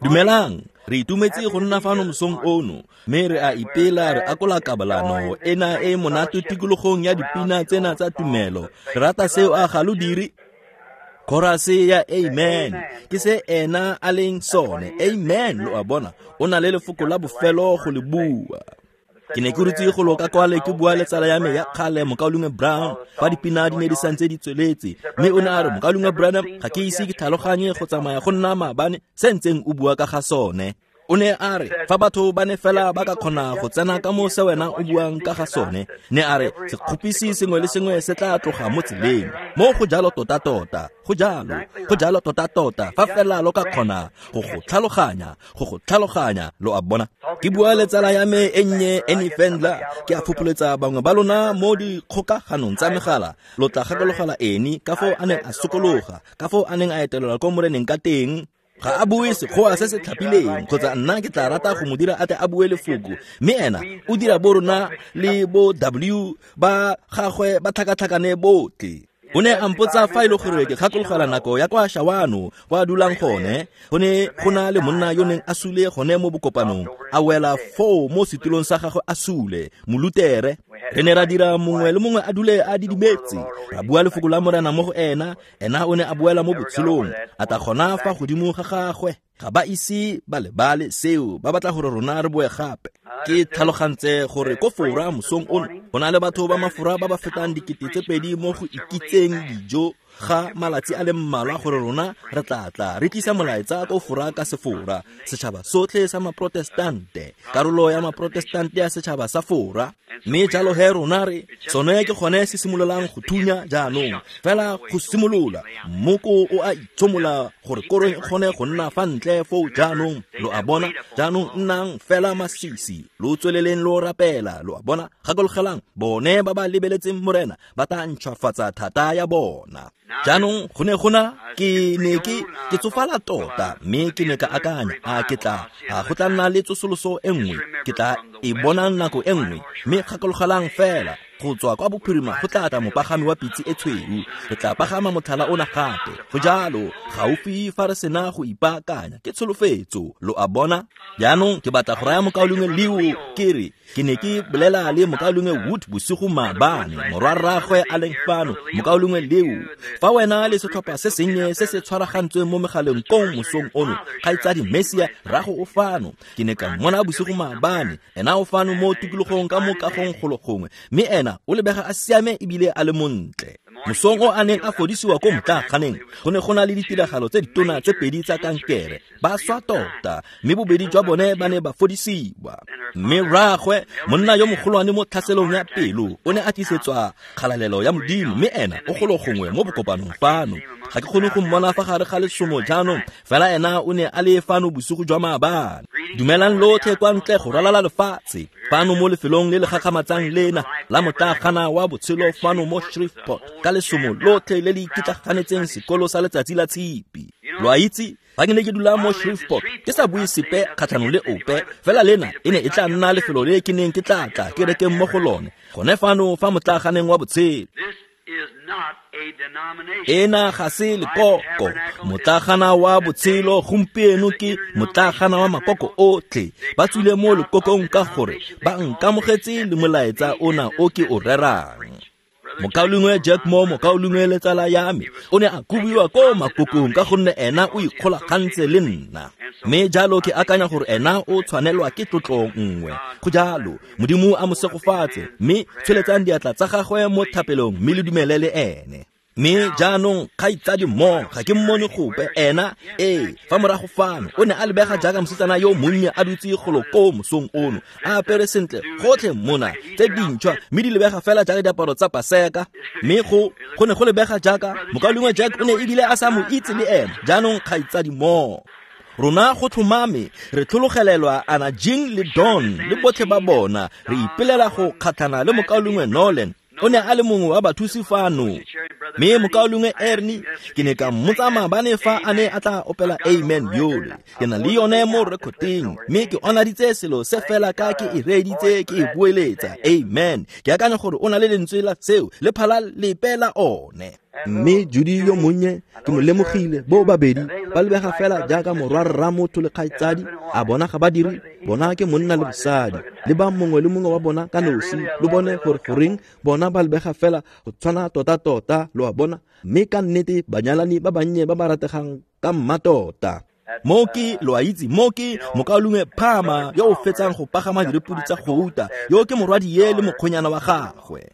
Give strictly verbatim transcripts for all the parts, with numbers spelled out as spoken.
Dumelang, re itumetse go nna fano mosong ono, mme re a ipela re akola kabalano ena e monate tikologong ya dipina tsena tsa tumelo. Re rata seo a ga lo dire? Chorus ya amen ke se ena a leng sone. Amen, lo a bona, o na le lefoko la bofelo go le bua. Ke ne ke rutse go loka kwale ke bua le tsala ya me ya kgale Mokaulengwe Brown fa dipina di ne di santse di tsweletse, mme o ne a re, Mokaulengwe Branham, ga ke ise ke tlhaloganye go tsamaya go nna maabane se ntseng o bua ka ga sone. O ne a re, fa batho ba ne fela ba ka kgona go tsena ka mo se wena o buang ka ga sone, ne a re, sekgopisi sengwe le sengwe se tla tloga mo tseleng. Mo go jalo tota-tota, go jalo, go jalo tota-tota, fa fela lo ka kgona go go tlhaloganya, go go tlhaloganya, lo a bona. Ke bua le tsala ya me e nnye Annie Fendler, ke a fopholetsa bangwe ba lona mo dikgokaganong tsa megala, lo tla gakologela Annie ka foo a neng a sokologa, ka foo a neng a etelelwa ko moreneng ka teng. Ga a bue sekgowa se se tlhapileng, kgotsa nna ke tla rata go mo dira a tle a bue lefoko, mme ena o dira bo rona le bo W ba gagwe ba tlhakatlhakane botlhe. O ne a mpotsa fa e le gore ke gakologela nako ya kwa Shawano kwa a dulang gone, go ne go na le monna yo neng a sule gone mo bokopanong, a wela foo mo setulong sa gagwe a sule, molutere. Re ne ra dira mongwe le mongwe a dule a didimetse, ra bua lefoko la Morena mo go ena, ena o ne a boela mo botshelong, a tla gona fa godimo ga gagwe. Ga ba ise ba lebale seo, ba batla gore rona re boe gape. Ke tlhalogantse gore ko Fora mosong ono go na le batho ba mafora ba ba fetang dikete tse pedi mo go ikitseng dijo ga malatsi a le mmalwa gore rona re tla tla re tlisa molaetsa ko Fora ka sefora, setšhaba sotlhe sa maprotestante, karolo ya maprotestante ya setšhaba sa Fora. Mme jalo he rona re sone ke gone se simololang go thunya jaanong, fela go simolola mmoko o a itshomola gore korong e kgone go nna fa ntle foo jaanong, lo a bona. Jaanong nnang fela masisi, lo tsweleleng lo rapela, lo a bona. Gakologelang, bone ba ba lebeletseng Morena ba tla ntšhwafatsa thata ya bona. Jaanong go ne go na ke ne ke ke tsofala tota, mme ke ne ka akanya, a ke tla a go tla nna le tsosoloso e nngwe, ke tla e bona nako e nngwe. Mme gakologelang fela, go tswa kwa bophirima go tla tla mopagami wa pitse e tshweu, re tla pagama motlhala ona gape. Go jalo, gaufi fa re sena go ipaakanya, ke tsholofetso, lo a bona. Jaanong ke batla go raya Mokaulengwe Leo ke re, ke ne ke bolela le Mokaulengwe Wood bosigo maabane, morwarraagwe a leng fano. Mokaulengwe Leo, fa wena le setlhopha se sennye se se tshwaragantsweng mo megaleng kong mosong ono, kgaitsadi Messia rrago o fano. Ke ne ka mmona bosigo maabane, ena o fano mo tikologong ka mo kagong golo gongwe, mme ena o lebega a siame ebile a le montle. Mosong o a neng a fodisiwa ko motlaaganeng, go ne go na le ditiragalo tse ditona tse pedi tsa kankere, ba swa tota, mme bobedi jwa bone ba ne ba fodisiwa. Mme rraagwe, monna yo mogolwane mo tlhaselong ya pelo, o ne a tlisetswa kgalalelo ya Modimo, mme ena o golo gongwe mo bokopanong fano. Ga ke kgone go mmona fa gare ga lesomo jaanong, fela ena o ne a le fano bosigo jwa maabane. Dumelang lotlhe kwa ntle go ralala lefatshe, fano mo lefelong le le gakgamatsang lena la motlaagana wa botshelo fano mo Shreveport, ka lesomo lotlhe le le ikitlaganetseng sekolo sa letsatsi la tshipi. Lo a itse, fa ke ne ke dula mo Shreveport, ke sa bue sepe kgatlhanong le ope, fela lena e ne e tla nna lefelo le ke neng ke tla tla ke rekeng mo go lone, gone fano fa motlaaganeng wa botshelo. Ena ga se lekoko, motlaagana wa botshelo gompieno ke motlaagana wa makoko otlhe. Ba tswile mo lekokong ka gore ba nkamogetse le molaetsa ona o ke o rerang. Mokaulengwe Jack Moore, mokaulengwe le tsala ya me, o ne a kobiwa ko makokong ka gonne ena o ikgolagantse le nna. Mme jalo ke akanya gore ena o tshwanelwa ke tlotlo nngwe. Go jalo, Modimo a mo segofatse, mme tsholetsang diatla tsa gagwe mo thapelong mme le dumele le ene. Mme jaanong kgaitsadi Moore, ga ke mmone gope, ena ee fa morago fano o ne a lebega jaaka mosetsana yo monnye a dutse golo ko mosong ono, a apere sentle gotlhe mona tse dintšhwa, mme di lebega fela jaaka diaparo tsa Paseka. Mme go go ne go lebega jaaka Mokaulengwe Jack o ne ebile a sa mo itse le ena. Jaanong kgaitsadi Moore, rona go tlhomame re tlhologelelwa Ana Jean le Don le botlhe ba bona, re ipelela go kgatlhana le Mokaulengwe Nolan. O ne a le mongwe wa bathusi fano. Mme mokaulengwe Ernie ke ne ka mmotsa maabane fa a ne a tla opela amen yole. Ke na le yone mo rekoteng, mme ke onaditse selo se fela ka ke e reeditse ke e boeletsa amen. Ke akanya gore o na le lentswe la seo le phala lepe la one. Mme Judy yo monnye ke mo lemogile bo babedi ba lebega fela jaaka morwarra motho le kgaitsadi, a bona ga ba dire, bona ke monna le mosadi, le ba mongwe le mongwe wa bona ka nosi, lo bone gore goreng bona ba lebega fela go tshwana tota-tota, lo a bona, mme ka nnete banyalani ba bannye ba ba rategang ka mmatota. Mo ke lo a itse, mo ke mokaulengwe Phama yo o fetsang go pagama direpodi tsa gouta, yo ke morwadie le mokgwenyana wa gagwe.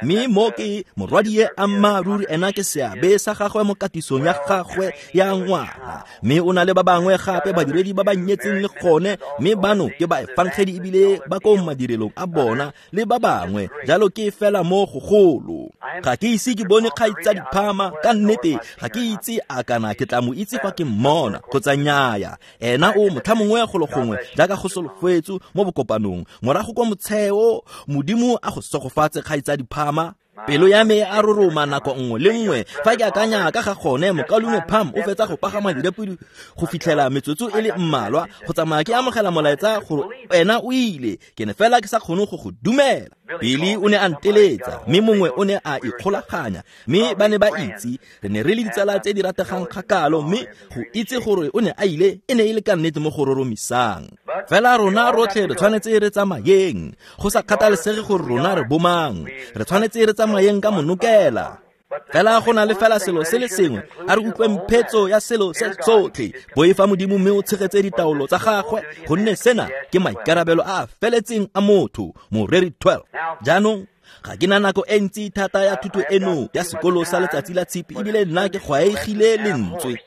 Mme mo ke morwadie ammaaruri ena ke seabe sa gagwe mo katisong ya gagwe ya ngwana. Mme o na le ba bangwe gape badiredi ba ba nyetseng le gone, mme bano ke ba efangedi ebile ba ko madirelong a bona le ba bangwe, jalo ke fela mo gogolo. Ga ke ise ke bone kgaitsadi Phama ka nnete, ga ke itse a kana ke tla mo itse fa ke mmona kgotsa nnyaya. Ena o motlhamongwe golo gongwe jaaka go solofetswe mo bokopanong morago kwa motsheo. Modimo a go segofatse kgaitsadi Phama. Pelo ya me a roroma nako nngwe le nngwe fa ke akanya ka ga gone. Mokaulengwe Pham o fetsa go pagama direpodi go fitlhela metsotso e le mmalwa go tsamaya ke amogela molaetsa gore ena o ile. Ke ne fela ke sa kgone go go dumela. Billy o ne a nteletsa, mme mongwe o ne a ikgolaganya, mme ba ne ba itse re ne re le ditsala tse di rategang kgakalo, mme go itse gore o ne a ile e ne e le ka nnete mo go roromisang. Fela rona rotlhe re tshwanetse re tsamayeng, go sa kgathalesege gore rona re bomang, re tshwanetse re tsamayeng ka monokela. Fela go na le fela selo se le sengwe, a re utlweng phetso ya selo se tsotlhe. Boifa Modimo mme o tshegetse ditaolo tsa gagwe, gonne sena ke maikarabelo a a feletseng a motho. Moreri twelve. Jaanong ga ke na nako e ntsi thata ya thuto eno ya sekolo sa letsatsi la tshipi, ebile nna ke gwaegile lentswe.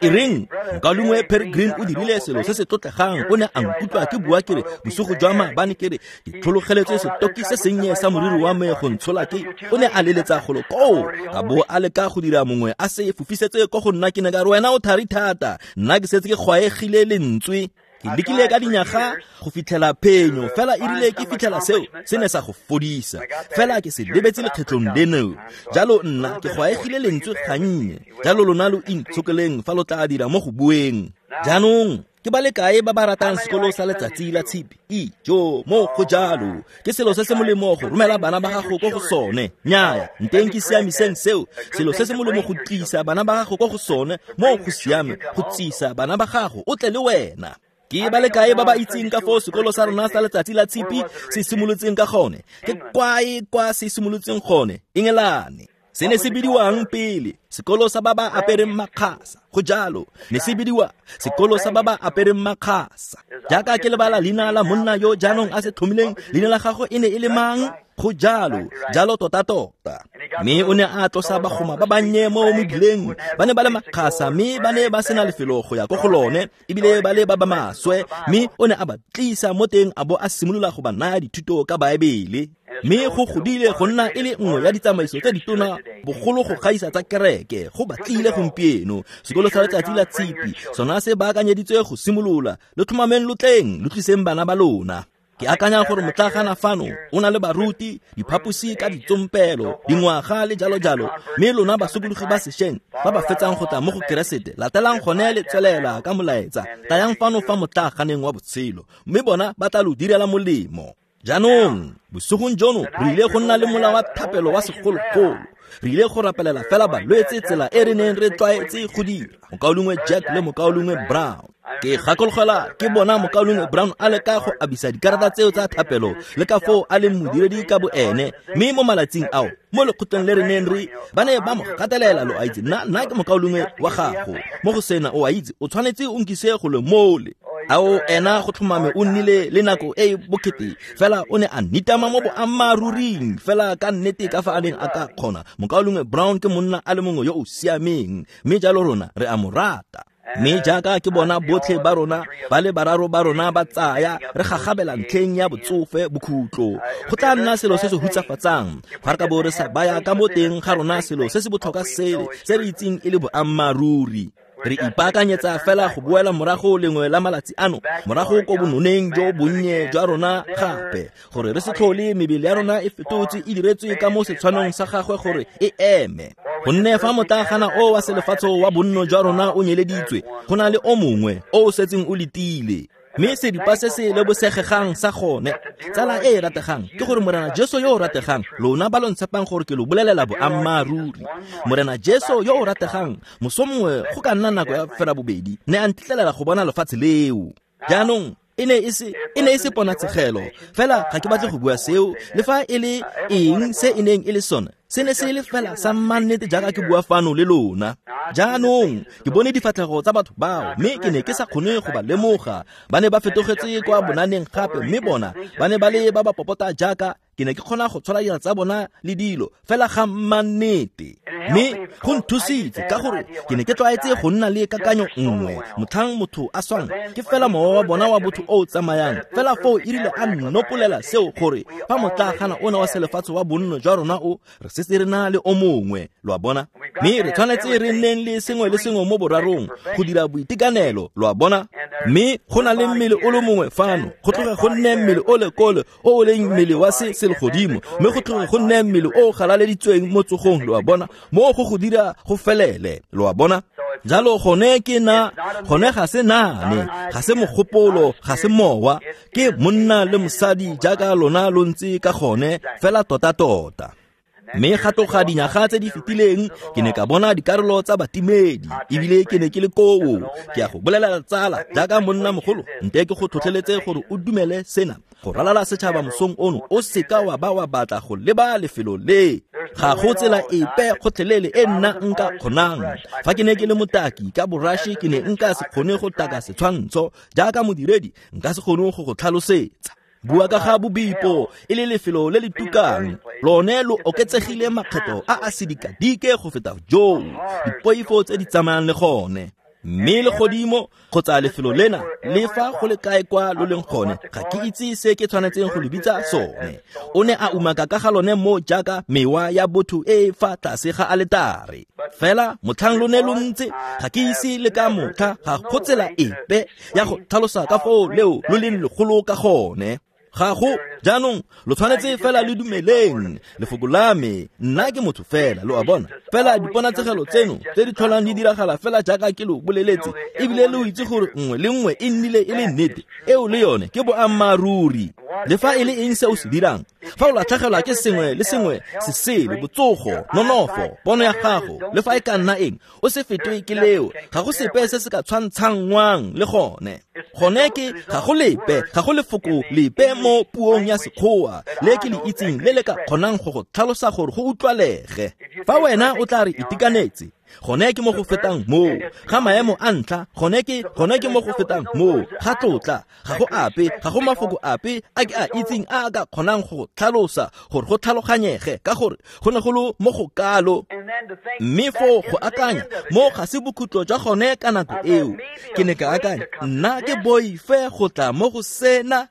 E reng mokaulengwe Peregrine o dirile selo se se tlotlegang, o ne a nkutlwa ke bua ke re bosigo jwa maabane ke re ke tlhologeletswe setoki se sennye sa moriri wa me go ntshola ke. O ne a leletsa golo koo, a bo a leka go dira mongwe a se fofisetse ko go nna. Ke ne ka re wena o thari thata, nna ke setse ke gwaegile lentswe. Ke lekile ka dinyaga go fitlhela phenyo, fela e rile ke fitlhela seo se ne sa go fodisa, fela ke se lebetse lekgetlong leno. Jalo nna ke gwaegile lentswe gannye, jalo lona lo intshokeleng fa lo tla dira mo go bueng. Jaanong ke ba le kae ba ba ratang sekolo sa letsatsi la tshipi? Ijo, mo go jalo ke selo se se molemo go romela bana ba gago ko go sone. Nnyaya, nteng ke siamiseng seo. Selo se se molemo go tlisa bana ba gago ko go sone, mo go siame go tsisa bana ba gago o tle le wena. Ke ba le kae ba ba itseng ka foo sekolo sa rona sa letsatsi la tshipi se simolotseng ka gone? Ke kwae kwa se simolotseng gone? Engelane. Se ne se bidiwang pele sekolo sa ba ba apereng makgasa. Go jalo, ne se bidiwa sekolo sa ba ba apereng makgasa. Jaaka ke lebala leina la monna yo jaanong a se tlhomileng, leina la gagwe e ne e le mang? Go jalo, jalo tota-tota. Mme o ne a tlosa bagoma ba bannye mo mebileng, ba ne ba le makgasa mme ba ne ba sena lefelo go ya ko go lone, ebile ba le ba ba maswe, mme o ne a ba tlisa mo teng a bo a simolola go ba naya dithuto ka Baebele. Mme go godile go nna e le nngwe ya ditsamaiso tse ditona bogolo go gaisa tsa kereke, go batlile gompieno. Sekolo sa letsatsi la tshipi sona se baakanyeditswe go simolola. Lo tlhomameng lo tleng, lo tliseng bana ba lona. Ke akanya gore motlagana fano o na le baruti, diphaposi ka ditsompelo, dingwaga le jalo-jalo, mme lona basokologi ba sešweng ba ba fetsang go tla mo go Keresete, latelang gone le tswelela ka molaetsa. Tayang fano fa motlaganeng wa botshelo, mme bona ba tla lo direla molemo. Jaanong bosigong jono re ile go nna le mola wa thapelo wa segologolo. Re ile go rapelela fela balwetse tsela e re neng re tlwaetse go dira, mokaulengwe Jack le mokaulengwe Brown. Ke gakologela ke bona mokaulengwe Brown a leka go abisa dikarata tseo tsa thapelo le ka foo a leng modiredi ka boene, mme mo malatsing ao mo lekgotleng le re neng re ba ne ba mo gatelela, lo a itse, nna nna ke mokaulengwe wa gago mo go sena, o a itse, o tshwanetse o nkise go le mole. Ao ena go tlhomame o nnile le nako e e bokete, fela o ne a nitama mo boammaaruring fela ka nnete ka fa a neng a ka kgona. Mokaulengwe Brown ke monna a le mongwe yo o siameng, mme jalo rona re a mo rata. Mme jaaka ke bona botlhe ba rona ba le bararo ba rona ba tsaya re gagabela ntlheng ya botsofe bokhutlo, go tla nna selo se se hutsafatsang fa re ka bo re sa baya ka mo teng ga rona selo se se botlhokwa sele se re itseng e le boammaaruri. Re ipaakanyetsa fela go boela morago lengwe la malatsi ano, morago ko bononeng jo bonnye jwa rona gape, gore re se tlhole mebele ya rona e fetotse e diretswe ka mo setshwanong sa gagwe gore e eme. Gonne fa motlagana o wa selefatshe wa bonno jwa rona o nyeleditswe, go na le o mongwe o o setseng o letile. Mme seripa se se lebosegegang sa gone, tsala e e rategang, ke gore Morena Jesu yo o rategang, lona ba lo ntshepang gore ke lo bolelela boammaaruri. Morena Jesu yo o rategang, moso mongwe go ka nna nako ya fera bobedi, ne a ntitlelela go bona lefatshe leo. Jaanong e ne e se e ne e se ponatshegelo, fela ga ke batle go bua seo, le fa e le eng se e neng e le sone, se ne se le fela sa mannete jaaka ke bua fano le lona. Jaanong ke bone difatlhego tsa batho bao, mme ke ne ke sa kgone go ba lemoga. Ba ne ba fetogetse kwa bonaneng gape, mme bona ba ne ba le ba ba popota jaaka ke ne ke kgona go tshola dira tsa bona le dilo fela ga mannete. Mme go nthusitse ka gore ke ne ke tlwaetse go nna le kakanyo nngwe motlhang motho a swang, ke fela mowa wa bona wa botho o o tsamayang. Fela foo e rile a nnopolela seo gore fa motlagana ona wa selefatshe wa bonno jwa rona o, re setse re na le o mongwe, lo a bona. Mme re tshwanetse re nneng le sengwe le sengwe mo borarong go dira boitekanelo, lo a bona. Mme go na le mmele o le mongwe fano, go tloge go nne mmele o le kole o o leng mmele wa se selegodimo, mme go tloge go nne mmele o o galaleditsweng mo tsogong, lo a bona, mo go go dira go felele, lo a bona. Jalo gone ke na, gone ga se naane, ga se mogopolo, ga se mowa, ke monna le mosadi jaaka lona lo ntse ka gone fela tota-tota. Mme ga tloga dinyaga tse di fetileng ke ne ka bona dikarolo tsa batimedi, ebile ke ne ke le koo. Ke a go bolelela tsala jaaka monna mogolo, nte ke go tlhotlheletse gore o dumele sena. Go ralala setšhaba mosong ono, o seka wa ba wa batla go leba lefelo le. Ga go tsela epe gotlhelele e nna nka kgonang. Fa ke ne ke le motaki ka borashe, ke ne nka se kgone go taka setshwantsho. Jaaka modiredi, nka se kgone go go tlhalosetsa. Bua ka ga bobipo e le lefelo le le tukang, lone lo oketsegile makgetho a a sedikadike go feta joo, dipoifo tse di tsamayang le gone. Mme legodimo kgotsa lefelo lena, le fa go le kae kwa lo leng gone, ga ke itse se ke tshwanetseng go le bitsa sone. O ne a umaka ka ga lone mo jaaka mewa ya botho e e fa tlase ga aletare. Fela motlhang lo ne lo ntse, ga ke ise le ka motlha ga go tsela epe ya go tlhalosa ka foo leo lo leng legolo ka gone. Ga go, jaanong lo tshwanetse fela le dumeleng lefoko la me, nna ke motho fela, lo a bona. Fela diponatsegelo tseno tse di tlholang di diragala fela jaaka ke lo boleletse, ebile lo itse gore nngwe le nngwe e nnile e le nnete, eo le yone ke boammaaruri. Le fa e le eng se o se dirang, fa o latlhegelwa ke sengwe le sengwe se sele, botsogo, nonofo, pono ya gago, le fa e ka nna eng, o se fetwe ke leo. Ga go sepe se se ka tshwantshangwang le gone. Gone ke ga go lepe, ga go lefoko lepe mo puong ya Sekgowa le ke le itseng le le ka kgonang go go tlhalosa gore go utlwalege. Fa wena o tla re itekanetse, gone ke mo go fetang moo. Ga maemo a ntlha, gone ke gone ke mo go fetang moo. Ga tlotla, ga go ape, ga go mafoko ape a ke a itseng a a ka kgonang go tlhalosa gore go tlhaloganyege, ka gore go ne go le mo go kalo. Mme foo go akanya mo ga se bokhutlo jwa gone ka nako eo. Ke ne ka akanya, nna ke boife go tla mo go sena.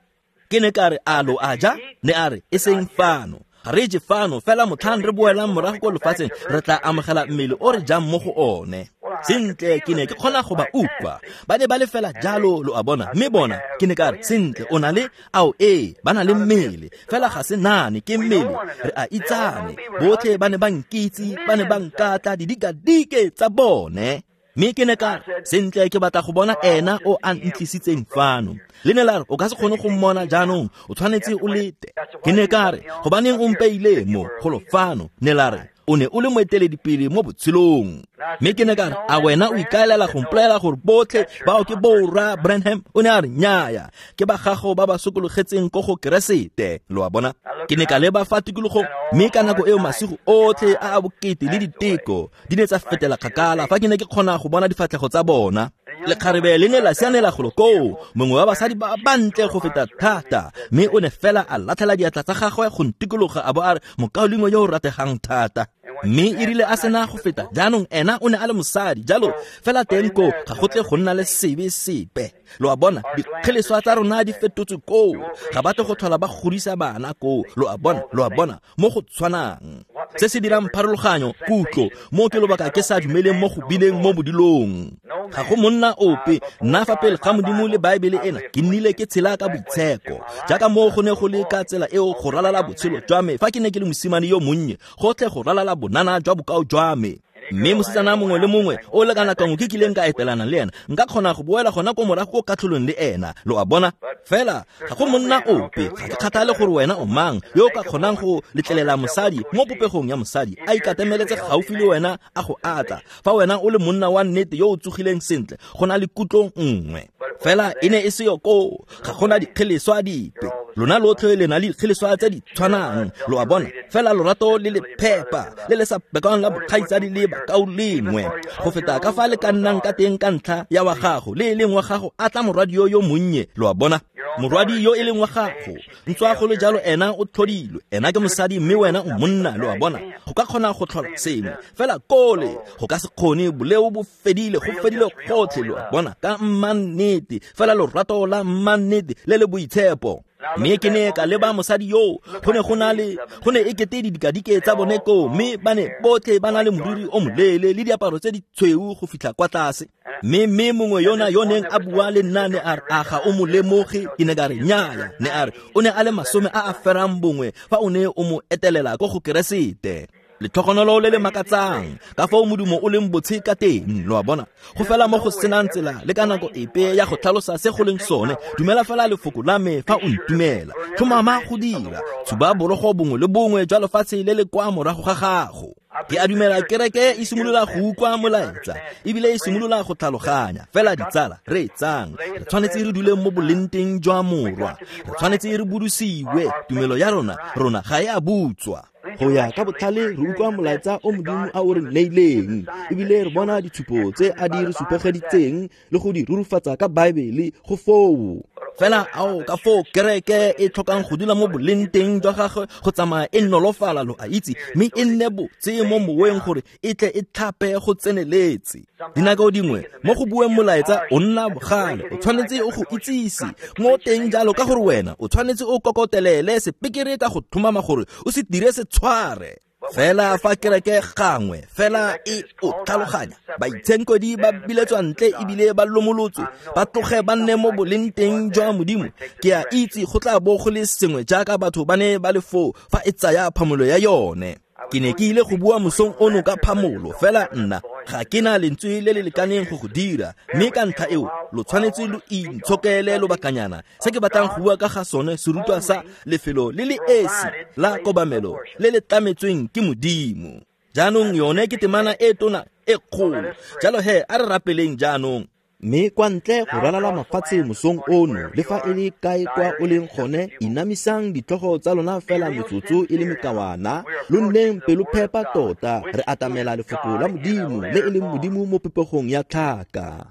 Ke ne ka re, a lo a ja? Ne a re, e seng fano. Ga re je fano, fela motlhang re boelang morago ko lefatsheng, re tla amogela mmele o re jang mo go one. Sentle, ke ne ke kgona go ba utlwa. Ba ne ba le fela jalo, lo a bona. Mme bona, ke ne ka re, sentle, o na le, ao ee, ba na le mmele. Fela ga se nane, ke mmele, re a itsane. Botlhe ba ne ba nkitse, ba ne ba nkatla didikadike tsa bone. Mme ke ne ka re, sentle, ke batla go bona ena o a ntlisitseng fano. Le ne la re, o ka se kgone go mmona jaanong, o tshwanetse o lete. Ke ne ka re, gobaneng o mpeile mo golo fano? Ne la re, o ne o le moeteledipele mo botshelong. Mme ke ne ka re, a wena o ikaelela go mpolelela gore botlhe bao ke borra Branham? O ne a re, nnyaya, ke ba gago ba ba sokologetseng ko go Keresete, lo a bona. Ke ne ka leba fa tikologong, mme ka nako eo masigo otlhe a a bokete le diteko di ne tsa fetela kgakala fa ke ne ke kgona go bona difatlhego tsa bona. Lekgarebe le ne la sianela golo koo, mongwe wa basadi ba bantle go feta thata, mme o ne fela a latlhela diatla tsa gagwe go ntikologa a bo a re, mokaulengwe yo o rategang thata. Mme e rile a sena go feta, jaanong ena o ne a le mosadi, jalo fela teng koo ga go tle go nna le sebe sepe. Lo a bona, dikgeleswa tsa rona di fetotswe koo, ga ba tle go tlhola ba godisa bana koo, lo a bona, lo a bona, mo go tshwanang. Se se dirang pharologanyo, kutlo, mo ke lobaka ke sa dumeleng mo go bileng mo bodilong. Ga go monna ope, nna fa pele ga Modimo le Baebele ena, ke nnile ke tshela ka boitsheko. Jaaka mo go ne go le ka tsela eo go ralala botshelo jwa me fa ke ne ke le mosimane yo monnye, gotlhe go ralala bonana jwa bokao jwa me. Mme mosetsana mongwe le mongwe o le kana kangwe ke kileng ka etelana le ena, nka kgona go boela gona ko morago ko katlholong le ena, lo a bona. Fela ga go monna ope, ga ke kgathale gore wena o mang, yo o ka kgonang go letlelela mosadi mo popegong ya mosadi a ikatameletse gaufi le wena a go atla. Fa wena o le monna wa nnete yo o tsogileng sentle, go na le kutlo nngwe. Fela e ne e seyo koo, ga gona dikgeleswa dipe. Lona lotlhe le na le dikgeleswa tse di tshwanang, lo a bona. Fela lorato le le phepa, le le sa bekang la bokgaitsadi le bakaulengwe, go feta ka fa le ka nnang ka teng ka ntlha ya wa gago, le e leng wa gago a tla morwadi yo yo monnye, lo a bona. Morwadi yo e leng wa gago, ntswa go le jalo ena o tlhodilwe, ena ke mosadi mme wena o monna, lo a bona. Go ka kgona go tlhola sengwe, fela kole go ka se kgone, boleo bo fedile, go fedile gotlhe, lo a bona, ka mmannete, fela lorato la mmannete le le boitshepo. Mme ke ne ka leba mosadi yo, go ne go na le, go ne e kete didikadike tsa bone koo, mme ba ne botlhe ba na le moriri o moleele le diaparo tse di tshweu go fitlha kwa tlase. Mme mme mongwe yona yo neng a bua le nna ne a re, a ga o mo lemoge? Ke ne ka re nnyaya. Ne a re o ne a le masome a a ferang bongwe fa o ne o mo etelela ko go Keresete. Letlhogonolo le le makatsang, ka foo modumo o leng botshe ka teng, lo a bona. Go fela mo go senang tsela le ka nako epe ya go tlhalosa se go leng sone. Dumela fela lefoko la me fa o ntumela. Tlhomama go dira, tshuba borogo bongwe le bongwe jwa lefatshe le le kwa morago ga gago. Ke a dumela kereke e simolola go utlwa molaetsa, ebile e simolola go tlhaloganya. Fela ditsala, re etsang, re tshwanetse re dule mo bolenteng jwa morwa, re tshwanetse re budusiwe. Tumelo ya rona, rona ga e a butswa. Go ya ka botlhale re utlwa molaetsa o Modimo a o re neileng, ebile re bona ditshupo tse a di re supegeditseng le go di rurufatsa ka Baebele go foo. Fela ao ka foo kereke e tlhokang go dula mo bolenteng jwa gagwe go tsamaya e nolofala, lo a itse, mme e nne botse mo moweng gore e tle e tlhape go tseneletse. Dinako dingwe mo go bueng molaetsa o nna bogale, o tshwanetse o go itsise mo teng jalo, ka gore wena o tshwanetse o kokotelele sepekere ka go tlhomama gore o se dire se tshware. Fela fa kereke gangwe fela e o tlhaloganya, baitshenkodi ba biletswa ntle ebile ba lomolotswe, ba tloge ba nne mo bolenteng jwa Modimo. Ke a itse go tla bo go le sengwe jaaka batho ba ne ba le foo fa e tsaya phamolo ya yone. Ke ne ke ile go bua mosong ono ka phamolo, fela nna ga ke na lentswe le le lekaneng go go dira, mme ka ntlha eo lo tshwanetse lo intshokele lobakanyana. Se ke batlang go bua ka ga sone serutwa sa lefelo le le esi la kobamelo le le tlametsweng ke Modimo. Jaanong yone ke temana e tona e kgolo, jalo he a re rapeleng jaanong. Mme kwa ntle go ralala mafatshe mosong ono, le fa e le kae kwa o leng gone, inamisang ditlhogo tsa lona fela metsotso e le mekawana, lo nneng pelophepa tota. Re atamela lefoko la Modimo le e leng Modimo mo popegong ya tlhaka.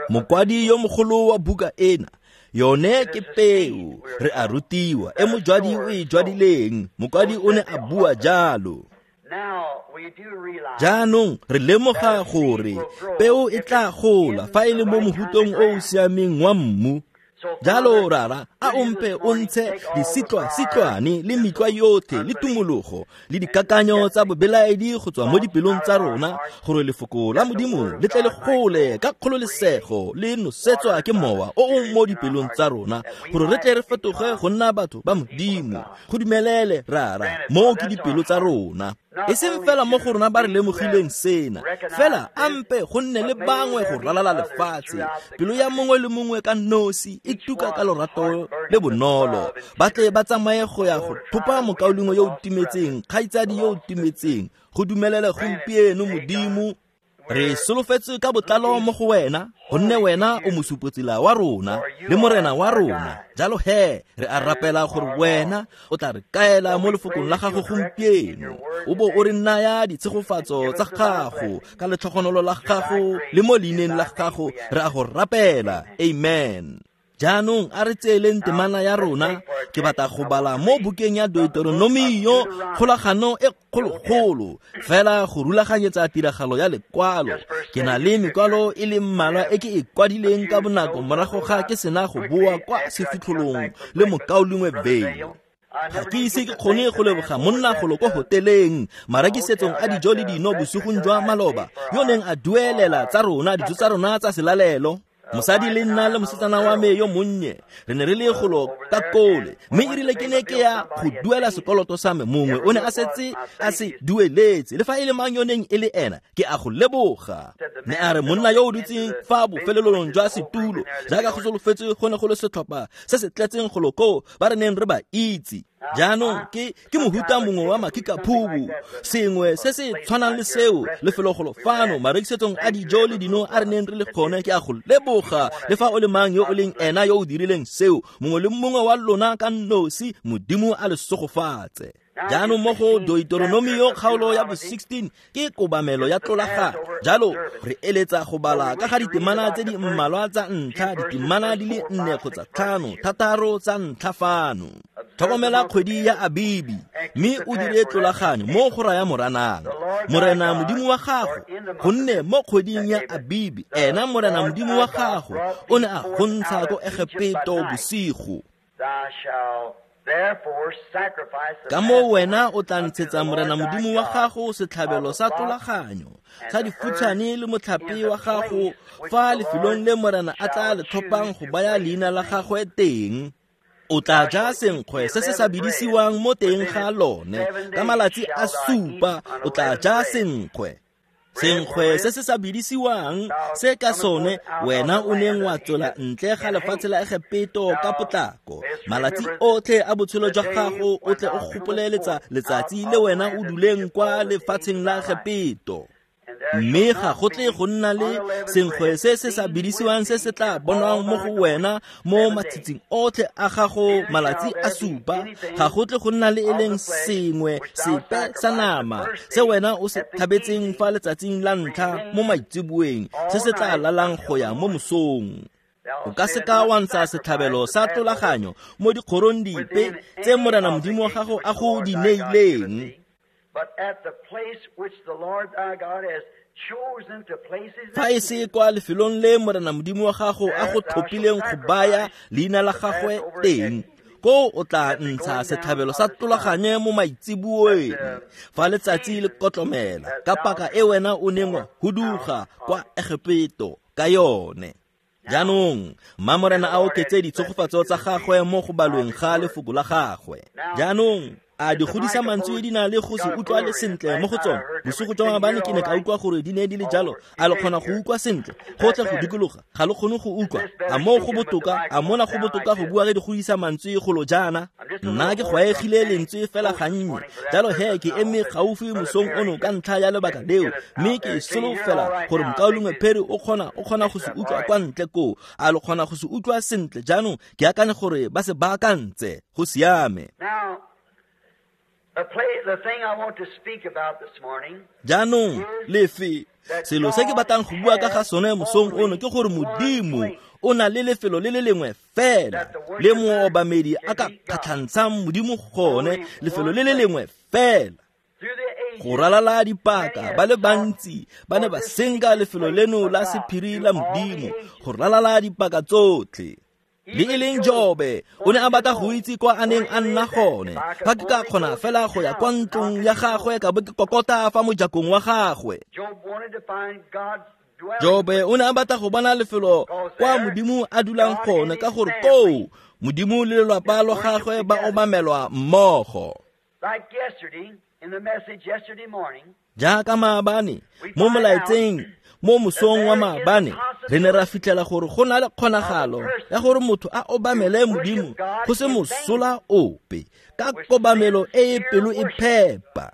Mokwadi yo mogolo wa buka ena, yone ke peo, re a rutiwa, e mojwadi o e jwadileng. Mokwadi o ne a bua jalo. Jaanong re lemoga gore peo e tla gola fa e le mo mohutong o o siameng wa mmu. Jalo rara, a o mpe o ntshe disitlwa-sitlwane le metlwa yotlhe le tumologo le dikakanyo tsa bobelaedi go tswa mo dipelong tsa rona, gore lefoko la Modimo le tle le gole ka kgololesego le nosetswa ke mowa o o mo dipelong tsa rona, gore re tle re fetoge go nna batho ba Modimo. Go dumelele rara, moo ke dipelo tsa rona. E seng fela mo go rona ba re lemogileng sena, fela a mpe go nne le bangwe go ralala lefatshe. Pelo ya mongwe le mongwe ka nosi e tuka ka lorato le bonolo, ba tle ba tsamaye go ya go thopa mokaulengwe yo o timetseng, kgaitsadi yo o timetseng. Go dumelele gompieno Modimo. Re solofetse ka botlalo mo go wena, gonne wena o mosupotsela wa rona le morena wa rona. Jalo he re a rapela gore wena o tla re kaela mo lefokong la gago gompieno, o bo o re naya ditshegofatso tsa gago ka letlhogonolo la gago le mo leineng la gago re a go rapela. Amen. Jaanong a re tseeleng temana ya rona. Ke batla go bala mo bukeng ya Deuteronomio, kgolagano e kgologolo, fela go rulaganyetsa tiragalo ya lekwalo. Ke na le mekwalo e le mmalwa e ke e kwadileng ka bonako morago ga ke sena go boa kwa sefitlholong le mokaulengwe Vayle. Ga ke ise ke kgone go leboga monna golo ko hoteleng marekisetsong a dijo le dino bosigong jwa maloba yo neng a duelela tsa rona dijo tsa rona tsa selalelo. Mosadi le nna le mosetsana wa me yo monnye re ne re le golo ka kole, mme e rile ke ne ke ya go duela sekoloto sa me, mongwe o ne a setse a se dueletse, le fa e le mang yo neng e le ena, ke a go leboga. Ne a re monna yo o dutseng fa bofelelong jwa setulo, jaaka go solofetswe go ne go le setlhopha se se tletseng golo koo ba re neng re ba itse. Jaanong ke ke mohuta mongwe wa makikaphubu, sengwe se se tshwanang le seo, lefelogolo fano marekisetsong a dijo le dino a re neng re le gone. Ke a go leboga, le fa o le mang yo o leng ena yo o dirileng seo, mongwe le mongwe wa lona ka nosi, Modimo a le segofatse. Jaanong mo go Deuteronomio kgaolo ya bo sixteen ke kobamelo ya tlolagano. Jalo re eletsa go bala ka ga ditemana tse di mmalwa tsa ntlha, ditemana di le nne kgotsa tlhano, thataro tsa ntlha fano. Tlhokomela kgwedi ya Abibi, mme o dire tlolaganyo mo go raya Moranang, Morena Modimo wa gago, gonne mo kgweding ya Abibi, ena Morena Modimo wa gago o ne a go ntsha ko Egepeto bosigo. Ka moo wena o tla ntshetsa Morena Modimo wa gago setlhabelo sa tlolaganyo sa difutshane le motlhape wa gago fa lefelong le Morena a tla le tlhophang go baya leina la gagwe teng. O tla ja senkgwe se se sa bidisiwang mo teng ga lone ka malatsi a supa, o tla ja senkgwe. Senkgwe se se sa bidisiwang se ka sone wena o neng wa tswela ntle ga lefatshe la Egepeto ka potlako. Malatsi otlhe a botshelo jwa gago o tle o gopole letsatsi le wena o duleng kwa lefatsheng la Egepeto. Mme ga go tle go nna le senkgwe se se sa bidisiwang se se tla bonwang mo go wena mo matshitsing otlhe a gago malatsi a supa. Ga go tle go nna le e leng sengwe sepe sa nama se wena o se thabetseng fa letsatsing la ntlha mo maitseboeng se se tla lalang go ya mo mosong. O ka seka wa ntsha setlhabelo sa tlolaganyo mo dikgorong dipe tse Morena Modimo wa gago a go di neileng. But at the place which the Lord thy God has chosen to place his Fa e se kwa lefelong le Morena Modimo wa gago a go tlhophileng go baya leina la gagwe teng, ko o tla ntsha setlhabelo sa tlolaganyo mo maitseboeng fa letsatsi le kotlomela ka paka e wena o neng wa huduga kwa Egepeto ka yone. Jaanong mma Morena a oketse ditshegofatso tsa gagwe mo go balweng ga lefoko la gagwe. Jaanong a di godisa mantswe di na le go se utlwale sentle mo go tsone. Bosigo jwa maabane ke ne ka utlwa gore di ne di le jalo. A le kgona go utlwa sentle? Go tle go dikologa, ga le kgone go utlwa. A moo go botoka, a mona go botoka go bua ge di godisa mantswe golo jaana? Nna ke gwaegile lentswe fela gannye. Jalo he ke eme gaufi mosong ono ka ntlha ya lebaka leo, mme ke solofela gore mokaulengwe Perry o kgona o kgona go se utlwa kwa ntle koo. A le kgona go se utlwa sentle? Jaanong ke akanya gore ba se baakantse. Go siame. Jaanong lefe selo se ke batlang go bua ka ga sone mosong ono ke gore Modimo o na le lefelo le le lengwe fela le moobamedi a ka kgatlhantshang Modimo gone, lefelo le le lengwe fela. Go ralala dipaka ba le bantsi ba ne ba senka lefelo leno la sephiri la Modimo go ralala dipaka tsotlhe. Le e leng Jobe o ne a batla go itse kwa a neng a nna gone. Fa ke ka kgona fela go ya kwa ntlong ya gagwe ka bo ke kokota fa mojakong wa gagwe. Jobe o ne a batla go bona lefelo kwa Modimo a dulang gone, ka gore koo Modimo le lelapa la gagwe ba obamelwa mmogo. Jaaka maabane mo molaetseng mo mosong wa maabane re ne ra fitlhela gore go na le kgonagalo ya gore motho a obamele Modimo go se mosola ope ka kobamelo e e pelo e phepa.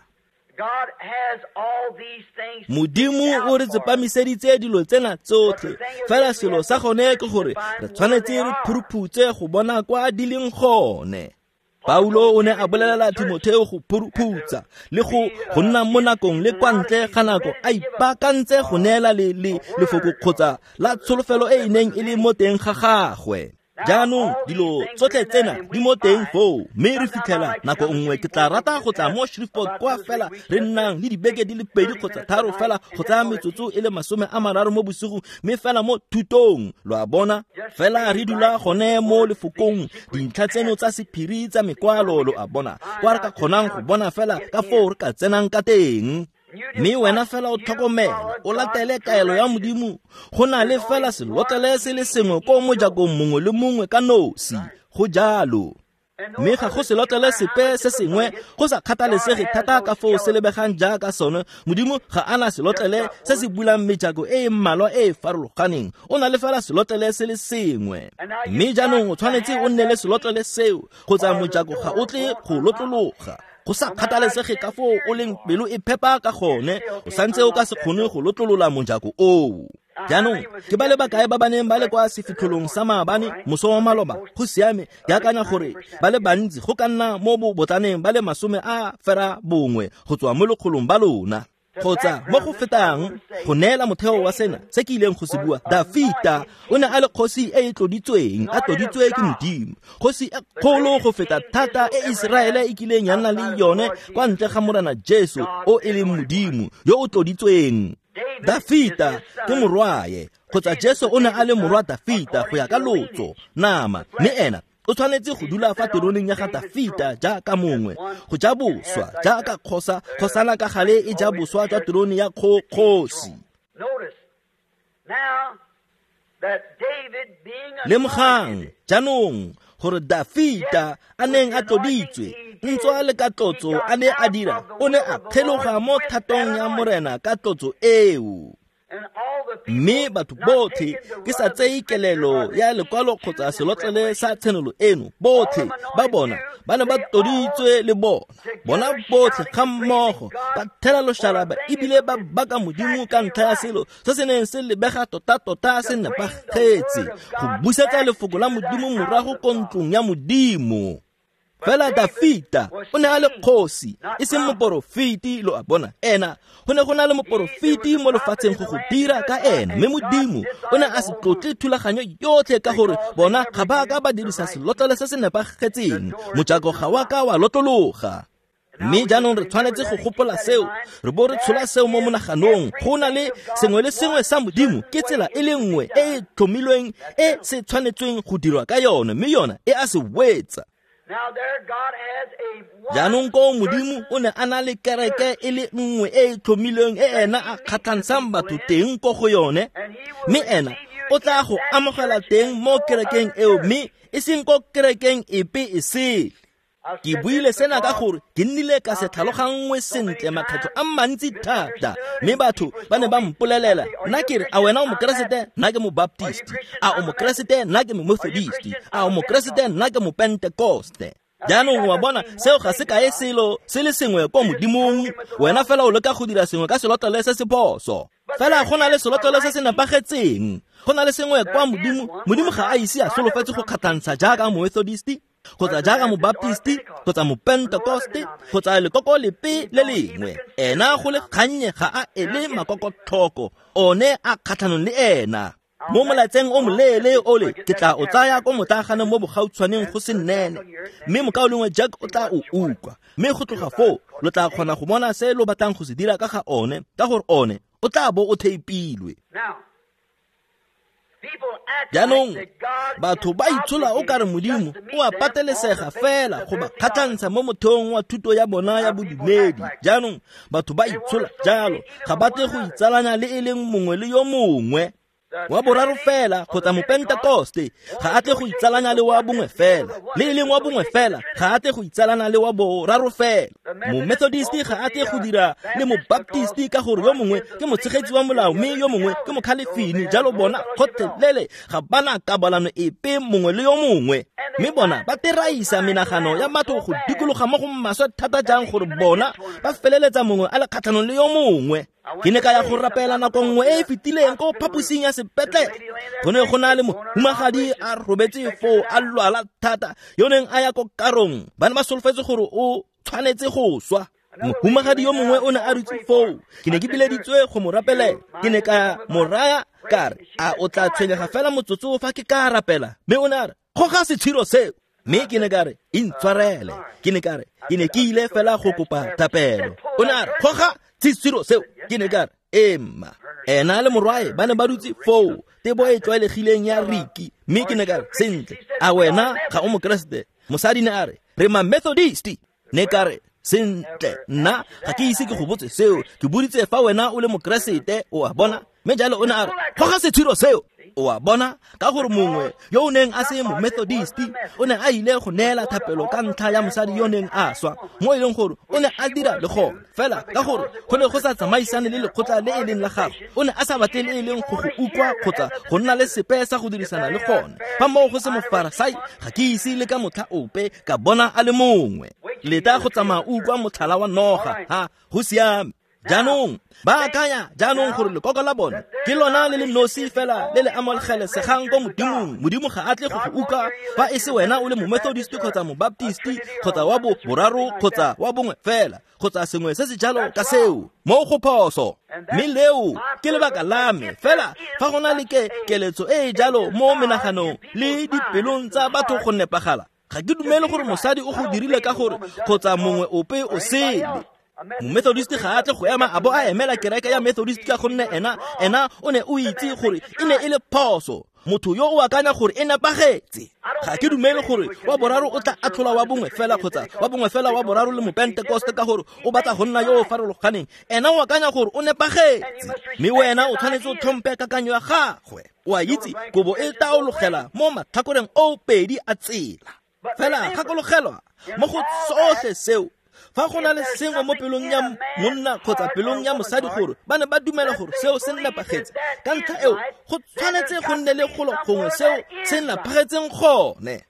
Modimo o re tsepamiseditse dilo tsena tsotlhe, fela selo sa gone ke gore re tshwanetse re phuruphutse go bona kwa di leng gone. Paulo o ne a bolelela Timotheo go phuruphutsa le go go nna mo nakong le kwa ntle ga nako a ipaakantse go neela le le lefoko kgotsa la tsholofelo e e neng e le mo teng ga gagwe. Jaanong dilo tsotlhe tsena di mo teng foo, mme re fitlhela nako nngwe ke tla rata go tla mo Shreveport kwa fela re nnang le dibeke di le pedi kgotsa tharo fela go tsaya metsotso e le masome a mararo mo bosigo, mme fela mo thutong, lo a bona, fela re dula gone mo lefokong, dintlha tseno tsa sephiri tsa mekwalo, lo a bona, kwa re ka kgonang go bona fela ka foo re ka tsenang ka teng. Mme wena fela o tlhokomele, o latele kaelo ya Modimo. Go na le fela selotlele se le sengwe ko mojakong mongwe le mongwe ka nosi, go jalo. Mme ga go selotlele sepe se sengwe, go sa kgathalesege thata ka foo se lebegang jaaka sone. Modimo ga a na selotlele se se bulang mejako e e mmalwa e e farologaneng, o na le fela selotlele se le sengwe. Mme jaanong o tshwanetse o nne le selotlele seo, kgotsa mojako ga o tle go lotlologa. Go sa kgathalesege ka foo o leng pelo e phepa ka gone, o santse o ka se kgone go lotlolola mojako oo. Jaanong ke ba le bakae ba ba neng ba le kwa sefitlholong sa maabane moso wa maloba? Go siame, ke akanya gore ba le bantsi, go ka nna mo bobotlaneng ba le masome a fera bongwe go tswa mo lekgolong ba lona, kgotsa mo go fetang. Go neela motheo wa sena se ke ileng go se bua, Dafita o ne a le kgosi e e tloditsweng, a tloditswe ke Modimo, kgosi e kgolo go feta thata e Iseraele e kileng ya nna le yone kwa ntle ga Morena Jesu o e leng Modimo yo o tloditsweng. Dafita ke morwae, kgotsa Jesu o ne a le morwa Dafita go ya ka lotso nama, mme ena o tshwanetse go dula fa teroneng ya ga Dafita jaaka mongwe, go ja boswa jaaka kgosa, kgosana ka gale e ja boswa jwa terone ya kgosi. Lemogang jaanong gore Dafita a neng a tloditswe, ntswa le ka tlotso a ne a dira, o ne a kgeloga mo thatong ya Morena ka tlotso eo. Mme batho botlhe, ke sa tseye kelelo ya lekwalo kgotsa selotlele sa tshenolo eno, botlhe ba bona ba ne ba tloditswe le bona, bona botlhe ga mmogo ba thela loshalaba ebile ba baka Modimo ka ntlha ya selo se se neng se lebega tota-tota se nepagetse, go busetsa lefoko la Modimo morago ko ntlong ya Modimo. Fela Dafita o ne a le kgosi, e seng moporofeti, lo a bona. Ena go ne go na le moporofeti mo lefatsheng go go dira ka ena, mme Modimo o ne a se tlotle thulaganyo yotlhe ka gore bona ga ba ka ba dirisa selotlele se se nepagetseng, mojako ga wa ka wa lotlologa. Mme jaanong re tshwanetse go gopola seo, re bo re tshola seo mo monaganong. Go na le sengwe le sengwe sa Modimo ke tsela e le nngwe e e tlhomilweng e se tshwanetsweng go dirwa ka yone, mme yona e a se wetsa. Jaanong koo Modimo o ne a na le kereke e le nngwe e e tlhomilweng e ena a kgatlhantshang batho teng ko go yone, mme ena o tla go amogela teng mo kerekeng eo, mme e seng ko kerekeng epe e sele. Ke buile sena ka gore ke nnile ka se tlhaloganngwe sentle makgetlho a mantsi thata, mme batho ba ne ba mpolelela, nna ke re, a wena o mokeresete? Nna ke mobaptisti. A o mokeresete? Nna ke momethodisti. A o mokeresete? Nna ke mopentekoste. Jaanong wa bona, seo ga se kae selo se le sengwe ko Modimong. Wena fela o leka go dira sengwe ka selotlele se se phoso. Fela go na le selotlele se se nepagetseng, go na le sengwe kwa Modimo. Modimo ga a ise a solofetse go kgatlhantsha jaaka momethodisti, kgotsa jaaka mobaptisti, kgotsa mopentekoste, kgotsa lekoko lepe le lengwe. Ena go le kgannye ga a ele makokotlhoko, one a kgatlhanong le ena. Mo molaetseng o moleele ole ke tla o tsaya ko motlaaganeng mo bogautshwaneng go se nnene, mme mokaulengwe Jack o tla o utlwa. Mme go tloga foo lo tla kgona go bona se lo batlang go se dira ka ga one, ka gore one o tla bo o theipilwe. Jaanong batho ba itshola o kare Modimo o a patelesega fela go ba kgatlhantsha mo motheong wa thuto ya bona ya bodumedi. Jaanong batho ba itshola jalo, ga ba tle go itsalanya le e leng mongwe le yo mongwe. Wa boraro fela kgotsa mopentekoste ga a tle go itsalanya le wa bongwe fela, le e leng wa bongwe fela ga a tle go itsalana le wa boraro fela. Momethodisti ga a tle go dira le mobaptisti ka gore yo mongwe ke motshegetsi wa molao mme yo mongwe ke mokgalefini, jalo bona kgotlhelele ga bana kabalano epe mongwe le yo mongwe. Mme bona ba teraisa menagano ya batho go dikologa mo go maswe thata jang gore bona ba feleletsa mongwe a le kgatlhanong le yo mongwe. Ke ne ka ya go rapela nako nngwe e e fetileng ko phaposing ya sepetlele. Go ne go na le mohumagadi a robetse foo a lwala thata, yo neng a ya ko karong, ba ne ba solofetse gore o tshwanetse go swa. Mohumagadi yo mongwe o ne a dutse foo, ke ne ke bileditswe go mo rapelela. Ke ne ka mo raya ka re, a o tla tshwenyega fela motsotso fa ke ka rapela? Mme o ne a re, Goga setshiro seo. Mme ke ne ka re, intshwarele. Ke ne ka re, ke ne ke ile fela go kopa thapelo. O ne a re, goga setshiro seo. Ke ne ka re, emma. Ena le morwae ba ne ba dutse foo, tebo e tlwaelegileng ya Riki. Mme ke ne ka re, sentle, a wena ga o mokeresete? Mosadi ne a re, re ma Methodist. Ne ka re, sentle, nna ga ke ise ke go botse seo, ke boditse fa wena o le mokeresete, o a bona. Mme jalo o ne a re, goga setshiro seo. O a bona, ka gore mongwe yo o neng a se mo-Methodist o ne a ile go neela thapelo ka ntlha ya mosadi yo neng a swa, mo e leng gore o ne a dira le gone fela ka gore go ne go sa tsamaisane le lekgotla le e leng la gagwe. O ne a sa batle le e leng go go utlwa kgotsa go nna le sepe sa go dirisana le gone. Fa moo go se mofarasai, ga ke ise le ka motlha ope ka bona a le mongwe. Leta go tsamaya o utlwa motlhala wa noga, ha go siame. Jaanong ba akanya jaanong gore lekoko la bone ke lona le le nosi fela le le amogelesegang ko Modimong. Modimo ga a tle go go utlwa fa e se wena o le mo-Methodist kgotsa mo-Baptist kgotsa wa bo boraro kgotsa wa bongwe fela kgotsa sengwe se se jalo ka seo. Mo go phoso. Mme leo ke lebaka la me fela fa go na le ke keletso e e jalo mo menaganong le dipelong tsa batho go nepagala. Ga ke dumele gore mosadi o go dirile ka gore kgotsa mongwe ope o sele. Mo-Methodist ga a tle go ema a bo a emela kereke ya Methodist ka gonne ena ena o ne o itse gore e ne e le phoso. Motho yo o akanya gore e nepagetse. Ga ke dumele gore wa boraro o tla atlhola wa bongwe fela kgotsa wa bongwe fela wa boraro le mopentekoste ka gore o batla go nna yo o farologaneng. Ena o akanya gore o nepagetse, mme wena o tshwanetse o tlhompe kakanyo ya gagwe. O a itse kobo e taologela mo matlhakoreng o pedi a tsela. Fela gakologelwa mo go tsotlhe seo, fa go na le sengwe mo pelong ya monna kgotsa pelong ya mosadi gore ba ne ba dumela gore seo se nepagetse, ka ntlha eo go tshwanetse go nne le golo gongwe seo se nepagetseng gone.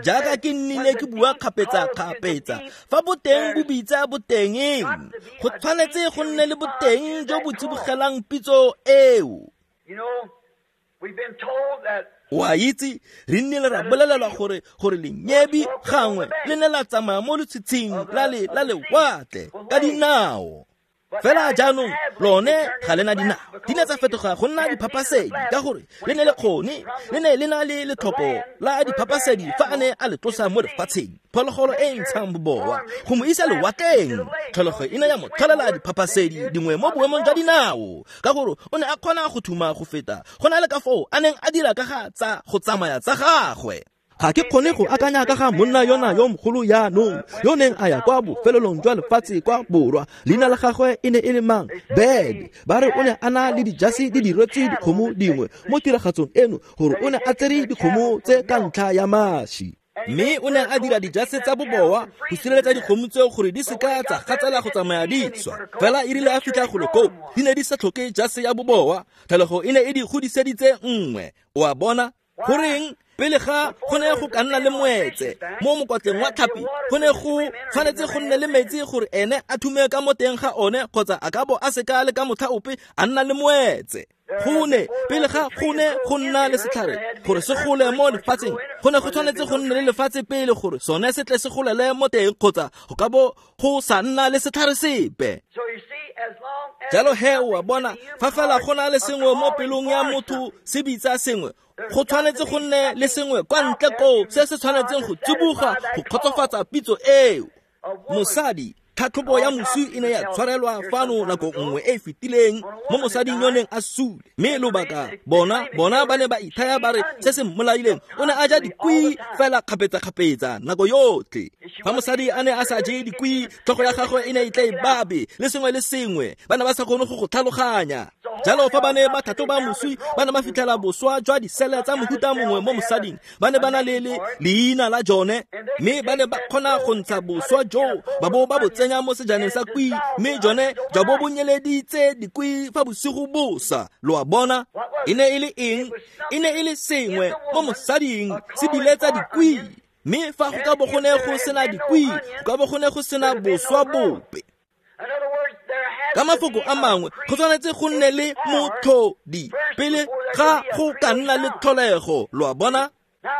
Jaaka ke nnile ke bua kgapetsa-kgapetsa, fa boteng bo bitsa botengeng, go tshwanetse go nne le boteng jo bo tsibogelang pitso eo. O a itse, re nnile ra bolelelwa gore gore lenyebi gangwe le ne la tsamaya mo letshitshing la le la lewatle ka dinao. Fela jaanong lone ga le na dinao, di ne tsa fetoga go nna diphapasedi ka gore le ne le kgone le ne le na le letlhoko la diphapasedi fa a ne a le tlosa mo lefatsheng. Phologolo e ntshang bobowa go mo isa lewatleng, tlholego e ne ya mo tlholela diphapasedi dingwe mo boemong jwa dinao ka gore o ne a kgona go thuma go feta go na le ka foo a neng a dira ka ga tsa go tsamaya tsa gagwe. Ga ke kgone go akanya ka ga monna yona yo mogolo jaanong yo neng a ya kwa bofelelong jwa lefatshe kwa borwa. Leina la gagwe e ne e le mang? Bed. Ba re o ne a na le dijase di diretswe dikgomo dingwe mo tiragatsong eno gore o ne a tsere dikgomo tse ka ntlha ya maši. Mme o ne a dira dijase tsa bobowa go sireletsa dikgomo tseo gore di seka tsa gatsela go tsamaya di swa. Fela e rile a fitlha golo koo, di ne di sa tlhoke jase ya bobowa, tlholego e ne e di godiseditse nngwe. O a bona? Goreng pele ga go ne go ka nna le moetse mo mokwatleng wa tlhapi, go ne go tshwanetse go nne le metsi gore ene a thume ka mo teng ga one kgotsa a ka bo a seka le ka motlha ope a nna le moetse. Go ne pele ga go ne go nna le setlhare gore se gole mo lefatsheng, go ne go tshwanetse go nne le lefatshe pele gore sone se tle se golele mo teng kgotsa go ka bo go sa nna le setlhare sepe. Jalo he o a bona, fa fela go na le sengwe mo pelong ya motho se bitsa sengwe, go tshwanetse go nne le sengwe kwa ntle koo se se tshwanetseng go tsiboga go kgotsofatsa pitso eo. Mosadi, tlhatlhobo ya moswi e ne ya tshwarelwa fano nako nngwe e e fetileng mo mosading yo neng a sule. Mme lobaka bona bona ba ne ba ithaya ba re se se mmolaileng o ne a ja dikwi fela kgapetsa-kgapetsa nako yotlhe. Fa mosadi a ne a sa je dikwi, tlhogo ya gagwe e ne e tla e babe le sengwe le sengwe, ba ne ba sa kgone go go tlhaloganya. Jalo fa ba ne ba tlhatlhoba moswi, ba ne ba fitlhela boswa jwa disele tsa mohuta mongwe mo mosading. Ba ne ba na le leina la jone, mme ba ne ba kgona go ntsha boswa joo ba bo ba bo tsenya mo sejaneng sa kwi, mme jone jwa bo bo nyeleditse dikwi fa bosigo bosa. Lo a bona? E ne e le eng? E ne e le sengwe mo mosading se biletsa dikwi. Mme fa go ka bo go ne go sena dikwi, go ka bo go ne go sena boswa bope. Ka mafoko a mangwe, go tshwanetse go nne le motlhodi pele ga go ka nna le tlholego. Lo a bona?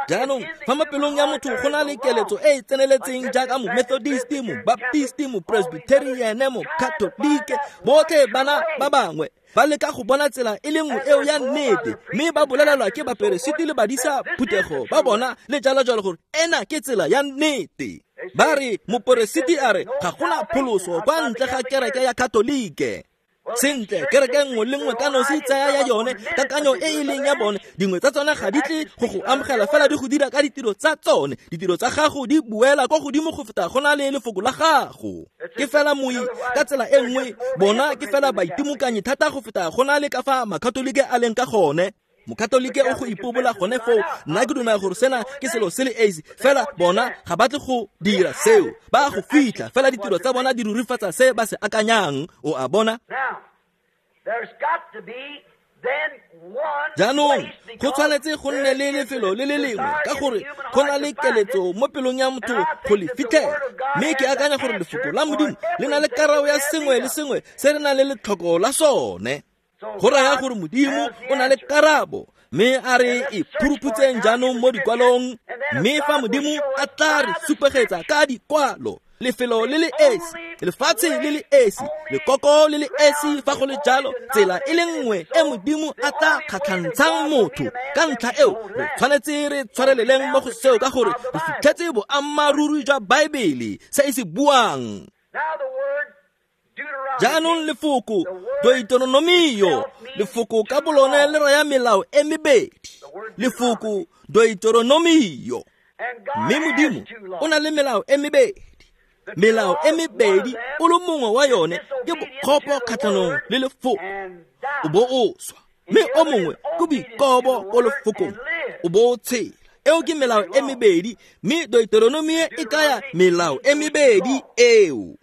Jaanong fa mo pelong ya motho go na le keletso e e tseneletseng jaaka mo-Methodist, mo-Baptist, mo-Presbyterian, mo-Catholic, botlhe bana ba bangwe ba leka go bona tsela e le nngwe eo ya nnete, mme ba bolelelwa ke baperesiti le badisa phuthego ba bona le jalo jalo gore ena ke tsela ya nnete. Ba re moperesiti a re ga gona pholoso kwa ntle ga kereke ya Katolike. Sentle, kereke nngwe le nngwe ka nosi tsaya ya yone kakanyo e e leng ya bone. Dingwe tsa tsone ga di tle go go amogela fela di go dira ka ditiro tsa tsone. Ditiro tsa gago di buela kwa godimo go feta go na le lefoko la gago. Ke fela moi ka tsela e nngwe, bona ke fela baitimokanyi thata go feta go na le ka fa makatolike a leng ka gone. Mokatolike o go ipobola gone foo, nna ke dumela gore sena ke selo se le esi, fela bona ga ba tle go dira seo, ba go fitlha fela ditiro tsa bona di rurifatsa se ba se akanyang. O a bona? Jaanong go tshwanetse go nne le lefelo le le lengwe, ka gore go na le keletso mo pelong ya motho go le fitlhela. Mme ke akanya gore lefoko la Modimo le na le karabo ya sengwe le sengwe se re nang le letlhoko la sone. Go raya gore Modimo o na le karabo, mme a re e phuruphutseng jaanong mo dikwalong. Mme fa Modimo a tla re supegetsa ka dikwalo lefelo le le esi, lefatshe le le esi, lekoko le le esi, fa go le jalo tsela e le nngwe e Modimo a tla kgatlhantshang motho. Ka ntlha eo re tshwanetse re tshwareleleng mo go seo, ka gore re fitlhetse boammaaruri jwa Baebele se e se buang. Jaanong lefoko Deuteronomio, lefoko ka bolone le raya melao e mebedi. Lefoko Deuteronomio, mme Modimo o na le melao e mebedi. Melao e mebedi o le mongwe wa yone ke bokgopo kgatlhanong le lefoko, o bo o swa, mme o mongwe ke boikobo ko lefokong, o bo o tshela. Eo ke melao e mebedi, mme Deuteronomio e kaya melao e mebedi eo.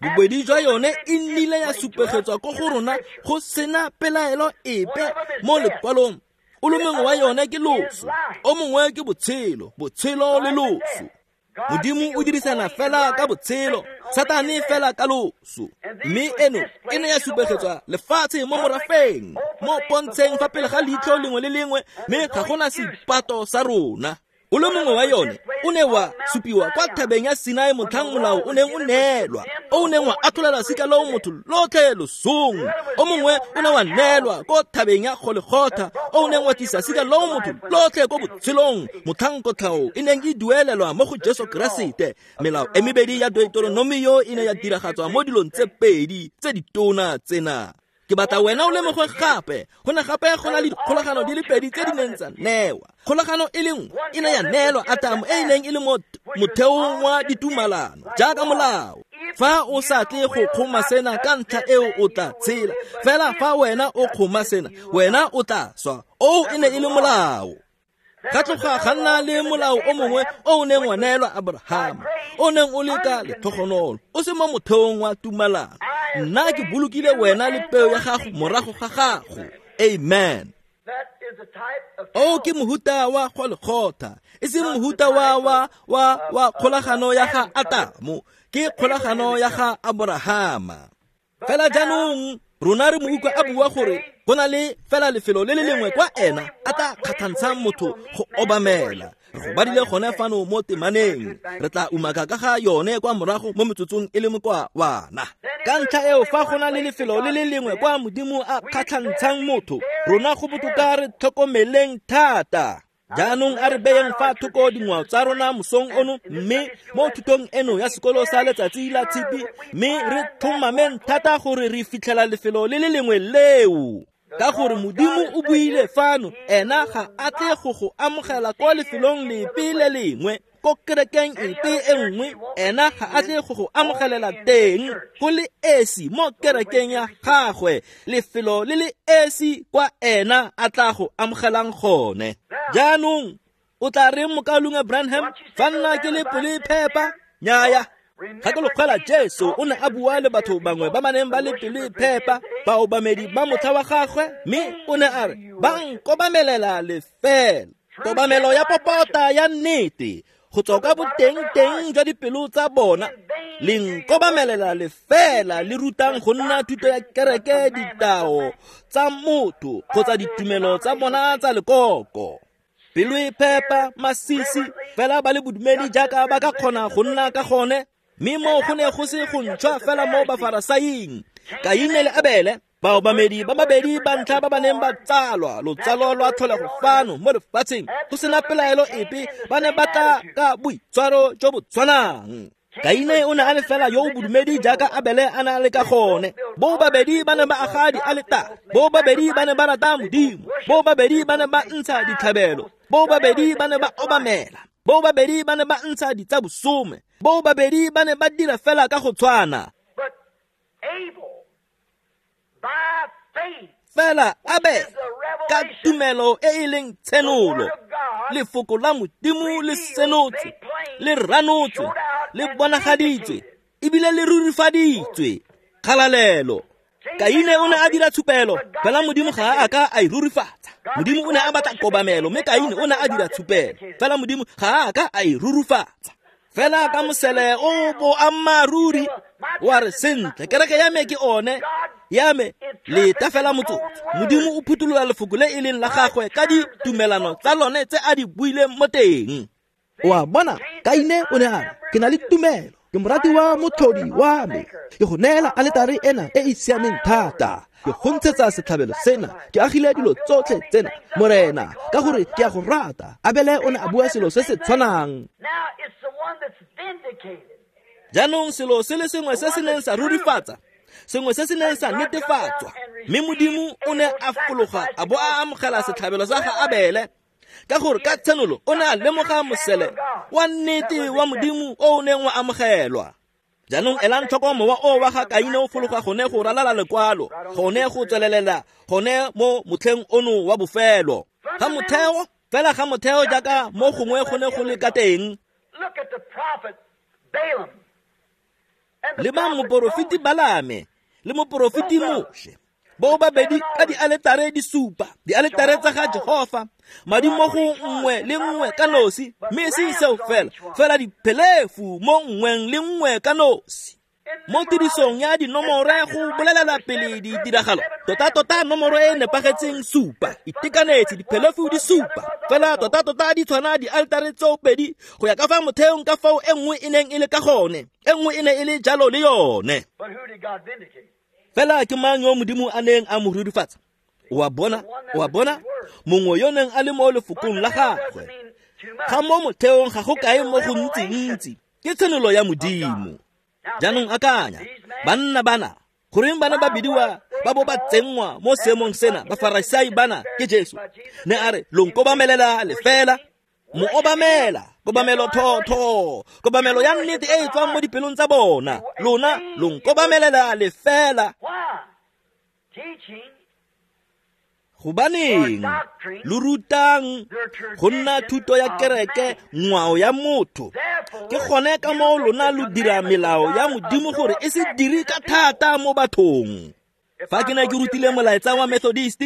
Bobedi jwa yone e nnile ya supegetswa ko go rona go sena pelaelo epe mo lekwalong. O le mongwe wa yone ke loso, o mongwe ke botshelo, botshelo le loso. Modimo o dirisana fela ka botshelo, Satane fela ka loso. Mme eno e ne ya supegetswa lefatshe mo morafeng, mo pontsheng fa pele ga leitlho lengwe le lengwe, mme ga gona seipato sa rona. O le mongwe wa yone o ne wa supiwa kwa thabeng ya Sinai motlhang molao o neng o neelwa, o o neng wa atholela sika loo motho lotlhe losong. O mongwe o ne wa neelwa ko thabeng ya Golegotha, o o neng wa tlisa sika loo motho lotlhe ko botshelong motlhang kotlhao e neng e duelelwa mo go Jesu Keresete. Melao e mebedi ya Deuteronomio e ne ya diragatswa mo dilong tse pedi tse ditona tsena. Ke batla wena o lemoge gape, go ne gape go na le dikgolagano di le pedi tse di neng tsa newa. Kgolagano e le nngwe e ne ya neelwa Atamo e e neng e le mo motheong wa ditumalano jaaka molao. Fa o sa tle go kgoma sena ka ntlha eo o tla tshela, fela fa wena o kgoma sena wena o tla swa. Oo e ne e le molao. Ga tloga ga nna le molao o mongwe o o neng wa neelwa Abrahama, o neng o le ka letlhogonolo, o se mo motheong wa tumalano. Nna ke bolokile wena le peo ya gago morago ga gago. Amen. O ke mohuta wa Golegotha, e seng mohuta wa wa wa wa kgolagano ya ga Atamo, ke kgolagano ya ga Abrahama. Fela jaanong rona re mo utlwa a bua gore go na le fela lefelo le le lengwe kwa ena a tla kgatlhantshang motho go obamela. Re go badile gone fano mo temaneng, re tla umaka ka ga yone kwa morago mo metsotsong e le mokwawana. Ka ntlha eo fa go na le lefelo le le lengwe kwa Modimo a kgatlhantshang motho, rona go botoka re tlhokomeleng thata. Jaanong a re beyeng fa thoko dingwao tsa rona mosong ono, mme mo thutong eno ya sekolo sa letsatsi la tshipi, mme re tlhomameng thata gore re fitlhela lefelo le le lengwe leo. Ka gore Modimo o buile fano, ena ga a tle go go amogela kwa lefelong lepe le lengwe, ko kerekeng epe e nngwe, ena ga a tle go go amogelela teng go le esi mo kerekeng ya gagwe, lefelo le le esi kwa ena a tla go amogelang gone. Jaanong o tla reng mokaulengwe Branham, fa nna ke le pelo e phepa? Nnyaya. Gakologelwa Jesu o ne a bua le batho bangwe ba ba neng ba le pelo e phepa, baobamedi ba motlha wa gagwe, mme o ne a re ba nkobamelela lefela. Kobamelo ya popota ya nnete go tswa ka boteng-teng jwa dipelo tsa bona, le nkobamelela lefela le rutang go nna thuto ya kereke, ditao tsa motho kgotsa ditumelo tsa bona tsa lekoko. Pelo e phepa, masisi, fela ba le bodumedi jaaka ba ka kgona go nna ka gone. Mme mo go ne go se go ntšhwa fela mo Bafarasaing. Kaine le Abele, baobamedi ba babedi ba ntlha ba ba neng ba tsalwa lotsalo lwa tlholego fano mo lefatsheng, go sena pelaelo epe, ba ne ba tla ka boitshwaro jo bo tshwanang. Kaine o ne a le fela yo o bodumedi jaaka Abele a ne a le ka gone. Bo babedi ba ne ba aga dialetare, bo babedi ba ne ba rata Modimo, bo babedi ba ne ba ntsha ditlhabelo, bo babedi ba ne ba obamela, bo babedi ba ne ba ntsha ditsabosome, bo babedi ba ne ba dira fela ka go tshwana. Fela Abele, ka tumelo e e leng tshenolo, lefoko la Modimo le senotswe, le ranotswe, le bonagaditswe, ebile le rurifaditswe. Kgalalelo. Kaine o ne a dira tshupelo, fela Modimo ga a ka a e rurifatsa. Modimo o ne a batla kobamelo, mme Kaine o ne a dira tshupelo, fela Modimo ga a ka a e rurifatsa. Fela ka mosele o boammaaruri wa re, sentle, kereke ya me ke one ya me, leta fela motsotso. Modimo o phuthulola lefoko le e leng la gagwe ka ditumelano tsa lone tse a di buileng mo teng. Wa bona, Kaine o ne a re, ke na le tumelo, ke morati wa motlhodi wa me, ke go neela aletare ena e e siameng thata, ke go ntshetsa setlhabelo sena, ke agile dilo tsotlhe tsena, Morena, ka gore ke a go rata. Abele o ne a bua selo se se tshwanang. Jaanong selo se le sengwe se se neng sa rurifatsa, sengwe se se neng sa netefatswa, mme Modimo o ne a fologa a bo a amogela setlhabelo sa ga Abele, ka gore ka tshenolo o ne a lemoga mosele wa nnete wa Modimo o o neng wa amogelwa. Jaanong elang tlhoko mowa o wa ga Kaine o fologa gone go ralala lekwalo, gone go tswelelela gone mo motlheng ono wa bofelo. Ga motheo, fela ga motheo jaaka mo gongwe go ne go le ka teng. Leba moporofeti Balame le moporofeti Moshe, bo babedi ka dialetare di supa, dialetare tsa ga Jehofa, madi mo go nngwe le nngwe ka nosi, mme e seng seo fela, fela diphelefu mo nngweng le nngwe ka nosi. Mo tirisong ya dinomore go bolelela pele ditiragalo, tota-tota nomoro e nepagetseng supa, itekanetse diphelefu di supa, fela tota-tota di tshwana dialetare tseo pedi go ya ka fa motheong ka fao e nngwe e neng e le ka gone, e nngwe e ne e le jalo le yone. Fela ke mang yo Modimo a neng a mo rurifatsa? O a bona, o a bona, mongwe yo neng a le mo lefokong la gagwe. Ga mo motheong ga go kae mo go ntsi-ntsi, ke tshenolo ya Modimo. Jaanong akanya, banna bana, goreng bana ba bidiwa ba bo ba tsenngwa mo seemong sena, Bafarasai bana ke Jesu. Ne a re, lo nkobamelela lefela, mo obamela, kobamelo thotho, kobamelo ya nnete e e tswang mo dipelong tsa bona, lona lo nkobamelela lefela. Gobaneng lo rutang go nna thuto ya kereke, ngwao ya motho? Ke gone ka moo lona lo dira melao ya Modimo gore e se dire ka thata mo bathong. Fa ke ne ke rutile molaetsa wa Methodist,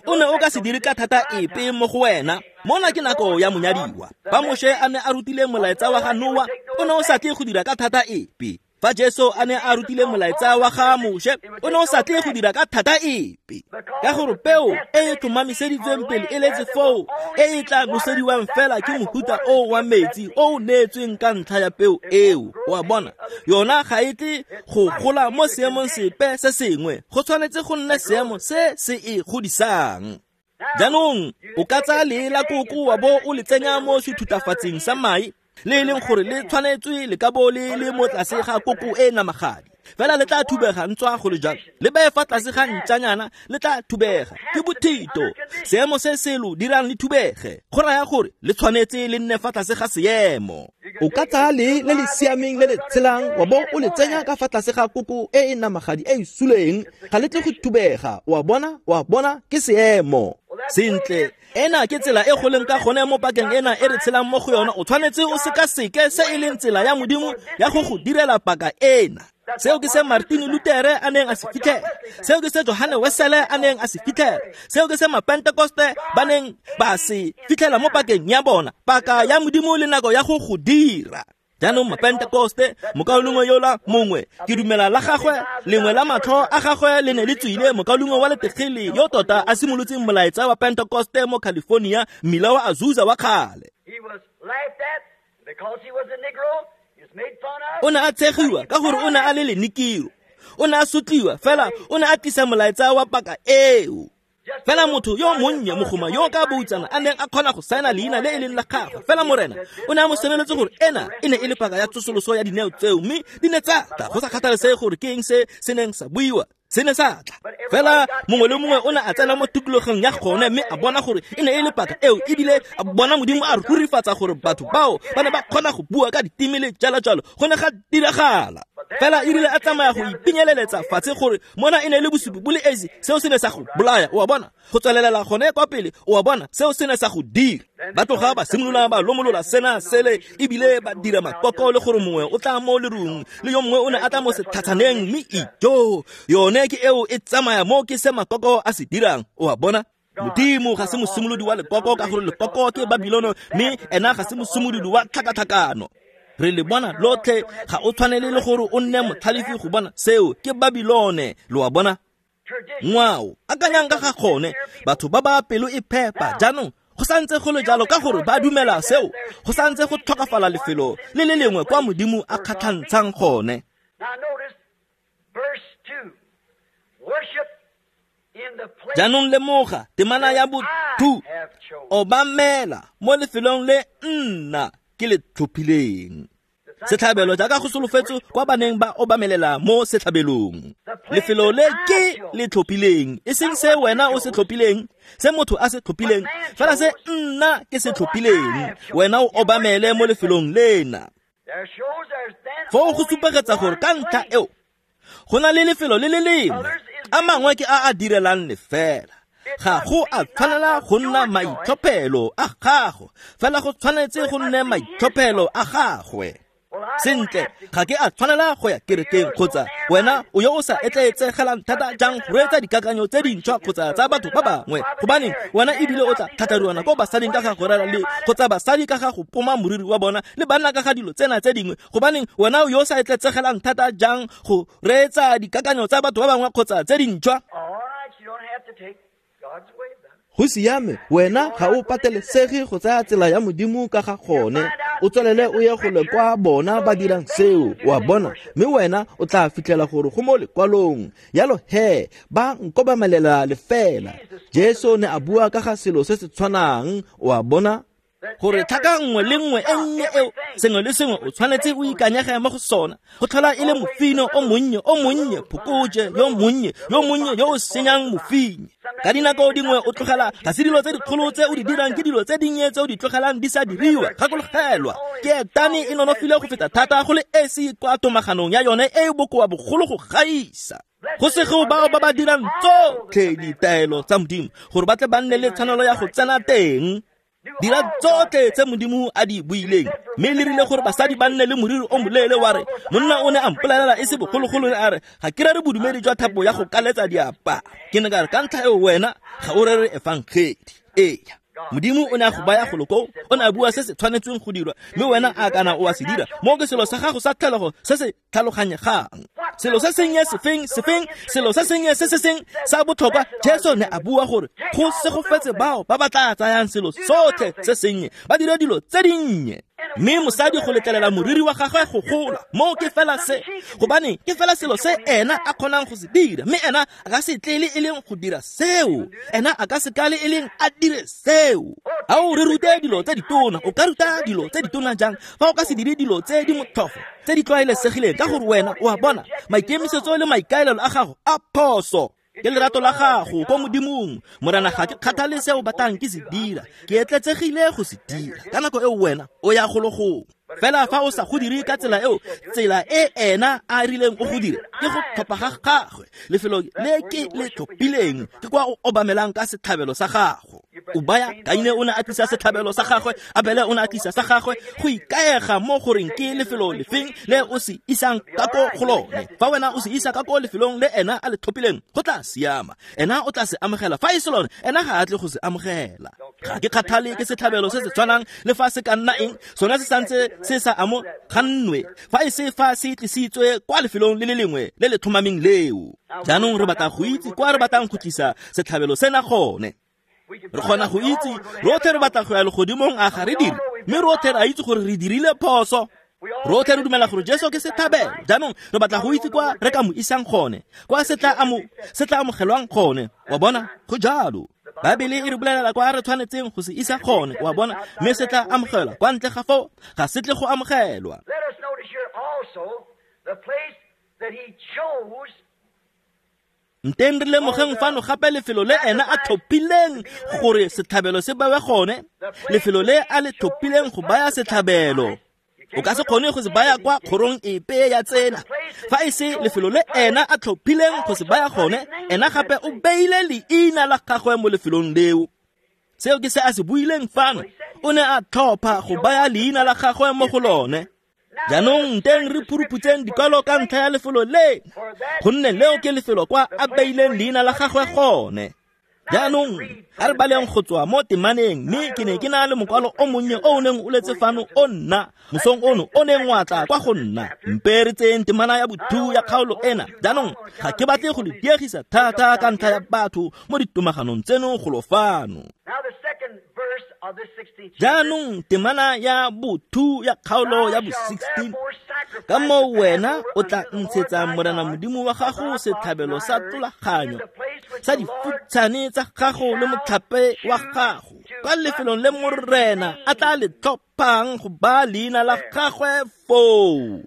o ne o ka se dire ka thata epe mo go wena. Mona ke nako ya monyadiwa. Fa Moshe a ne a rutile molaetsa wa ga Noa, o ne o sa tle go dira ka thata epe. Fa Jesu a ne a rutile molaetsa wa ga Moshe, o ne o sa tle go dira ka thata epe. Ka gore peo e e tlhomamiseditsweng pele e letse foo, e e tla nosediwang fela ke mohuta o wa metsi o o neetsweng ka ntlha ya peo eo. O a bona, yona ga e tle go gola mo seemong sepe se sengwe, go tshwanetse go nne seemo se se e godisang. Jaanong o ka tsaya lee la koko wa bo o le tsenya mo sethutafatsing sa mae, le e leng gore le tshwanetswe le ka bo le le mo tlase ga koko e namagadi, fela le tla thubega ntswa go le jalo, le beye fa tlase ga ntšanyana le tla thubega. Ke bothito, seemo se se lo dirang le thubege, go raya gore le tshwanetse le nne fa tlase ga seemo. O ka tsaya lee le le siameng le le tshelang wa bo o le tsenya ka fa tlase ga koko e e namagadi e e suleng, ga le tle go thubega. Wa bona, wa bona, ke seemo. Sentle, ena ke tsela e go leng ka gone mo pakeng ena e re tshelang mo go yona. O tshwanetse o sekaseke se e leng tsela ya Modimo ya go go direla paka ena. Seo ke se Martin Luther a neng a se fitlhela, seo ke se Johane Wesele a neng a se fitlhela, seo ke se Mapentekoste ba neng ba se fitlhela mo pakeng ya bona, paka ya Modimo le nako ya go go dira. Jaanong Mapentekoste, mokaulengwe yola mongwe, ke dumela la gagwe, lengwe la matlho a gagwe le ne le tswile, mokaulengwe wa letegele yo tota a simolotseng molaetsa wa Pentekoste mo California, mmila wa Azusa wa kgale. O ne a tshegiwa ka gore o ne a le lenikiro, o ne a sotliwa, fela o ne a tlisa molaetsa wa paka eo. Fela motho yo monnye mogoma yo ka boutsana a neng a kgona go saena leina le e leng la gagwe, fela morena o ne a mo senoletse gore ena e ne e le paka ya tsosoloso ya dineo tseo, mme di ne tsa tla go sa kgathalesege gore ke eng se se neng sa buiwa, se ne sa tla. Fela mongwe le mongwe o ne a tsena mo tikologong ya gone mme a bona gore e ne e le paka eo, ebile a bona Modimo a rurifatsa gore batho bao ba ne ba kgona go bua ka diteme le jalo jalo, go ne ga diragala. Fela e rile a tsamaya go ipinyeleletsa fatshe gore mona e ne e le bosupi bo le esi, seo se ne sa go bolaya, o a bona. Go tswelelela gone kwa pele, o a bona, seo se ne sa go dira. Ba tloga ba simolola ba lomolola sena sele, ebile ba dira makoko le gore mongwe o tla mo lerung le yo mongwe o ne a tla mo setlhatshaneng, mme ijo yone ke eo e tsamaya mo ke se makoko a se dirang, o a bona. Modimo ga se mosimolodi wa lekoko ka gore lekoko ke Babilono, mme ena ga se mosimolodi wa tlhakatlhakano. Re le bona lotlhe, ga o tshwanele le gore o nne motlhalefi go bona seo ke Babilone, lo a bona. Ngwao, akanyang ka ga gone, batho ba ba pelo e phepa jaanong go santse go le jalo ka gore ba dumela seo, go santse go tlhokafala lefelo le le lengwe kwa Modimo a kgatlhantshang gone. Jaanong lemoga temana ya bo two, obamela mo lefelong le nna ke le tlhophileng. Setlhabelo jaaka go solofetswe kwa baneng ba obamelela mo setlhabelong. Lefelo le ke le tlhophileng, e seng se wena o se tlhophileng, se motho a se tlhophileng, fela se nna ke se tlhophileng, wena o obamele mo lefelong lena. Foo go supegetsa gore ka ntlha eo go na le lefelo le le lengwe, a mangwe ke a a direlang lefela. Ga go a tshwanela go nna maitlhophelo a gago, fela go tshwanetse go nne maitlhophelo a gagwe. Sentle, ga ke a tshwanela go ya kerekeng, kgotsa wena o yo o sa etleetsegelang thata jang go reetsa dikakanyo tse dintšhwa kgotsa tsa batho ba bangwe, gobane wena ebile o tla tlhatlhariwana ko basading ka ga go rera le kgotsa basadi ka ga go poma moriri wa bona le banna ka ga dilo tsena tse dingwe, gobaneng wena o yo o sa etleetsegelang thata jang go reetsa dikakanyo tsa batho ba bangwe kgotsa tse dintšhwa. Go siame, wena ga o patelesege go tsaya tsela ya Modimo ka ga gone, o tswelele o ye go le kwa bona ba dirang seo, o a bona, mme wena o tla fitlhela gore go mo lekwalong. Yalo he, ba nkobamelela lefela. Jesu ne a bua ka ga selo se se tshwanang, o a bona, gore tlhaka nngwe le nngwe e nnye eo, sengwe le sengwe o tshwanetse o ikanyege mo go sona, go tlhola e le mofino o monnye o monnye, phokoje yo monnye yo monnye yo o senyang mofine. Ka dinako dingwe o tlogela, ga se dilo tse dikgolo tse o di dirang, ke dilo tse dinnye tse o di tlogelang di sa diriwa. Gakologelwa, ke etane e nonofile go feta thata go le esi kwa tomaganong ya yone e e bokoa bogolo go gaisa. Go sego bao ba ba dirang tsotlhe ditaelo tsa Modimo gore ba tle ba nne le tshwanelo ya go tsena teng. Dira tsotlhe tse Modimo a di buileng, mme le rile gore basadi ba nne le moriri o moleele, wa re monna o ne a mpolelela e se bogologolo, a re ga ke rere bodumedi jwa thapo ya go kaletsa diaparo. Ke ne ka re ka ntlha eo wena ga o rere efangedi. Eya, Modimo o ne a go baya golo koo, o ne a bua se se tshwanetsweng go dirwa, mme wena a kana o a se dira. Mo ke selo sa gago sa tlholego se se tlhaloganyegang, selo se sennye sefeng sefeng, selo se sennye se se seng sa botlhokwa. Jesu ne a bua gore go segofetse bao ba ba tla tsayang selo sotlhe se sennye, ba dire dilo tse dinnye. Mme mosadi go letlelela moriri wa gagwe go gola, moo ke fela se, gobane ke fela selo se ena a kgonang go se dira, mme ena a ka se tle le e leng go dira seo, ena a ka se ka le e leng a dire seo. A o re rute dilo tse ditona, o ka ruta dilo tse ditona jang fa o ka se dire dilo tse di motlhofo tse di tlwaelesegileng? Ka gore wena o a bona, maikemisetso le maikaelelo a gago a phoso. Ke lerato la gago ko Modimong, Morena, ga ke kgathale se o batlang ke se dira, ke etletsegile go se dira. Ka nako eo wena o ya golo gongwe. Fela fa o sa go dire ka tsela eo, tsela e ena a rileng o go dire ke go tlhopha ga gagwe. Lefelo le ke le tlhophileng ke kwa o obamelang ka setlhabelo sa gago. O baya Kaine o ne a tlisa setlhabelo sa gagwe, Abele o ne a tlisa sa gagwe, go ikaega mo goreng ke lefelo lefeng le o se isang ka ko go lone. Fa wena o se isa ka ko lefelong le ena a le tlhophileng, go tla siama. Ena o tla se amogela. Fa e se lone, ena ga a tle go se amogela. Ga ke kgathale ke setlhabelo se se tshwanang le fa se ka nna eng, sone se santse se sa amogannwe fa e se fa se tlisitswe kwa lefelong le le lengwe le le tlhomameng leo. Jaanong re batla go itse kwa re batlang go tlisa setlhabelo sena gone. Re kgona go itse rotlhe re batla go ya legodimong, a ga re dire? Mme rotlhe re a itse gore re dirile phoso. Rotlhe re dumela gore Jesu ke setlhabelo. Jaanong re batla go itse kwa re ka mo isang gone, kwa se tla amo se tla amogelwang gone. Wa bona, go jalo. Baebele e re bolelela kwa re tshwanetseng go se isa gone, wa bona, mme se tla amogelwa. Kwa ntle ga foo ga se tle go amogelwa. Let us notice here also the place that he chose. Nteng re lemogeng fano gape lefelo le ena a tlhophileng gore setlhabelo se bewe gone, lefelo le a le tlhophileng go baya setlhabelo. O ka se kgone go se baya kwa kgorong epe ya tsela fa e se lefelo le ena a tlhophileng go se baya gone. Ena gape o beile leina la gagwe mo lefelong leo. Seo ke se a se buileng fano. O ne a tlhopha go baya leina la gagwe mo go lone. Jaanong nteng re phuruphutseng dikwalo ka ntlha ya lefelo le, gonne leo ke lefelo kwa a beileng leina la gagwe gone. Jaanong a re baleng go tswa mo temaneng, mme ke ne ke na le mokwalo o monnye o o neng o letse fano o nna mosong ono o neng wa tla kwa go nna. Mpe re tseyeng temana ya bothu ya kgaolo ena. Jaanong ga ke batle go le diegisa thata ka ntlha ya batho mo ditomaganong tseno golo fano. Now the second verse of this sixteenth chapter. Jaanong temana ya bothu ya kgaolo ya bo sixteen, ka moo wena o tla ntshetsa Morena Modimo wa gago setlhabelo sa tlolaganyo sa difutshane tsa gago le motlhape wa gago kwa lefelong le Morena a tla le tlhophang go baya leina la gagwe foo.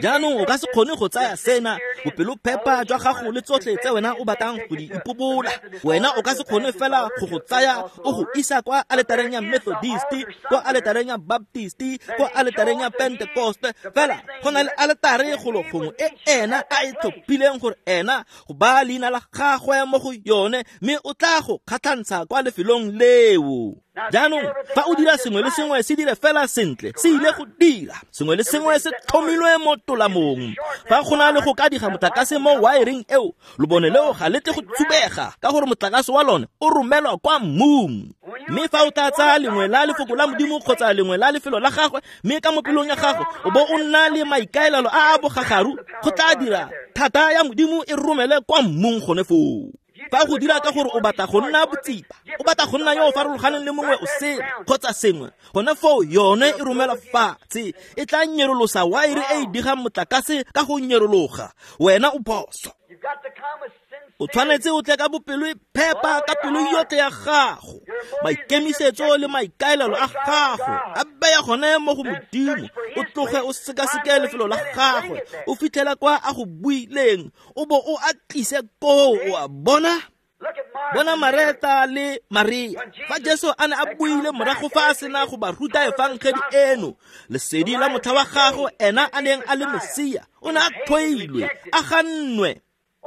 Jaanong o ka se kgone go tsaya sena bopelophepa jwa gago le tsotlhe tse wena o batlang go di ipobola. Wena o ka se kgone fela go go tsaya o go isa kwa aletareng ya Methodist, kwa aletareng ya Baptist, kwa aletareng ya Pentecost. Fela go na le aletare golo gongwe e ena a e tlhophileng gore ena go baya leina la gagwe mo go yone, mme o tla go kgatlhantsha kwa lefelong leo. Jaanong fa o dira sengwe le sengwe se dire fela sentle, se ile go dira sengwe le sengwe se tlhomilwe mo tolamong. Fa go na le go ka diga motlakase mo wiring eo, lobone leo ga le tle go tsubega ka gore motlakase wa lone o romelwa kwa mmung. Mme fa o tla tsaya lengwe la lefoko la Modimo kgotsa lengwe la lefelo la gagwe, mme ka mo pelong ya gago o bo o nna le maikaelelo a a bogagaru, go tla dira thata ya Modimo e romele kwa mmung gone foo. Fa go dira ka gore o batla go nna botsipa, o batla go nna yo o farologaneng le mongwe o sele kgotsa sengwe, gone foo yone e romela fatshe, e tla nyerolosa waere e e digang motlakase ka go nyerologa. Wena o phoso. You've got to come with O tshwanetse o tle ka bopelo e phepa, ka pelo yotlhe ya gago, maikemisetso le maikaelelo a gago a beya gone mo go Modimo. O tloge o sekaseke lefelo la gagwe, o fitlhela kwa a go buileng, o bo o a tlise koo. O a bona? Look at Martha Bona and Mary. Mareta le Maria. Fa Jesu a ne a buile morago fa a sena go ba ruta efangedi eno, lesedi la motlha wa gagwe ena a neng a le Mesia o ne a tlhoilwe, a gannwe.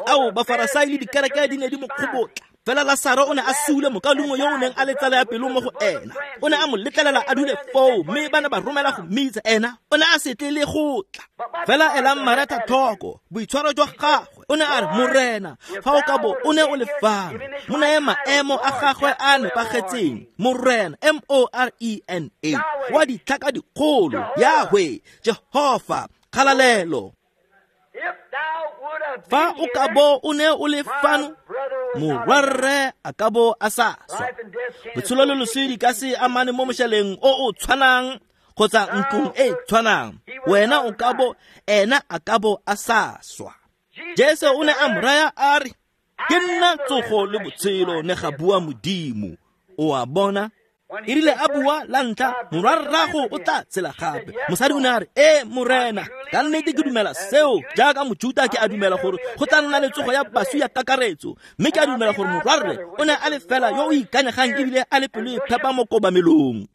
Ao, Bafarasai le dikereke di ne di mo kgobotla. Fela Lasaro o ne a sule mokaulengwe yo o neng a le tsala ya pelo mo go ena. O ne a mo letlelela a dule foo, mme ba ne ba romela go mmitsa. Ena o ne a se tle le go tla. Fela elang Mareta tlhoko boitshwaro jwa gagwe. O ne a re, Morena, fa o ka bo o ne o le fano, mo naye maemo a gagwe a nepagetseng. Morena, M O R E N A, wa ditlhaka dikgolo, Yahweh, Jehofa, kgalalelo. If thou would have Fa been o ka here, bo o ne o le my fano, brother would not have morwarre a ka bo a sa swa. Life and death can't Botshelo le loso di ka se amane mo mošaleng o o tshwanang kgotsa ntlong e e tshwanang. Wena o ka bo, ena a ka bo a sa swa. Jesu o ne a mo raya a re, ke nna tsogo le botshelo, ne ga bua Modimo. O a bona? E rile a bua la ntlha, morwarrago o tla tshela gape. Mosadi o ne a re, ee Morena, ka nnete ke dumela seo. Jaaka Mojuta ke a dumela gore go tla nna le tsogo ya baswi ya kakaretso, mme ke a dumela gore morwarre o ne a le fela yo o ikanyegang ebile a le pelo e phepa mo kobamelong.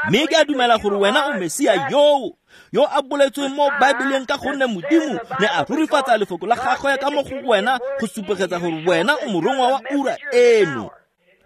Mme ke a dumela gore wena o Mesia yoo, yo a boletsweng mo Baebeleng, ka gonne Modimo ne a rurifatsa lefoko la gagwe ka mo go wena go supegetsa gore wena o morongwa wa ura eno.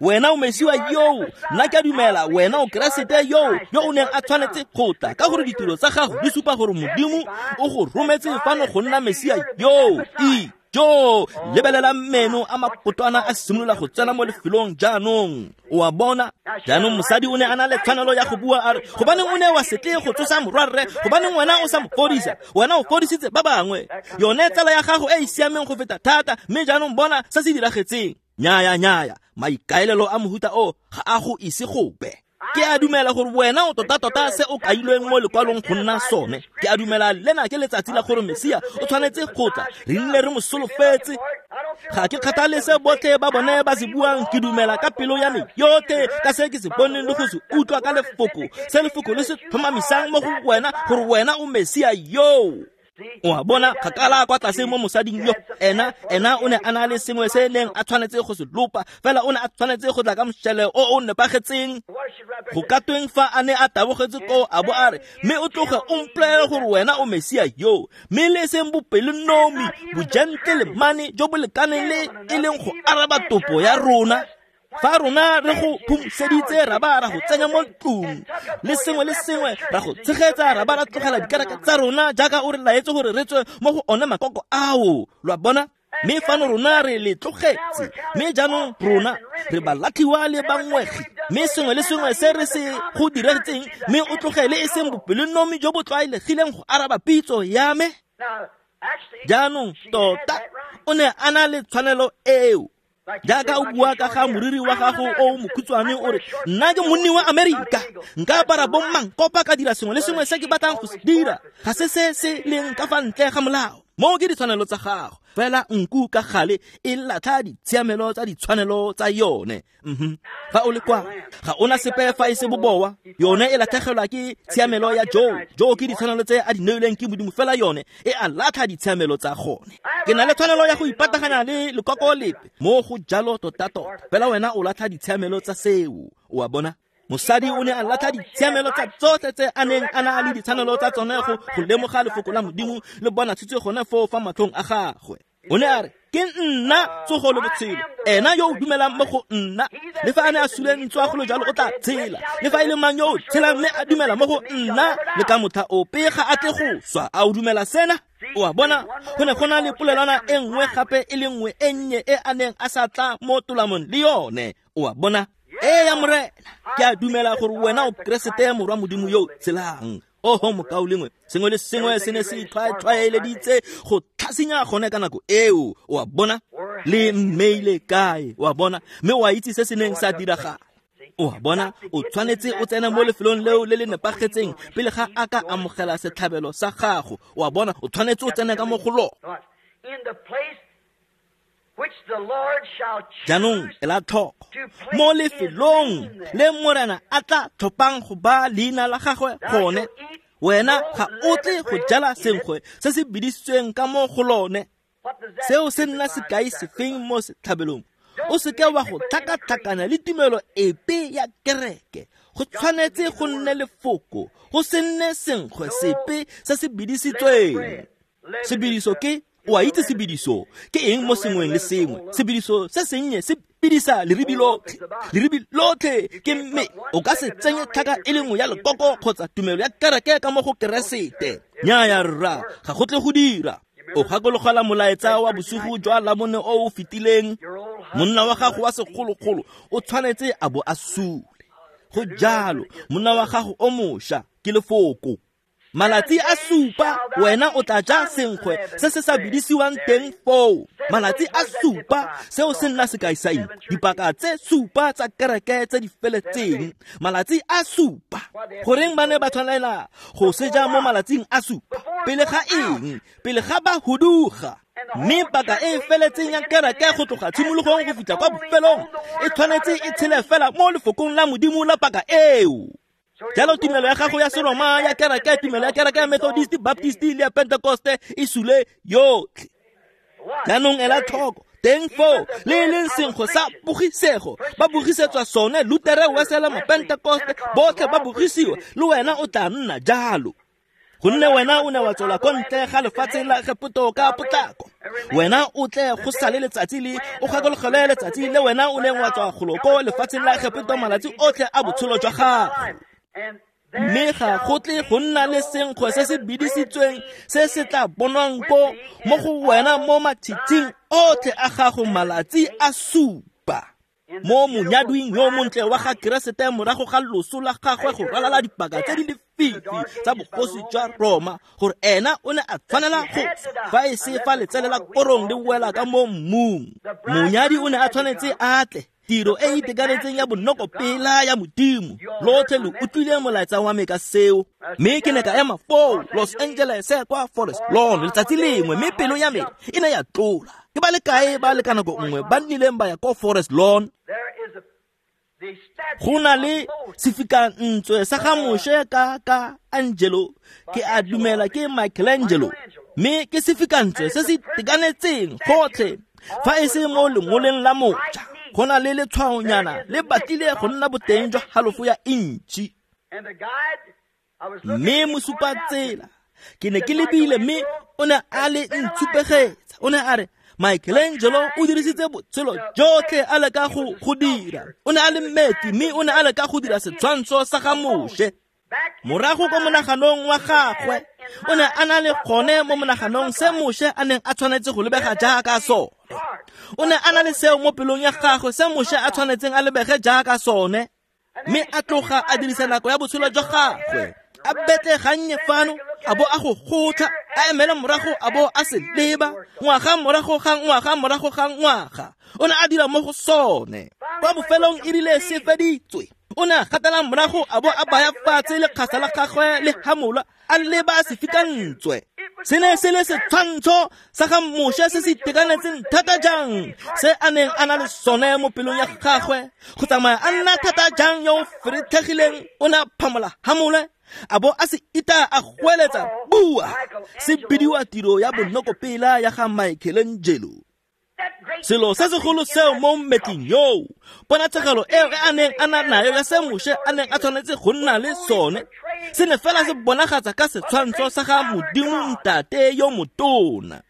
Wena o Mesia yoo, nna ke a dumela wena o Keresete yoo yo o neng a tshwanetse go tla, ka gore ditiro tsa gago di supa gore Modimo o go rometse fano go nna Mesia yoo. E jo, lebelela meno a makotwana a simolola go tsena mo lefelong jaanong. O a bona? Jaanong mosadi o ne a na le tshwanelo ya go bua a re, gobaneng o ne wa se tle go tsosa morwarre? Gobaneng wena o sa mo fodisa? Wena o fodisitse ba bangwe. Yone tsala ya gago e e siameng go feta thata, mme jaanong bona se se diragetseng. Nyaya, nyaya, maikaelelo a mohuta o ga a go ise gope. Ke a dumela gore wena o tota-tota se o kailweng mo lekwalong go nna sone. Ke a dumela lena ke letsatsi la gore Mesia o tshwanetse go tla, re nne re mo solofetse. Ga ke kgathale se botlhe ba bone ba se buang, ke dumela ka pelo ya me yotlhe ka se ke se boneng le go se utlwa ka lefoko, se lefoko le se tlhomamisang mo go wena gore wena o Mesia yoo. O a bona, kgakala kwa tlase mo mosading yo, ena ena o ne a na le sengwe se neng a tshwanetse go se lopa, fela o ne a tshwanetse go tla ka mošele o o nepagetseng. Go ka tweng fa a ne a tabogetse koo a bo a re, mme o tloge o mpolele gore wena o Mesia yo, mme le seng bopelonomi, bojentelemane jo bo lekaneng le e leng go araba topo ya rona. Fa rona re go phumuseditse ra ba ra go tsenya mo ntlong, le sengwe le sengwe ra go tshegetsa, ra ba ra tlogela dikereke tsa rona jaaka o re laetse gore re tswe mo go one makoko ao. Lo a bona? Mme fano rona re le tlogetse, mme jaanong rona re balatlhiwa le bangwegi, mme sengwe le sengwe se re se go diretseng, mme o tlogele e seng bopelonomi jo bo tlwaelegileng go araba pitso ya me. Jaanong tota o ne a na le tshwanelo eo. Jaaka o bua ka ga moriri wa gago o mokhutshwane o re, nna ke monni wa Amerika, nka apara bommankopa ka dira sengwe le sengwe se ke batlang go se dira, ga se se se leng ka fa ntle ga molao. Moo ke ditshwanelo tsa gago, fela nku ka gale e latlha ditshiamelo tsa ditshwanelo tsa yone. Mm-hmm. Fa o le kwa, ga ona sepe fa e se bobowa, yone e latlhegelwa ke tshiamelo ya joo. Joo ke ditshwanelo tse a di neilweng ke Modimo, fela yone e a latlha ditshiamelo tsa gone. Ke na le tshwanelo ya go ipataganya le lekoko lepe, mo go jalo tota-tota, fela wena o latlha ditshiamelo tsa seo. O a bona? Mosadi o ne a latlha ditshiamelo tsa tsotlhe tse a neng a na le ditshwanelo tsa tsone go go lemoga lefoko la Modimo le bona tshitse gone foo fa matlhong a gagwe. O ne a re, ke nna tsogo le botshelo, ena yo o dumelang mo go nna, le fa a ne a sule ntswa go le jalo o tla tshela, le fa e le mang yo o tshelang mme a dumela mo go nna, le ka motlha ope ga a tle go swa. A o dumela sena? O a bona, go ne go na le polelwana e nngwe gape e le nngwe e nnye e a neng a sa tla mo tolamong le yone. O a bona? Ee ya Morena, ke a dumela gore wena o Keresete morwa Modimo yo tshelang. Oho mokaulengwe, sengwe le sengwe se ne se itlhwaetlhwaeleditse go tlhasinya gone ka nako eo. O a bona? Le mmeile kae? O a bona? Mme o a itse se se neng sa diragala. O a bona, o tshwanetse o tsena mo lefelong leo le le nepagetseng pele ga a ka amogela setlhabelo sa gago. O a bona, o tshwanetse o tsene ka mo go lona. Jaanong ela tlhoko, mo lefelong le Morena a tla tlhophang go ba leina la gagwe gone, wena ga o tle go jala senkgwe se se bidisitsweng ka mo go lone. Seo se nna sekai sefeng mo setlhabelong? O seke wa go tlhakatlhakana le tumelo epe ya kereke. Go tshwanetse go nne lefoko, go se nne senkgwe sepe se se bidisitsweng. Sebidiso ke, o a itse sebidiso ke eng mo sengweng le sengwe. Sebidiso se sennye se bidisa leribi lotlhe, leribi lotlhe ke mme o ka se tsenye tlhaka e le nngwe ya lekoko kgotsa tumelo ya kereke ka mo go Keresete. Nnyaya rra, ga go tle go dira. O gakologela molaetsa wa bosigo jwa Labone o o fetileng, monna wa gago wa segologolo o tshwanetse a bo a sule. Go jalo, monna wa gago o mošwa ke lefoko. Malatsi a supa wena o tla ja senkgwe se se sa bidisiwang teng foo. Malatsi a supa, seo se nna sekai sa eng? Dipaka tse supa tsa kereke tse di feletseng. Malatsi a supa. Goreng ba ne ba tshwanela go se ja mo malatsing a supa? Pele ga eng? Pele ga ba huduga. Mme paka e feletseng ya kereke go tloga tshimologong go fitlha kwa bofelong e tshwanetse e tshele fela mo lefokong la Modimo la paka eo. Jalo tumelo ya gago ya Seroma, ya kereke, tumelo ya kereke ya Methodist, Baptist le ya Pentecoste e sule yotlhe. Jaanong ela tlhoko, teng foo le e leng senkgwe sa bogisego, ba bogisetswa sone, Lutere, Wesele, Mapentecoste, botlhe ba bogisiwa, le wena o tla nna jalo. Gonne wena o ne wa tswela ko ntle ga lefatshe la Egepeto ka potlako. Wena o tle go sale letsatsi le o gakologelwe letsatsi le wena o neng wa tswa golo ko lefatsheng la Egepeto malatsi otlhe a botshelo jwa gago. Mme ga go tle go nna le senkgwe se se bidisitsweng se se tla bonwang ko mo go wena mo matshitshing otlhe a gago malatsi a supa. Mo monyadwing yo montle wa ga Keresete morago ga loso la gagwe go ralala dipaka tse di lefifi tsa bogosi jwa Roma, gore ena o ne a tshwanela go fa e se fa letsele la korong le wela ka mo mmung. Monyadi o ne a tshwanetse a tle, tiro e e itekanetseng ya bonokopela ya Modimo. Lotlhe lo utlwile molaetsa wa me ka seo. Mme ke ne ka ema foo Los Angeles kwa Forest Lawn letsatsi lengwe, mme pelo ya me e ne ya tlola. Ke ba le kae ba le ka nako nngwe ba nnileng ba ya ko Forest Lawn? Go na le sefikantswe sa ga Moshe ka ka Angelo, ke a dumela ke Michelangelo, mme ke sefikantswe se se itekanetseng gotlhe fa e se mo lengoleng la moja. Go na le letshwaonyana le batlile go nna boteng jwa halofo ya intšhi. Mme mosupatsela ke ne ke lebile, mme o ne a le ntshupegetsa. O ne a re Michelangelo o dirisitse botshelo jotlhe a leka go go dira. O ne a le mmetli, mme o ne a leka go dira setshwantsho sa ga Moshe. Morago ko monaganong wa gagwe, o ne a na le gone mo monaganong se Moshe a neng a tshwanetse go lebega jaaka sone. O ne a na le seo mo pelong ya gagwe se Moshe a tshwanetseng a lebege jaaka sone. Mme a tloga a dirisa nako ya botshelo jwa gagwe, a betle gannye fano, a bo a go gotla, a emela morago, a bo a se leba, ngwaga morago ga ngwaga morago ga ngwaga. O ne a dira mo go sone. Kwa bofelong e rile se feditswe, o ne a gatela morago, a bo a baya fatshe lekgasa la gagwe le hamola, a leba sefikantswe. Se ne se le setshwantsho sa ga Moshe se se itekanetseng thata jang se a neng a na le sone mo pelong ya gagwe, go tsamaya a nna thata jang yo o feretlhegileng. O ne a phamola hamole, a bo a se ita a goeletsa bua. Se bidiwa tiro ya bonokopela ya ga Michelangelo. Selo se segolo seo mo mmetling yoo, ponatshegelo eo e a neng a na nayo ya se Moshe a neng a tshwanetse go nna le sone, se ne fela se bonagatsa ka setshwantsho sa ga Modimo Ntate yo motona.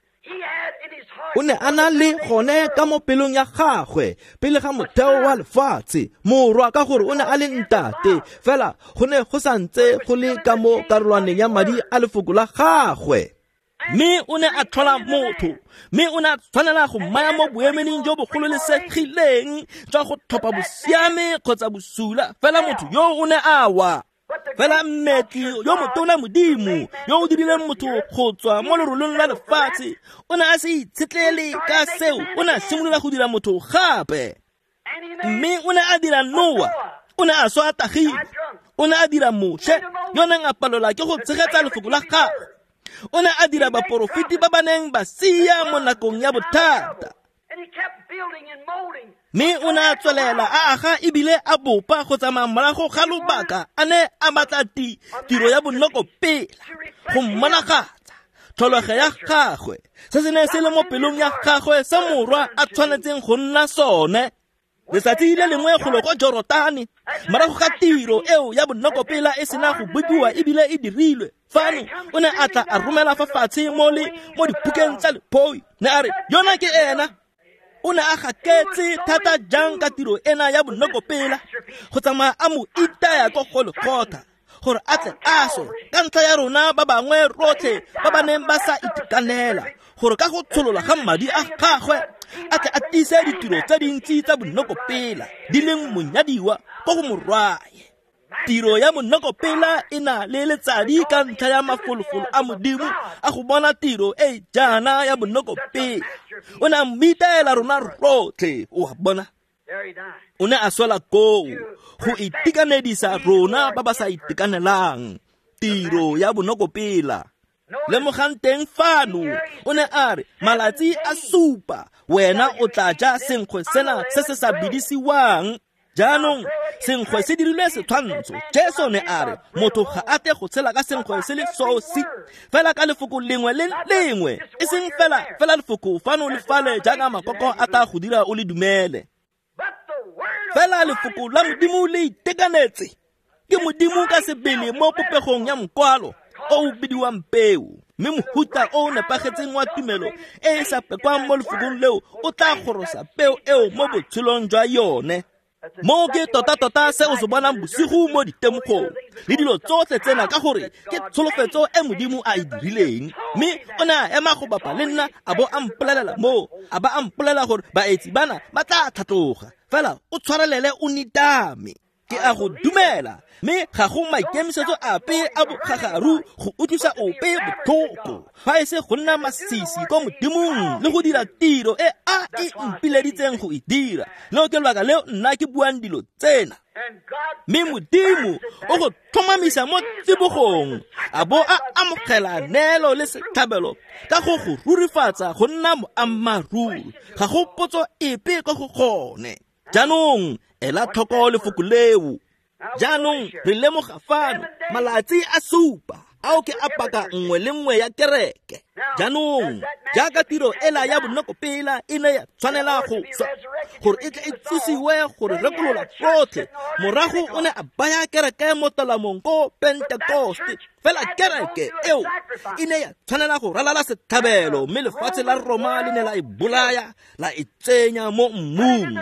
O ne a na le gone ka mo pelong ya gagwe pele ga motheo wa lefatshe, morwa, ka gore o ne a le ntate, fela go ne go santse go le ka mo karolwaneng ya madi a lefoko la gagwe. Mme o ne a tlhola motho, mme o ne a tshwanela go mmaya mo boemeleng jo bogololesegileng jwa go tlhopha bosiame kgotsa bosula. Fela motho yo o ne a wa. Fela mmetli yo motona Modimo yo o dirileng motho go tswa mo lerolong la lefatshe, o ne a se itshetlele ka seo. O ne a simolola go dira motho gape. Mme o ne a dira Noa, o ne a swa a tagile. O ne a dira Moshe yo neng a palelwa ke go tshegetsa lefoko la gagwe. O ne a dira baporofeti ba ba neng ba sia mo nakong ya bothata. Mme o ne a tswelela a aga ebile a bopa go tsamaya morago ga lobaka a ne a batla ti tiro ya bonokopela go mmonagatsa tlholego ya gagwe, se se ne se le mo pelong ya gagwe se morwa a tshwanetseng go nna sone. Letsatsi le lengwe golo ko Jorotane, morago ga tiro eo ya bonokopela e sena go bopiwa ebile e dirilwe, fano o ne a tla a romela fa fatshe mo le mo dipukeng tsa lephoi. Ne a re yona ke ena. O ne a gaketse thata jang ka tiro ena ya bonokopela go tsamaya a mo itaya ko Golgotha gore a tle a swe ka ntlha ya rona ba bangwe rotlhe ba ba neng ba sa itekanela, gore ka go tsholola ga madi a gagwe a tle a tiise ditiro tse dintsi tsa bonokopela di leng monyadiwa ko go morwae. Tiro ya monokopela e na le letsadi ka ntlha ya mafolofolo a Modimo a go bona tiro e jaana ya bonokopela. O ne a mmitaela rona rotlhe, o a bona. O ne a swela koo go itekanedisa rona ba ba sa itekanelang. Tiro ya bonokopela. Lemogang teng fano, o ne a re malatsi a supa wena o tla ja senkgwe sena se se sa bidisiwang. Jaanong senkgwe se dirilwe setshwantsho. Jesu ne a re motho ga a tle go tshela ka senkgwe se le sosi, fela ka lefoko lengwe le lengwe, e seng fela fela lefoko fano le fale jaaka makoko a tla go dira o le dumele. Fela lefoko la Modimo le itekanetse. Ke Modimo ka sebele mo popegong ya mokwalo, o o bidiwang peo. Mme mohuta o o nepagetseng wa tumelo e e sa pekwang mo lefokong leo o tla gorosa peo eo mo botshelong jwa yone. Moo ke tota-tota se o se bonang bosigo mo ditemogong le dilo tsotlhe tsena, ka gore ke tsholofetso e Modimo a e dirileng. Mme o ne a ema go bapa le nna a bo a mpolelela moo, a ba a mpolelela gore baetsi bana ba tla tlhatloga, fela o tshwarelele o nitame. Ke a go dumela, mme ga go maikemisetso ape a bogagaru go utlwisa ope botlhoko, fa e se go nna masisi ko Modimong le go dira tiro e a e mpileditseng go e dira. Leo ke lebaka leo nna ke buang dilo tsena. Mme Modimo o go tlhomamisa mo tsibogong, a bo a amogela neelo le setlhabelo ka go go rurifatsa go nna moammaaruri. Ga go potso epe ko go gone. Jaanong ela tlhoko lefoko leo. Jaanong re lemoga fano malatsi a supa ao ke a paka nngwe le nngwe ya kereke. Jaanong jaaka tiro ela ya bonokopela e ne ya tshwanela go swa gore e tle e tsosiwe gore rekolola rotlhe, morago o ne a baya kereke mo talamong ko Pentekoste. Fela kereke eo e ne ya tshwanela go ralala setlhabelo, mme lefatshe la Roma le ne la e bolaya, la e tsenya mo mmung.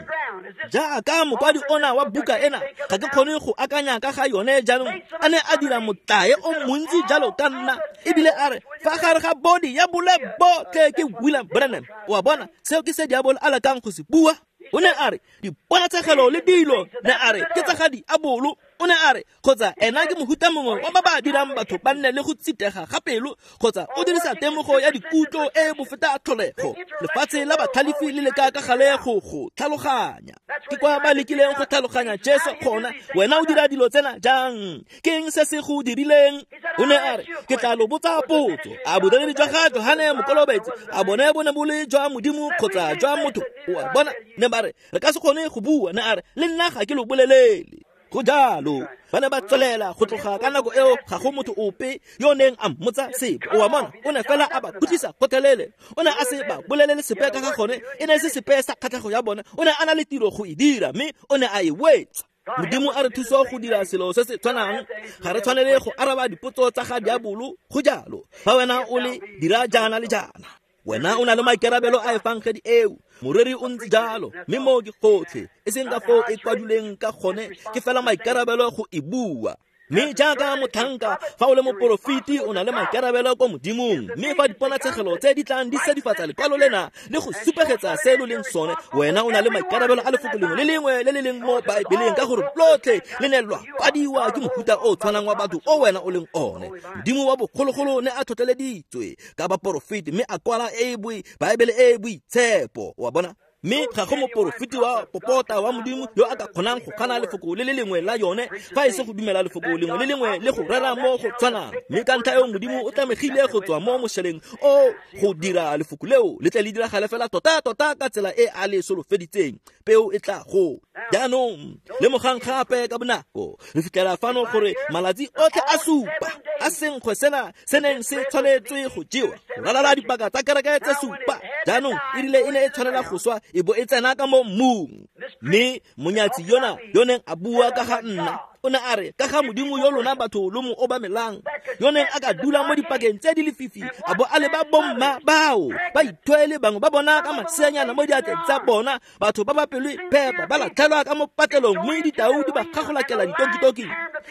Jaaka mokwadi ona wa buka ena, ga ke kgone go akanya ka ga yone jaanong, a ne a dira motlae o montsi jalo ka nna, ebile a re fa gare ga bodi ya bole botlhe ke William Branham. O a bona, seo ke se diabolo a lekang go se bua. O ne a re diponatshegelo le dilo, ne a re ke tsa ga diabolo. O ne a re kgotsa ena ke mohuta mongwe wa ba ba dirang batho ba nne le go tsitega ga pelo, kgotsa o dirisa temogo ya dikutlo e bofeta tlholego. Lefatshe la batlhalefi le leka ka gale go go tlhaloganya. Ke kwa ba lekileng go tlhaloganya Jesu gona. Wena o dira dilo tsena jang? Ke eng se se go dirileng? O ne a re ke tla lo botsa potso. A bodiredi jwa ga Johane Mokolobetsi a bone bo ne bo le jwa Modimo kgotsa jwa motho? O a bona, ne ba re re ka se kgone go bua. Ne a re le nna ga ke lo bolelele. Go jalo, ba ne ba tswelela go tloga ka nako eo, ga go motho ope yo neng a mmotsa sepe. O a bona, o ne fela a ba khutlisa gotlhelele. O ne a se ba bolelele sepe ka ga gone, e ne e se sepe sa kgatlhego ya bone. O ne a na le tiro go e dira, mme o ne a e wetsa. Modimo a re thusa go dira selo se se tshwanang. Ga re tshwanele go araba dipotso tsa ga diabolo. Go jalo, fa wena o le dira jaana le jaana, wena o na le maikarabelo a efangedi eo. Moreri o ntse jalo, mme moo ke gotlhe, e seng ka foo e kwadilweng ka gone, ke fela maikarabelo go e bua. Mme jaaka motlhanka, fa o le moporofeti o na le maikarabelo ko Modimong. Mme fa diponatshegelo tse di tlang di sedifatsa lekwalo lena le go supegetsa se lo leng sone, wena o na le maikarabelo a lefoko lengwe le lengwe le le leng mo Baebeleng, ka gore lotlhe le ne lwa kwadiwa ke mohuta o tshwanang wa batho o wena o leng one. Modimo wa bogologolo ne a tlhotlheleditswe ka baporofeti, mme a kwala e boi Baebele e boitshepo. Wa bona? Mme ga go moporofeti wa popota wa Modimo yo a ka kgonang go gana lefoko le le lengwe la yone, fa e se go dumela lefoko lengwe le lengwe le go rera mo go tshwanang. Mme ka ntlha eo Modimo o tlamegile go tswa mo mošeleng o go dira lefoko leo le tle le diragale fela tota-tota ka tsela e a le solofeditseng. Peo e tla go. Jaanong lemogang gape ka bonako, re fitlhela fano gore malatsi otlhe a supa a senkgwe sena se neng se tshwanetswe go jewa go ralala dipaka tsa kereke tse supa. Jaanong e rile e ne e tshwanela go swa, e bo e tsena ka mo mmung. Mme monyatsi yona yo neng a bua ka ga nna, o ne a re ka ga Modimo yo lona batho lo mo obamelang, yo neng a ka dula mo dipakeng tse di lefifi, a bo a leba bomma bao ba ithwele bangwe ba bona ka maseanyana mo diatleng tsa bona, batho ba ba pelo phepa ba latlhelwa ka mo patlelong, mme ditau di ba gagolakela ditokitoking,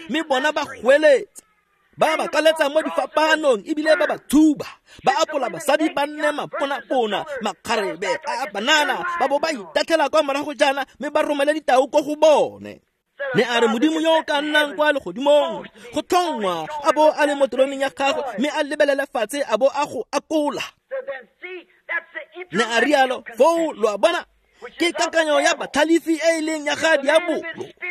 mme bona ba goeletsa, ba ba kaletsa mo difapanong, ebile ba ba thuba, ba apola basadi ba nne maponapona, makgarebe a banana, ba bo ba itatlhela kwa morago jaana, mme ba romele ditau ko go bone. Ne a re Modimo yo o ka nnang kwa legodimong go tlhongwa a bo a le mo teroneng ya gagwe, mme a lebelele fatshe a bo a go akola. Ne a rialo foo, lo a bona, ke kakanyo ya batlhalefi e e leng ya ga diabolo.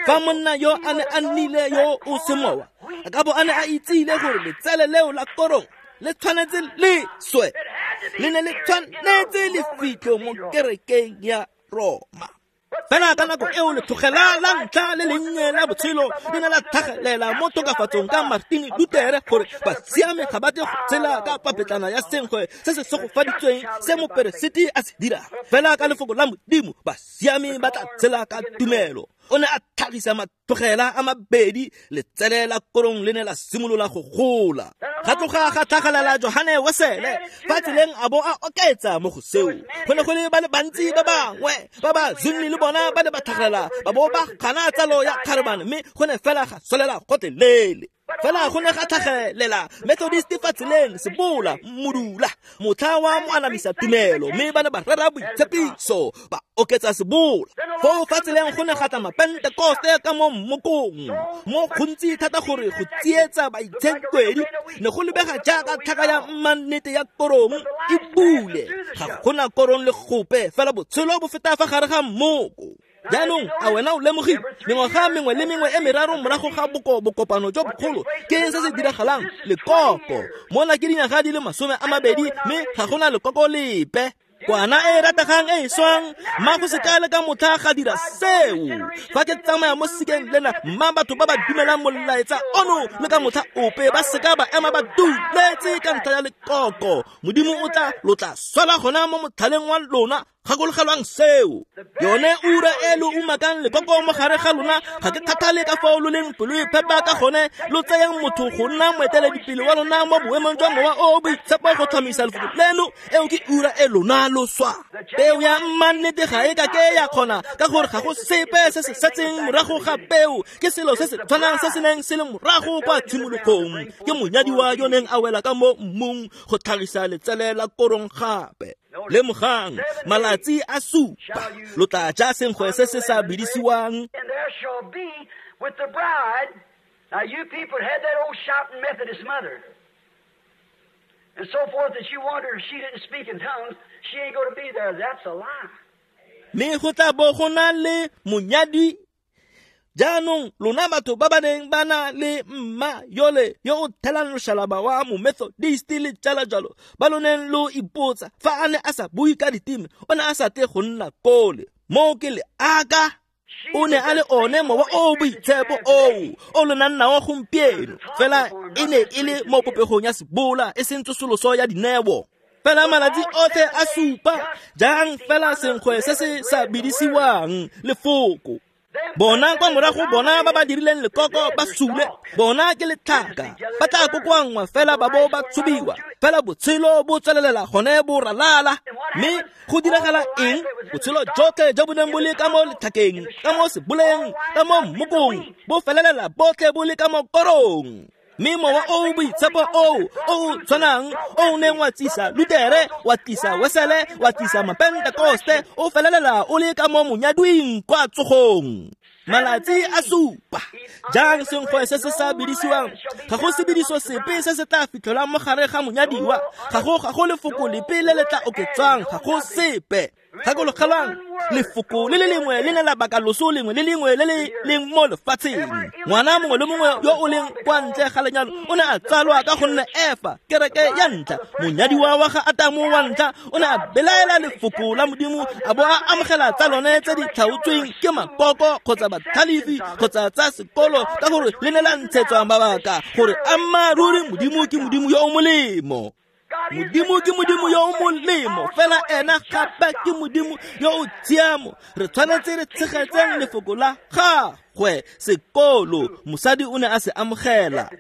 Fa monna yo a ne a nnile yo o semowa, a ka bo a ne a itsile gore letsele leo la korong le tshwanetse le swe, le ne le tshwanetse le fitlho mo kerekeng ya Roma. Fela ka nako eo letlhogela la ntlha le lennye la botshelo le ne la tlhagelela mo tokafatsong ka Martin Luther, gore basiame ga ba tle go tshela ka papetlana ya senkgwe se se segofaditsweng se moperesiti a se dirang. Fela ka lefoko la Modimo basiame ba tla tshela ka tumelo. O ne a tlhagisa matlogela a mabedi, letsele la korong le ne la simolola go gola. Ga tloga ga tlhagelela Johane Wesele fa tseleng a bo a oketsa mo go seo. Go ne go le ba le bantsi ba bangwe ba ba Zwingli le bona ba ne ba tlhagelela ba bo ba gana tsalo ya kgarebane, mme go ne fela ga solela gotlhelele. Fela go ne ga tlhagelela Methodist fa tseleng, sebola, modula, motlha wa moanamisa tumelo, mme ba ne ba rera boitshepiso, ba oketsa sebola. Foo fa tseleng go ne ga tla Mapentekoste ka mo mmokong, mo gontsi thata gore go tsietsa baitshenkwedi ne go lebega jaaka tlhaka ya mmannete ya korong e bule. Ga gona korong le gope, fela botshelo bo feta fa gare ga mmoko. Jaanong a wena o lemogile mengwaga mengwe le mengwe e meraro morago ga boko bokopano jo bogolo, ke eng se se diragalang? Lekoko. Mona ke dinyaga di le masome a mabedi, mme ga gona lekoko lepe. Kwana e rategang e e swang, mma go se ka le ka motlha ga dira seo. Fa ke tsamaya mo sekeng lena, mma batho ba ba dumelang molaetsa ono le ka motlha ope ba seka ba ema ba duletse ka ntlha ya lekoko. Modimo o tla lo tla swela gona mo motlhaleng wa lona. Gakologelwang seo. Yone ura e lo umakang lekoko mo gare ga lona, ga ke kgathale ka fao lo leng pelo e phepa ka gone, lo tseyang motho go nna moeteledipele wa lona mo boemong jwa mowa o o boitshepo go tlhomisa lefoko leno. Eo ke ura e lona lo swa. Peo ya mmannete ga e ka ke ya kgona, ka gore ga go sepe se se setseng morago ga peo. Ke selo se se tshwanang se se neng se le morago kwa tshimologong. Ke monyadiwa yo neng a wela ka mo mmung go tlhagisa letsele la korong gape. Lemogang, malatsi a supa lo tla ja senkgwe se se sa bidisiwang. And there shall be with the bride. Now you people had that old shouting Methodist mother and so forth that you wonder if she didn't speak in tongues, she ain't going to be there. That's a lie. Mme go tla bo go na le monyadi. Jaanong lona batho ba ba neng ba na le mma yole yo o thelang loshalaba wa momethodist le jalo jalo, ba lo neng lo ipotsa fa a ne a sa bue ka diteme, o ne a sa tle go nna kole. Moo ke leaka. O ne a le one mowa o boitshepo oo o lo nang nao gompieno, fela e ne e le mo popegong ya sebola, e seng tsosoloso ya dineo. Fela malatsi otlhe a supa jang fela senkgwe se se sa bidisiwang lefoko. Bona kwa morago bona ba ba dirileng lekoko ba sule, bona ke letlhaka, ba tla kokoanngwa fela ba bo ba tshubiwa, fela botshelo bo tswelelela gone bo ralala. Mme go diragala eng? Botshelo jotlhe jo bo neng bo le ka mo letlhakeng, ka mo seboleng, ka mo mmokong, bo felelela botlhe bo le ka mo korong. Mme mowa o boitshepo oo o tshwanang o neng wa tsisa Lutere, wa tlisa Wesele, wa tlisa Mapentekoste, o felelela o le ka mo monyadwing kwa tsogong. Malatsi a supa jang senkgwe se se sa bidisiwang. Ga go sebidiso sepe se se tla fitlhelwang mo gare ga monyadiwa. Ga go ga go lefoko lepe le le tla oketswang, ga go sepe. Gakologelwang, lefoko le le lengwe le ne la baka loso lengwe le lengwe le le leng mo lefatsheng. Ngwana mongwe le mongwe yo o leng kwa ntle ga lenyalo o ne a tsalwa ka gonne Efa, kereke ya ntlha, monyadiwa wa ga Atamo wa ntlha, o ne a belaela lefoko la Modimo, a bo a amogela tsa lone tse di tlhaotsweng ke makoko kgotsa batlhalefi kgotsa tsa sekolo, ka gore le ne la ntshetswa mabaka gore ammaaruri Modimo ke Modimo yo o molemo. Modimo ke Modimo yo o molemo, fela ena gape ke Modimo yo o tshiamo. Re tshwanetse re tshegetseng lefoko la gagwe. Sekolo mosadi o ne a se amogela.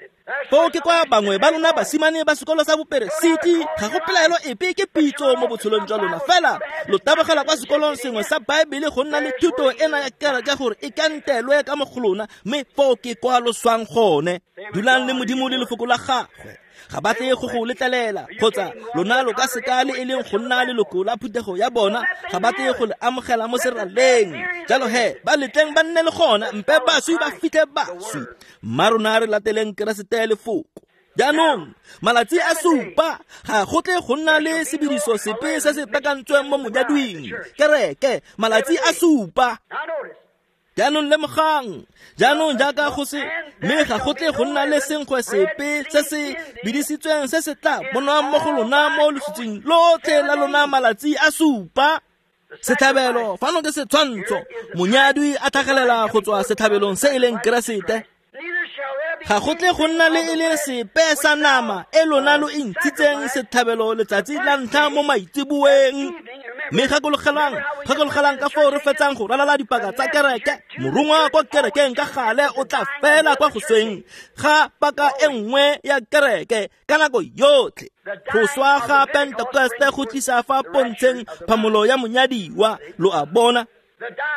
Foo ke kwa bangwe ba lona basimane ba sekolo sa boperesiti, ga go pelaelo epe ke pitso mo botshelong jwa lona, fela lo tabogela kwa sekolong sengwe sa Baebele go nna le thuto ena ya kereke gore e kantelwe ka mo go lona, mme foo ke kwa lo swang gone. Dulang le Modimo le lefoko la gagwe. Ga ba tle go go letlelela, kgotsa lona lo ka seka le e leng go nna leloko la phuthego ya bona, ga ba tle go le amogela mo seraleng. Jalo he, ba letleng ba nne le gona, mpe baswi ba fitlhe baswi. Mma rona re lateleng Keresete lefoko. Jaanong malatsi a supa ga go tle go nna le sebediso sepe se se bakantsweng mo monyadwing. Kereke malatsi a supa. Jaanong lemogang, jaanong jaaka go se, mme ga go tle go nna le senkgwe sepe se se bidisitsweng se se tla bonwang mo go lona mo lositsing lotlhe la lona malatsi a supa. Setlhabelo fano ke setshwantsho, monyadwi a tlhagelela go tswa setlhabelong se e leng Keresete. Ga go tle go nna le e le sepe sa nama e lona lo e ntshitseng setlhabelo letsatsi la ntlha mo maitseboeng. Mme gakologelang, gakologelang ka foo re fetsang go ralala dipaka tsa kereke. Morongwa kwa kerekeng ka gale o tla fela kwa go sweng ga paka e nngwe ya kereke ka nako yotlhe. Go swa ga Pentekoste go tlisa fa pontsheng phamolo ya monyadiwa, lo a bona.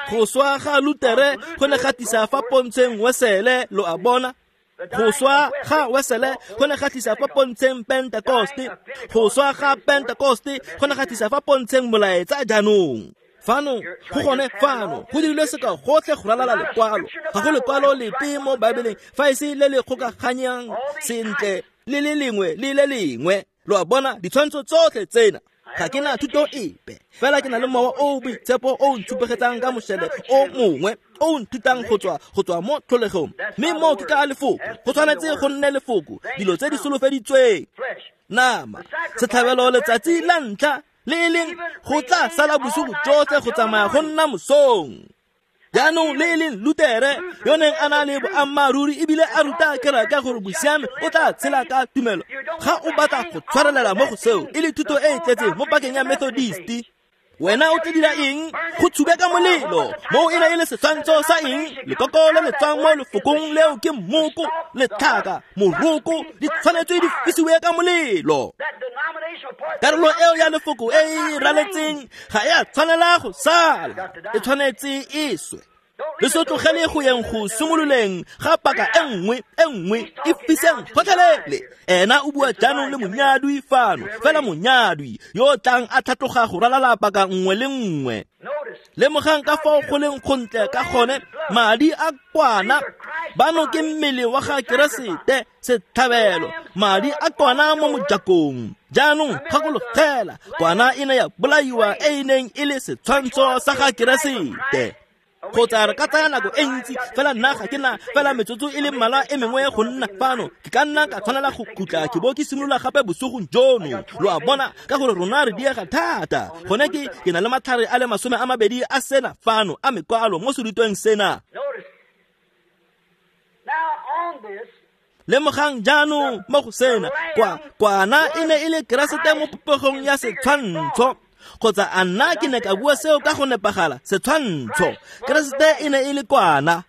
Go swa ga Lutere go ne ga tlisa fa pontsheng Wesele, lo a bona. Go swa ga Wesele go ne ga tlisa fa pontsheng Pentekoste. Go swa ga Pentekoste go ne ga tlisa fa pontsheng molaetsa jaanong. Fano, go gone fano, go dirilwe sekao gotlhe go ralala lekwalo. Ga go lekwalo lepe mo Baebeleng fa e se le le kgokaganyang sentle le le lengwe le le lengwe. Lo a bona ditshwantsho tsotlhe tsena. Ga ke na thuto epe, fela ke na le mowa o o boitshepo o o ntshupegetsang ka mošele o mongwe o o nthutang go tswa go tswa mo tlholegong. Mme moo ke ka lefoko, go tshwanetse go nne lefoko, dilo tse di solofeditsweng. Nama, setlhabelo letsatsi la ntlha le e leng go tla sala bosigo jotlhe go tsamaya go nna mosong. Jaanong le e leng Lutere yo neng a na le boammaaruri ebile a ruta kereke gore bosiame o tla tshela ka tumelo. Ga o batla go tshwarelela mo go seo e le thuto e e tletseng mo pakeng ya Methodist, wena o tla dira eng? Go tshube ka molelo. Moo e ne e le setshwantsho sa eng? Lekoko le le tswang mo lefokong leo ke mmoko, letlhaka, moroko, di tshwanetse di fisiwe ka molelo. Karolo eo ya lefoko e e raletseng ga e a tshwanela go sala, e tshwanetse e swe. Le se tlogele go yeng go simololeng ga paka e nngwe e nngwe e fiseng gotlhelele. Ena o bua jaanong le monyadwi fano, fela monyadwi yo tlang a tlhatloga go ralala paka nngwe le nngwe. Lemogang ka fao go leng gontle ka gone, madi a kwana bano ke mmele wa ga Keresete setlhabelo, madi a kwana mo mojakong. Jaanong gakologela, kwana e ne ya bolaiwa e e neng e le setshwantsho sa ga Keresete. Kgotsa re ka tsaya nako e ntsi, fela nna ga ke na fela metsotso e le mmalwa e mengwe go nna fano. Ke ka nna ka tshwanela go khutla ke bo ke simolola gape bosigong jono. Lo a bona, ka gore rona re diega thata. Gone ke ke na le matlhare a le masome a mabedi a sena fano a mekwalo mo serutweng sena. Lemogang jaanong mo go sena, kwa kwana e ne e le Keresete mo popegong ya setshwantsho. Kgotsa a nna ke ne ka bua seo ka go nepagala, setshwantsho. Keresete e ne e le kwana.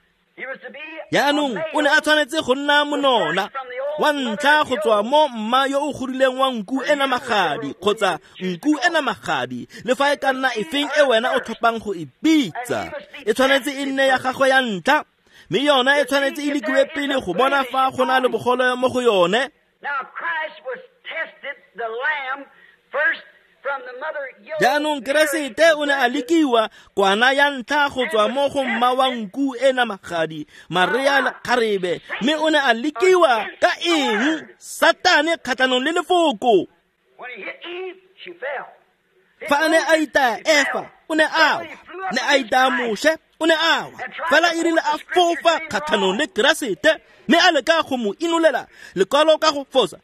Jaanong o ne a tshwanetse go nna monona wa ntlha go tswa mo mma yo o godileng wa nku e namagadi kgotsa nku e namagadi, le fa e ka nna efeng e wena o tlhophang go e bitsa. E tshwanetse e nne ya gagwe ya ntlha, mme yona e tshwanetse e lekiwe pele go bona fa go na le bogole mo go yone. Jaanong Keresete o ne a lekiwa kwana ya ntlha go tswa mo go mma wa nku e namagadi, Maria lekgarebe, mme o ne a lekiwa ka eng? Satane kgatlhanong le lefoko. Fa a ne a itaya Efa, o ne a wa. Ne a itaya Moshe, o ne a wa. Fela e rile a fofa kgatlhanong le Keresete, mme a leka go mo inolela lekwalo ka go fosa.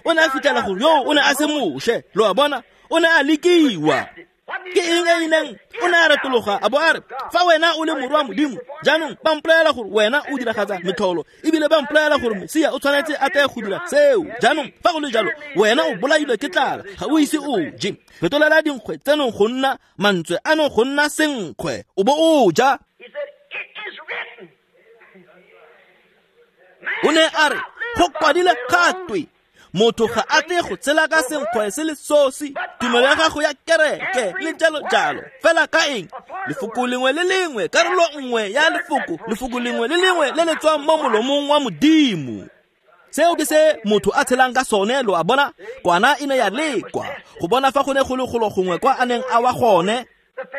O ne a fitlhela gore yo o ne a se Moshe, lo a bona, o ne a lekiwa. Ke eng e neng? O ne a retologa a bo a re, fa wena o le morwa Modimo, jaanong ba mpolelela gore wena o diragatsa metlholo, ebile ba mpolelela gore Mesia o tshwanetse a tle go dira seo. Jaanong fa go le jalo, wena o bolailwe ke tlala, ga o ise o je. Fetolela dinkgwe tseno go nna mantswe ano go nna senkgwe, o bo o ja. O ne a re, go kwadile gatwe, motho ga a tle go tshela ka senkgwe se le sosi, tumelo ya gago ya kereke le jalo jalo. Fela ka eng? Lefoko lengwe le lengwe, karolo nngwe ya lefoko, lefoko lengwe le lengwe le le tswang mo molomong wa Modimo. Seo ke se motho a tshelang ka sone, lo a bona. Kwana e ne ya lekwa go bona fa go ne go le golo gongwe kwa a neng a wa gone.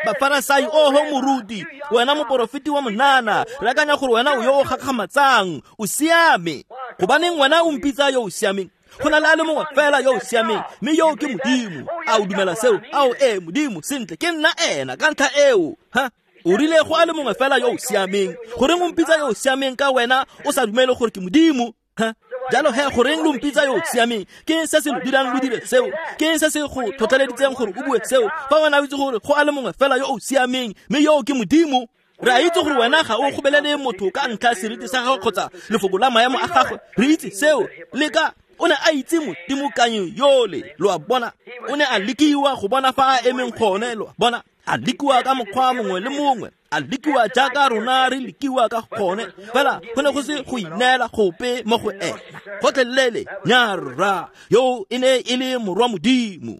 Bafarasai, oho moruti, wena moporofeti wa monana, re akanya gore wena o yo o gakgamatsang, o siame. Gobaneng wena o mpitsa yo o siameng? Go na le a le mongwe fela yo o siameng, mme yo ke Modimo. A o dumela seo? Ao ee, Modimo, sentle, ke nna ena ka ntlha eo. Ha? O rile go a le mongwe fela yo o siameng. Goreng o mpitsa yo o siameng ka wena o sa dumele gore ke Modimo? Ha? Jalo he, goreng lo mpitsa yo o siameng? Ke eng se se lo dirang lo dire seo? Ke eng se se go tlhotlheleditseng gore o bue seo? Fa wena o itse gore go a le mongwe fela yo o siameng, mme yo ke Modimo. Re a itse gore wena ga o gobelele motho ka ntlha seriti sa gagwe kgotsa lefoko la maemo a gagwe. Re itse seo. Le ka o ne a itse modimokanyi yole, lo a bona. O ne a lekiwa go bona fa a emeng gone, lo a bona. A lekiwa ka mokgwa mongwe le mongwe, a lekiwa jaaka rona re lekiwa ka gone, fela go ne go se go ineela gope mo go ena gotlhelele. Nyarra yo e ne e le morwa Modimo.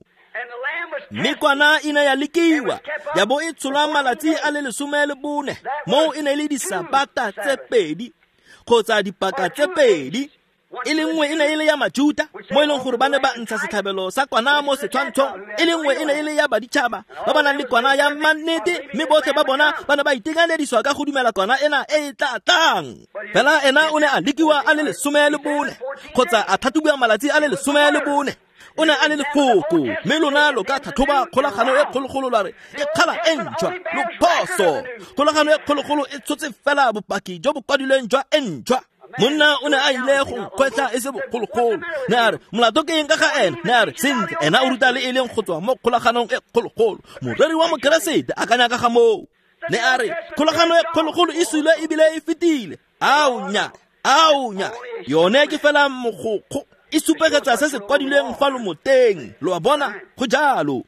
Mme kwana e ne ya lekiwa ya bo e tsholwa malatsi a le lesome le bone, moo e ne le disabata tse pedi kgotsa dipaka tse pedi. E le nngwe e ne e le ya Majuta, mo e leng gore ba ne ba ntsha setlhabelo sa kwana mo setshwantshong. E le nngwe e ne e le ya baditšhaba ba ba nang le kwana ya mannete, mme botlhe ba bona ba ne ba itekanediswa ka go dumela kwana ena e e tla tlang. Fela ena o ne a lekiwa a le lesome le bone, kgotsa a tlhatlhobiwa malatsi a le lesome le bone. O ne a le lefoko, mme lona lo ka tlhatlhoba kgolagano e kgologolo la re e kgala e ntšhwa, lo phoso. Kgolagano e kgologolo e tshotse fela bopaki jo bo kwadilweng jwa e ntšhwa. Monna o ne a ile go nkgwetlha e se bogologolo. Ne a re molato ke eng ka ga ena? Ne a re sentle, ena o ruta le e leng go tswa mo kgolaganong e kgologolo. Moreri wa Mokeresete akanya ka ga moo. Ne a re kgolagano e kgologolo e sule ebile e fetile. Ao nya, ao nya, yone ke fela mogokgo, e supegetsa se se kwadilweng fa lomoteng. Lo a bona, go jalo.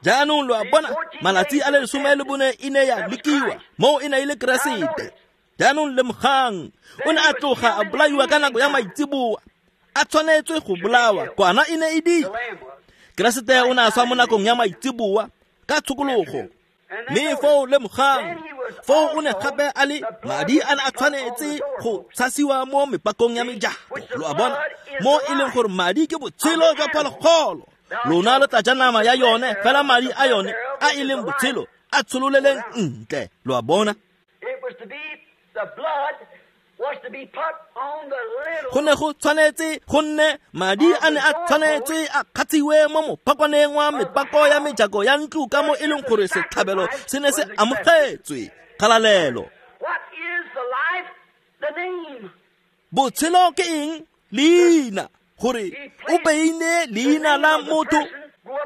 Jaanong lo a bona, malatsi a le lesome le bone e ne ya lekiwa, moo e ne e le Keresete. Jaanong lemogang, o ne a tloga a bolaiwa ka nako ya maitseboa, a tshwanetswe go bolawa, kwana e ne e di. Keresete o ne a swa mo nakong ya maitseboa ka tshokologo. Mme foo lemogang, foo o ne gape a le madi a ne a tshwanetse go tshasiwa mo mepakong ya mejako. Lo a bona, mo e leng gore madi ke botshelo jwa phologolo. Lona lo tla ja nama ya yone, fela madi a yone a e leng botshelo a tshololeleng ntle. Lo a bona. Go ne go tshwanetse go nne madi a ne a tshwanetse a kgatshiwe mo mopakwaneng wa mepako ya mejako ya ntlo, ka mo e leng gore setlhabelo se ne se amogetswe. Kgalalelo. Botshelo ke eng? Leina. Gore o beile leina la motho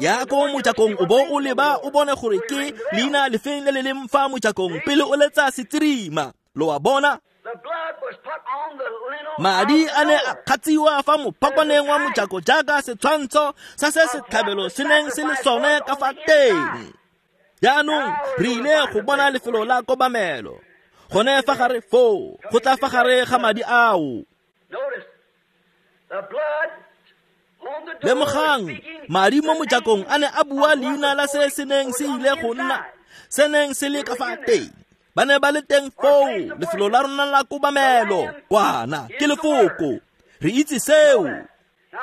ya ko mojakong, o bo o leba o bone gore ke leina lefeng le le leng fa mojakong pele o letsa setirima. Lo a bona. Madi a ne a kgatsiwa fa mopakwaneng wa mojako jaaka setshwantsho sa se setlhabelo se neng se le sone ka fa teng. Jaanong re ile go bona lefelo la kobamelo gone fa gare foo, go tla fa gare ga madi ao. Lemogang, madi mo mojakong a ne a bua leina la se se neng se ile go nna, se neng se le ka fa teng. Ba ne ba le teng foo, lefelo la rona la kobamelo, kwana ke lefoko. Re itse seo.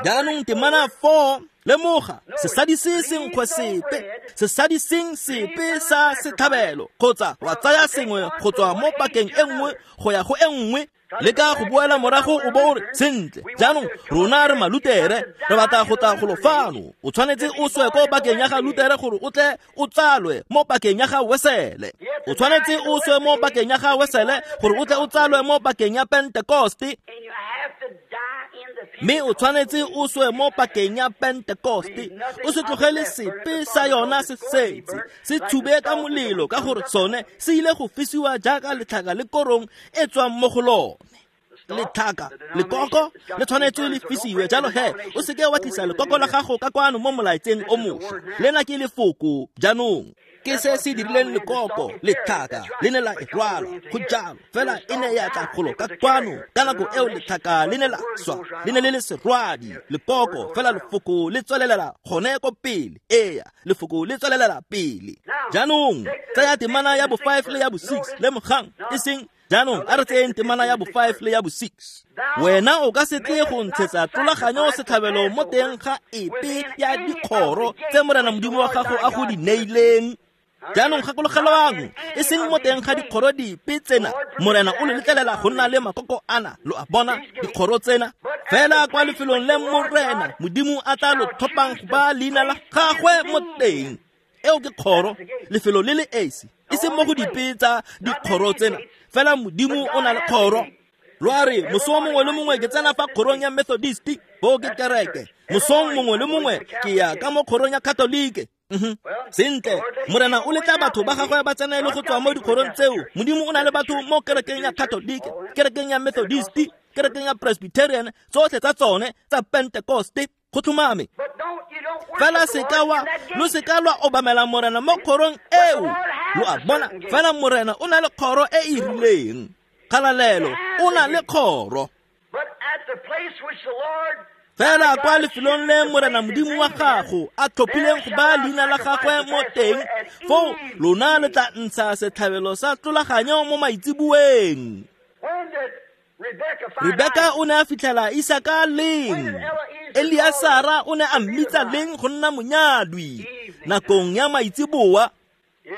Jaanong temana four, lemoga, sesadi se senkgwe sepe, sesadi seng sepe sa setlhabelo, kgotsa wa tsaya sengwe go tswa mo pakeng e nngwe go ya go e nngwe. Le ka go boela morago o bo o re sentle, jaanong rona re Malutere, re batla go tla golo fano. O tshwanetse o swe ko pakeng ya ga Lutere gore o tle o tsalwe mo pakeng ya ga Wesele. O tshwanetse o swe mo pakeng ya ga Wesele gore o tle o tsalwe mo pakeng ya Pentekoste. Mme o tshwanetse o swe mo pakeng ya Pentekoste. O se tlogele sepe sa yona se setse, se tshube ka molelo, ka gore sone se ile go fisiwa jaaka letlhaka le korong e tswang mo go lone. Letlhaka, lekoko le tshwanetse le fisiwe. Jalo he, o seke wa tlisa lekoko la gago ka kwano mo molaetseng o mošwa. Lena ke lefoko jaanong. Ke se se dirileng lekoko, letlhaka le ne la e rwalwa go jalo, fela e ne ya tla golo ka kwano. Ka nako eo letlhaka le ne la swa, le ne le le serwadi lekoko, fela lefoko le tswelelela gone ko pele. Eya, lefoko le tswelelela pele. Jaanong tsaya temana ya bo five le ya bo six. Lemogang, e seng jaanong a re tseyeng temana ya bo five le ya bo six. Wena o ka se tle go ntshetsa tlolaganyo setlhabelo mo teng ga epe ya dikgoro tse Morena Modimo wa gago a go di neileng. Jaanong gakologelwang, e seng mo teng ga dikgoro dipe tsena. Morena o le letlelela go nna le makoko ana, lo a bona, dikgoro tsena. Fela kwa lefelong le Morena Modimo a tla lo tlhophang go ba leina la gagwe mo teng. Eo ke kgoro, lefelo le le esi, e seng mo go dipe tsa dikgoro tsena. Fela Modimo o na le kgoro. Lo a re moso mongwe le mongwe ke tsena fa kgorong ya Methodist, bo ke kereke. Mosong mongwe le mongwe ke ya ka mo kgorong ya Katolike, Mm-hmm. Sentle, Morena o letla batho ba gagwe ba tsene le go tswa mo dikgorong tseo. Modimo o na le batho mo kerekeng ya Catholic, kerekeng ya Methodist, kerekeng ya Presbyterian, tsotlhe tsa tsone tsa Pentecost. Go tlhomame. Fela seka wa lo seka lwa obamela Morena mo kgorong eo. Lo a bona, fela Morena o na le kgoro e e rileng. Kgalalelo, o na le kgoro. Fela kwa lefelong le Morena Modimo wa gago a tlhophileng go baya leina la gagwe mo teng, foo lona le tla ntsha setlhabelo sa tlolaganyo mo maitseboeng. Rebeka o ne a fitlhela Isaka leng? Eliasara o ne a mmitsa leng go nna monyadwi? Nakong ya maitseboa.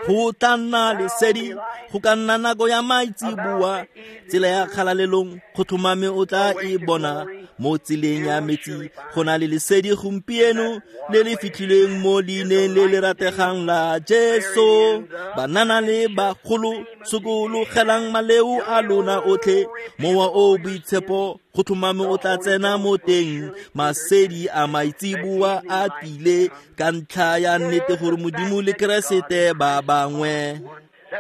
Go tla nna lesedi, go ka nna nako ya maitseboa, tsela ya kgalalelong go tlhomame o tla e bona. Mo tseleng ya metsi go na le lesedi gompieno le le fitlhileng mo leineng le le rategang la Jesu. Banana le bagolo, sokologelang maleo a lona otlhe, mowa o boitshepo go tlhomame o tla tsena mo teng. Masedi a maitseboa a tlile ka ntlha ya nnete gore Modimo le Keresete ba bangwe.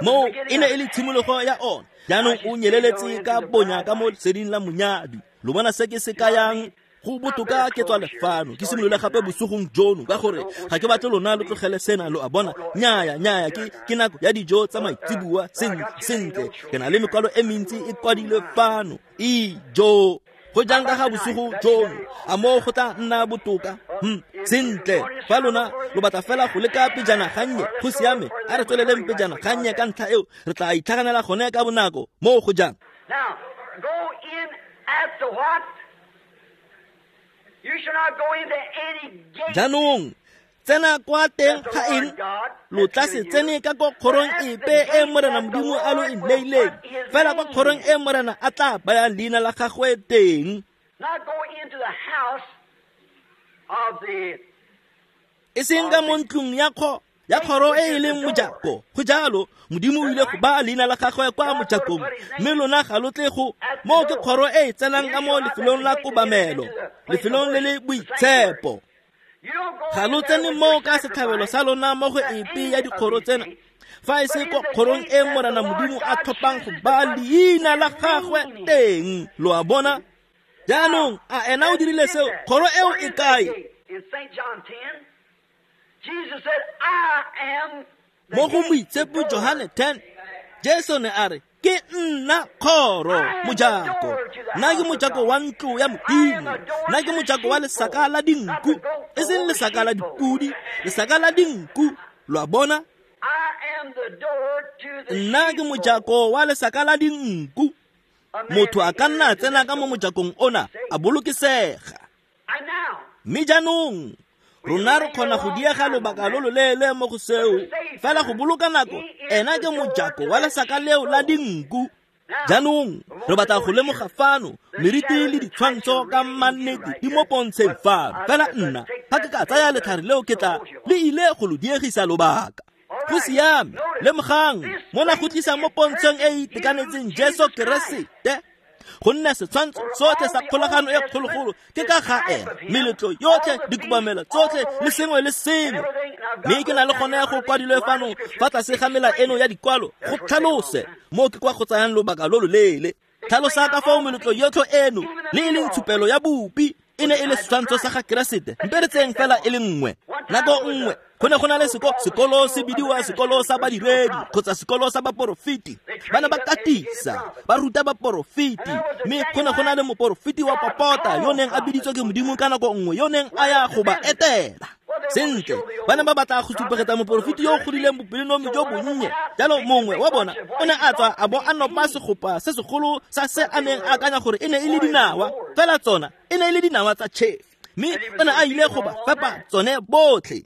Mo e ne e le tshimologo ya ona. Jaanong o nyeleletse ka bonya ka mo leseding la monyadwi. Lo bona se ke se kayang? Go botoka ke tswa lefano ke simolole gape bosigong jono, ka gore ga ke batle lona lo tlogele sena. Lo a bona? Nnyaya, nnyaya, ke ke nako ya dijo tsa maitseboa. Sentle, sentle, ke na le mekwalo e mentsi e kwadilwe fano. Ijo, go jang ka ga bosigo jono? A moo go tla nna botoka? Hmm, sentle, fa lona lo batla fela go leka pejana gannye, go siame, a re tsweleleng pejana gannye ka ntlha eo, re tla itlhaganela gone ka bonako. Moo go jang? Now, go in at the what? You shall not go into any gate. Jaanong, tsena kwa teng ga eng? Lo tla se tsene ka ko kgorong epe e Morena Modimo a lo e neileng, fela kwa kgorong e Morena a tla bayang leina la gagwe teng. Not go into the house of the E seng ka mo ntlong ya kgo ya kgoro e e leng mojako. Go jalo, Modimo o ile go baya leina la gagwe kwa mojakong, mme lona ga lo tle go. Moo ke kgoro e e tsenang ka mo lefelong la kobamelo, lefelong le le boitshepo. Ga lo tsene moo ka setlhabelo sa lona mo go epe ya dikgoro tsena, fa e se ko kgorong e Morena Modimo a tlhophang go baya leina la gagwe teng. Lo a bona? Jaanong, a ena o dirile seo? Kgoro eo e kae? In Saint John ten, Jesus said, I am Mo go Moitshepo Johane ten, Jesu ne a re, ke nna kgoro mojako. Nna ke mojako wa ntlo ya Modimo. Nna ke mojako wa lesaka la dinku, e seng lesaka la dipudi, lesaka la dinku. Lo a bona? Nna ke mojako wa lesaka la dinku. Motho a ka nna tsena ka mo mojakong ona a bolokesega. Mme jaanong rona re kgona go diega lobaka lo loleele mo go seo, fela go boloka nako, ena ke mojako wa lesaka leo la dinku. Jaanong re batla go lemoga fano meriti le ditshwantsho ka mannete di mo pontsheng fano. Fela nna ga ke ka tsaya letlhare leo ke tla le ile go lo diegisa lobaka. Go siame, lemogang mona go tlisa mo pontsheng e e itekanetseng Jesu Keresete. Gonne setshwantsho sotlhe sa kgolagano e kgologolo ke ka ga ena, meletlo yotlhe, dikobamelo tsotlhe le sengwe le sengwe. Mme ke na le gone go kwadilwe fano fa tlase ga mela eno ya dikwalo go tlhalose moo ke kwa go tsayang lobaka lo loleele. Tlhalosa ka fao meletlo yotlhe eno le e leng tshupelo ya bopi e ne e le setshwantsho sa ga Keresete. Mpe re tseyeng fela e le nngwe. Nako nngwe go ne go na le seko, sekolo se bidiwa sekolo sa badiredi kgotsa sekolo sa baporofeti. Ba ne ba katisa, ba ruta baporofeti, mme go ne go na le moporofeti wa popota yo neng a biditswe ke Modimo ka nako nngwe, yo neng a ya go ba etela. Sentle, ba ne ba batla go supegetsa moporofeti yo o godileng bopelonomi jo bonnye. Jalo mongwe wa bona o ne a tswa a bo a nopa segopa se segolo sa se a neng a akanya gore e ne e le dinawa, fela tsona e ne e le dinawa tsa tšhefi, mme o ne a ile go ba fepa tsone botlhe.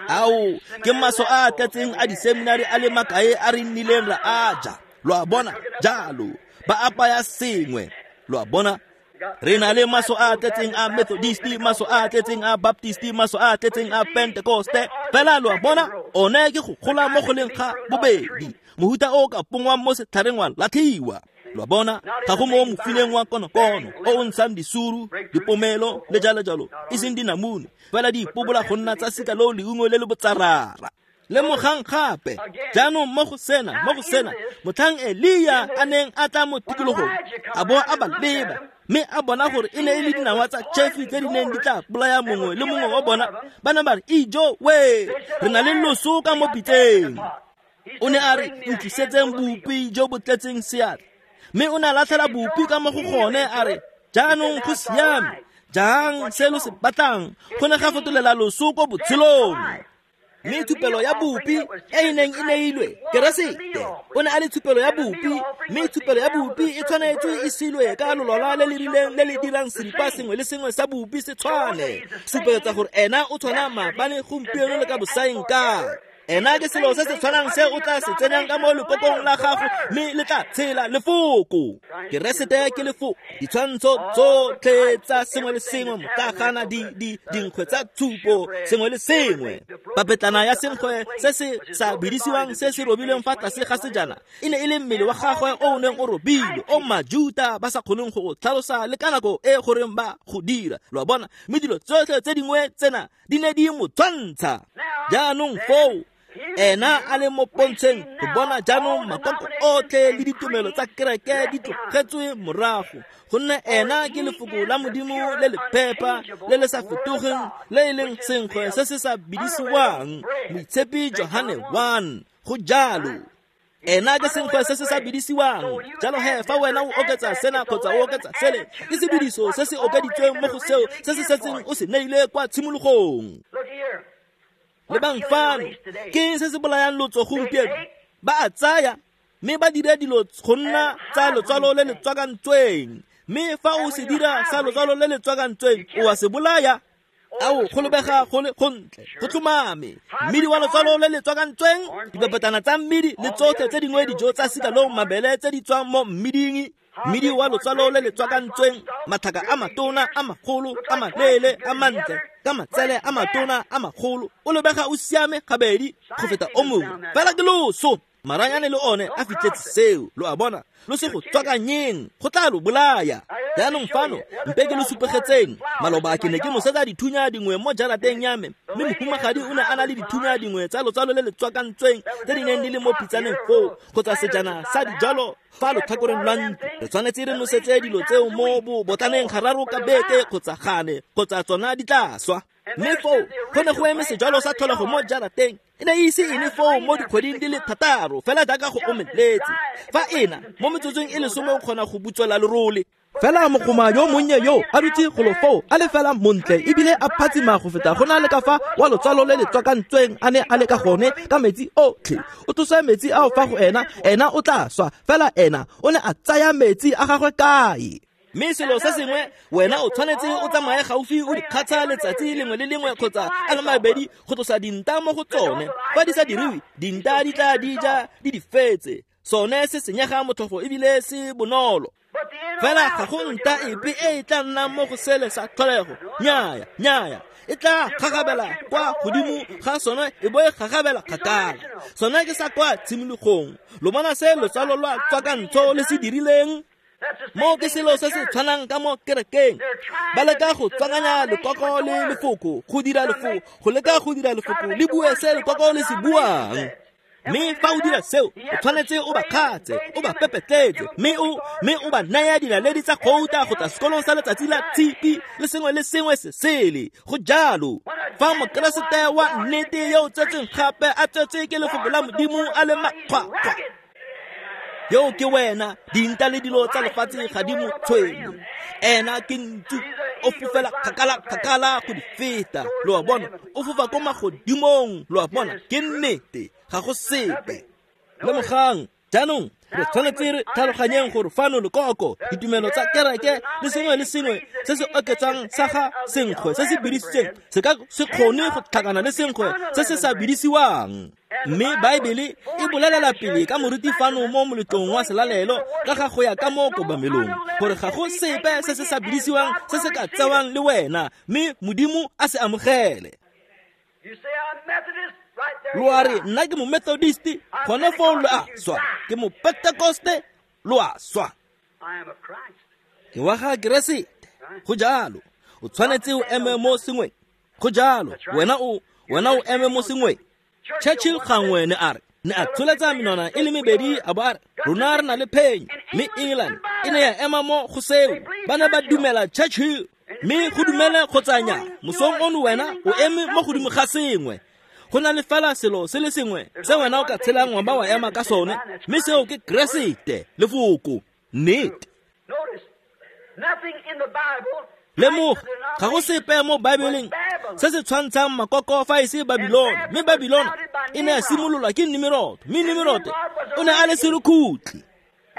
Ao, ke maso a a tletseng a diseminari a le makae a re nnileng ra a ja. Lo a bona? Jalo ba apaya sengwe. Lo a bona? Re na le maso a tletseng a Methodist, maso a tletseng a Baptist, maso a tletseng a Pentecoste. Fela lo a bona, one ke go gola mo go leng ga bobedi, mohuta o ka pongwang mo setlhareng wa latlhiwa. Lo a bona, ga go mo mofineng wa konokono o o ntshang disuru, dipomelo le jalo jalo, e seng dinamune, fela di ipobola go nna tsa sika loo leungo le le botsarara. Lemogang gape jaanong mo go sena, mo go sena, motlhang Elia a neng a tla mo tikologong, a bo a ba leba, mme a bona gore e ne e le dinawa tsa tšhefi tse di neng di tla bolaya mongwe le mongwe wa bona. Ba ne ba re, ijo we, re na le loso ka mo pitseng. O ne a re, ntlisetseng bopi jo bo tletseng seatla. Mme o ne a latlhela bopi ka mo go gone, a re, jaanong go siame, jang se lo se batlang, go ne ga fetolela loso ko botshelong. Mme tshupelo ya bopi e e neng e neilwe Keresete, o ne a le tshupelo ya bopi, mme tshupelo ya bopi e tshwanetse e silwe ka lolwala le le rileng le le dirang seripa sengwe le sengwe sa bopi se tshwane, supegetsa gore ena o tshwana maabane, gompieno le ka bosaeng kae. Ena ke selo se se tshwanang se o tla se tsenyang ka mo lekokong la gago, mme le tla tshela lefoko. Keresete ke lefoko. Ditshwantsho tsotlhe tsa sengwe le sengwe, motlagana, di di dinkgwe tsa tshupo, sengwe le sengwe. Papetlana ya senkgwe se se sa bidisiwang se se robilweng fa tlase ga sejana e ne e le mmele wa gagwe o o neng o robilwe, o Majuta ba sa kgoneng go o tlhalosa le ka nako e goreng ba go dira. Lo a bona, mme dilo tsotlhe tse dingwe tsena di ne di mo tshwantsha. Jaanong foo ena a le mo pontsheng go bona jaanong makoko otlhe le ditumelo tsa kereke di tlogetswe morago, gonne ena ke lefoko la Modimo le le phepa, le le sa fetogeng, le e leng senkgwe se se sa bidisiwang. Moitshepi Johane one, go jalo. Ena ke senkgwe se se sa bidisiwang. Jalo he, fa wena o oketsa sena kgotsa o oketsa sele, ke sebidiso se se okeditsweng mo go seo se se setseng o se neile kwa tshimologong. Lebang fano, ke se se bolayang lotso gompieno? Ba a tsaya mme ba dire dilo go nna tsa lotswalo le le tswakantsweng, mme fa o se dira sa lotswalo le le tswakantsweng, o a se bolaya. Ao, go lebega go le gontle, go tlhomame. Mmidi wa lotswalo le le tswakantsweng, dipapetlana tsa mmidi le tsotlhe tse dingwe dijo tsa sika loo mabele tse di tswang mo mmiding. Mmidi wa lotswalo le le tswakantsweng, matlhaka a matona, a magolo, a maleele, a mantle, ka matsele a matona, a magolo, o lebega o siame gabedi go feta o mongwe, fela ke loso. Maranyane le one a fitlhetse seo, lo a bona, lo se go tswakanyeng, go tla lo bolaya. Jaanong fano, mpe ke lo supegetseng. Maloba ke ne ke nosetsa dithunya dingwe mo jarateng ya me, mme mohumagadi o ne a na le dithunya dingwe tsa lotswalo le le tswakantsweng tse di neng di le mo pitsaneng foo, kgotsa sejana sa dijalo fa lotlhakoreng lwa ntlo. Re tshwanetse re nosetse dilo tseo mo botlaneng gararo ka beke kgotsa gane, kgotsa tsona di tla swa. Mme foo go ne go eme sejalo sa tlholego mo jarateng, e ne e ise e le foo mo dikgweding di le thataro, fela jaaka go omeletse. Fa ena mo metsotsong e lesome o kgona go butswela lerole. Fela mogoma yo monnye yo a dutse golo foo a le fela montle ebile a phatsima go feta go na le ka fa wa lotswalo le le tswakantsweng a ne a le ka gone ka metsi otlhe. O tlosa metsi ao fa go ena, ena o tla swa, fela ena o ne a tsaya metsi a gagwe kae? Mme selo se sengwe, wena o tshwanetse o tsamaye gaufi o di kgatsha letsatsi lengwe le lengwe kgotsa a le mabedi go tlosa dinta mo go tsone. Fa di sa diriwe, dinta di tla di ja di di fetse. Sone se senyega motlhofo ebile se bonolo. Fela ga go nta epe e e tla nnang mo go sele sa tlholego. Nnyaya, nnyaya, e tla gagabela kwa godimo ga sone e bo e gagabela kgakala. Sone ke sa kwa tshimologong. Lo bona se lotswalo lwa tswakantsho le se dirileng? Mo ke selo se se tshwanang ka mo kerekeng. Ba leka go tswakanya lekoko le lefoko, go dira lefoko, go leka go dira lefoko le bue se lekoko le se buang. Mme fa o dira seo, o tshwanetse o ba kgatse, o ba pepetletse, mme o mme o ba naya dinaledi tsa gouta go tla sekolong sa letsatsi la tshipi le sengwe le sengwe se sele. Go jalo. Fa Mokeresete wa nnete yo o tsetsweng gape a tsetswe ke lefoko la Modimo a le makgwakgwa, yo ke wena, dinta le dilo tsa lefatshe ga di mo tshwenye. Ena ke ntsu, o fofela kgakala kgakala go di feta. Lo a bona, o fofa ko magodimong. Lo a bona, ke nnete, ga go sepe. Lemogang, jaanong re tshwanetse re tlhaloganyeng gore fano lekoko, ditumelo tsa kereke le sengwe le sengwe se se oketsang sa ga senkgwe se se bidisitsweng se ka se kgone go tlhakana le senkgwe se se sa bidisiwang. Mme Baebele e bolelela pele ka moruti fano mo moletlong wa selalelo ka ga go ya ka mo kobamelong, gore ga go sepe se se sa bidisiwang se se ka tsewang le wena, mme Modimo a se amogele. Lo a re, nna ke mo Methodist, gone foo lo a swa. Ke mo Pentecoste, lo a swa. Ke wa ga Keresete. Go jalo. O tshwanetse o eme mo sengweng. Go jalo. Wena o wena o eme mo sengweng. Churchill gangwe ne a re ne a tsholetsa menwana e le mebedi a bo a re rona re na le phenyo, mme England e ne ya ema mo go seo. Ba ne ba dumela Churchill, mme go dumele kgotsa nnyaa, mosong ono wena o eme mo godimo ga sengwe. Go na le fela selo se le sengwe se wena o ka tshelang wa ba wa ema ka sone, mme seo ke Keresete, lefoko, nnete. Lemoga, ga go sepe mo Baebeleng se se tshwantshang makoko fa e se Babilone, mme Babilone e ne ya simololwa ke Nimrod, mme Nimrod o ne a le serukutlhi,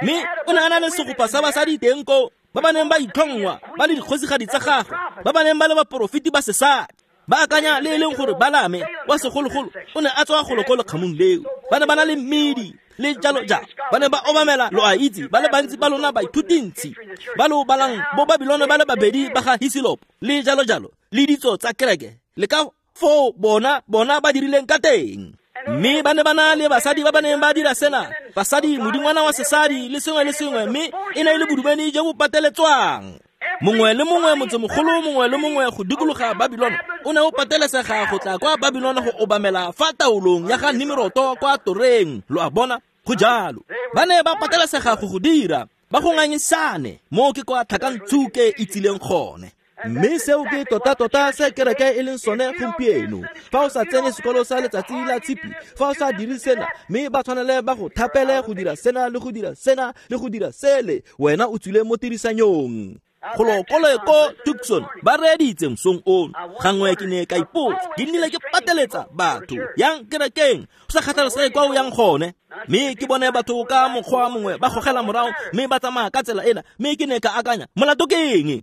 mme o ne a na le segopa sa basadi teng koo ba ba neng ba itlhongwa ba le dikgosigadi tsa gagwe, ba ba neng ba le baporofeti ba sesadi. Ba akanya le e leng gore Balame wa segologolo o ne a tswa golo ko lekgamong leo. Ba ne ba na le mmidi le jalo jalo. Ba ne ba obamela, lo a itse, ba le bantsi ba lona baithutintsi ba lo balang bo Babilone ba le babedi ba ga Hisilopo le jalo jalo le ditso tsa kereke le ka foo bona bona ba dirileng ka teng. Mme ba ne ba na le basadi ba ba neng ba dira sena, basadi modingwana wa sesadi le sengwe le sengwe, mme e ne e le bodumedi jo bo pateletswang. Mongwe le mongwe, motsemogolo mongwe le mongwe go dikologa Babilone o ne o patelesega go tla kwa Babilone go obamela fa taolong ya ga Nimroto kwa toreng. Lo a bona? Go jalo. Ba ne ba patelesega go go dira, ba go ngangisane, mo ke kwa tlhakantsuke e tsileng gone. Mme seo ke tota-tota se kereke e leng sone gompieno. Fa o sa tsene sekolo sa letsatsi la tshipi, fa o sa dire sena, mme ba tshwanele ba go thapele go dira sena le go dira sena le go dira sele, wena o tswile mo tirisanyong. Golo kole ko Tucson ba reeditse mosong ono. Gangwe ke ne ka ipotsa, ke nnile ke pateletsa batho yang kerekeng, go sa kgathalesege kwa o yang gone. Mme ke bone batho ka mokgwa mongwe ba gogela morago mme ba tsamaya ka tsela ena, mme ke ne ka akanya, molato ke eng?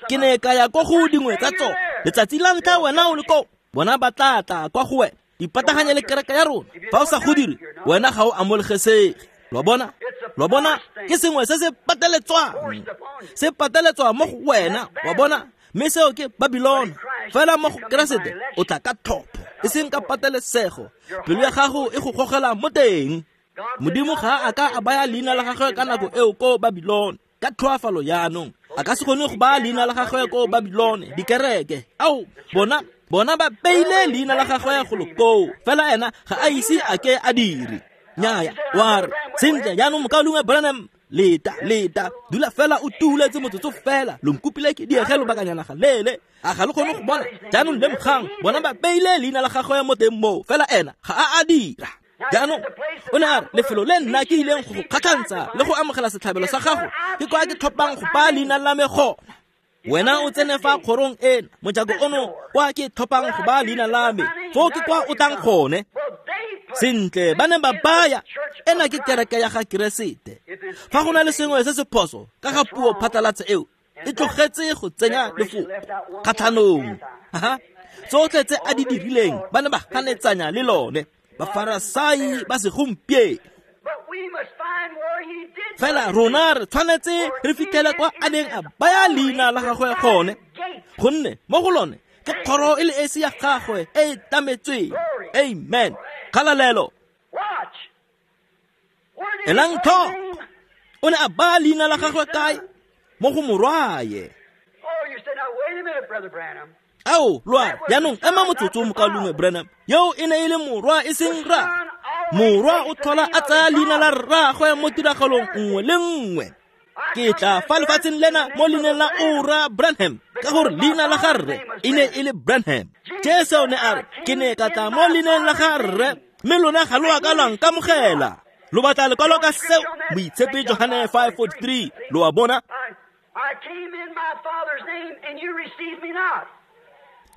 Ke ne ka ya ko go dingwe tsa tsone. Letsatsi la ntlha wena o le ko, bona ba tla tla kwa go wena, ipataganye le kereke ya rona. Fa o sa go dire, wena ga o amogelesege. Lo bona? Lo bona? Ke sengwe se se pateletswang, se pateletswa mo go wena, wa bona? Mme seo ke Babilone. Fela mo go Keresete o tla ka tlhopho, e seng ka patelesego. Pelo ya gago e go gogela mo teng. Modimo ga a ka a baya leina la gagwe ka nako eo ko Babilone, ka tlhoafalo jaanong. A ka se kgone go baya leina la gagwe ko Babilone, dikereke. Ao, bona, bona ba beile leina la gagwe golo koo, fela ena ga a ise a ke a dire. Nnyaya, wa re, sentle jaanong mokaulengwe Branham, leta, leta, dula fela o tuletse motsotso fela, lo nkopile ke diege lobakanyana ga leele, a ga lo kgone go bona, jaanong lemogang, bona ba beile leina la gagwe mo teng moo, fela ena ga a a dira. Jaanong o ne a re, lefelo le nna ke ileng go go kgatlhantsha le go amogela setlhabelo sa gago, ke kwa ke tlhophang go baya leina la me gona. Wena o tsene fa kgorong ena, mojako ono kwa ke tlhophang go baya leina la me, foo ke kwa o tlang gone. Sentle, ba ne ba baya, ena ke kereke ya ga Keresete. Fa go na le sengwe se se phoso ka ga puo phatlalatsa eo, e tlogetse go tsenya lefoko kgatlhanong. Aha, tsotlhe tse a di dirileng ba ne ba ganetsanya le lone, Bafarasai ba segompieno. Fela rona re tshwanetse re fitlhele kwa a neng a baya leina la gagwe gone, gonne mo go lone ke kgoro e le esi ya gagwe e e tlametsweng. Amen. Kgalalelo. Elang tlhoko, o ne a baya leina la gagwe kae? Mo go morwaye. Ao, lo a re, jaanong ema motsotso mokaulengwe Branham, yo e ne e le morwa e seng rra. Morwa o tlhola a tsaya leina la rraagwe mo tiragalong nngwe le nngwe. Ke tla fa lefatsheng lena mo leineng la Ora Branham, ka gore leina la ga rre e ne e le Branham. Jesu o ne a re, ke ne ka tla mo leineng la ga rre, mme lona ga lo a ka lwa nkamogela. Lo batla lekwalo ka seo? Moitshepi Johane five forty-three. Lo a bona?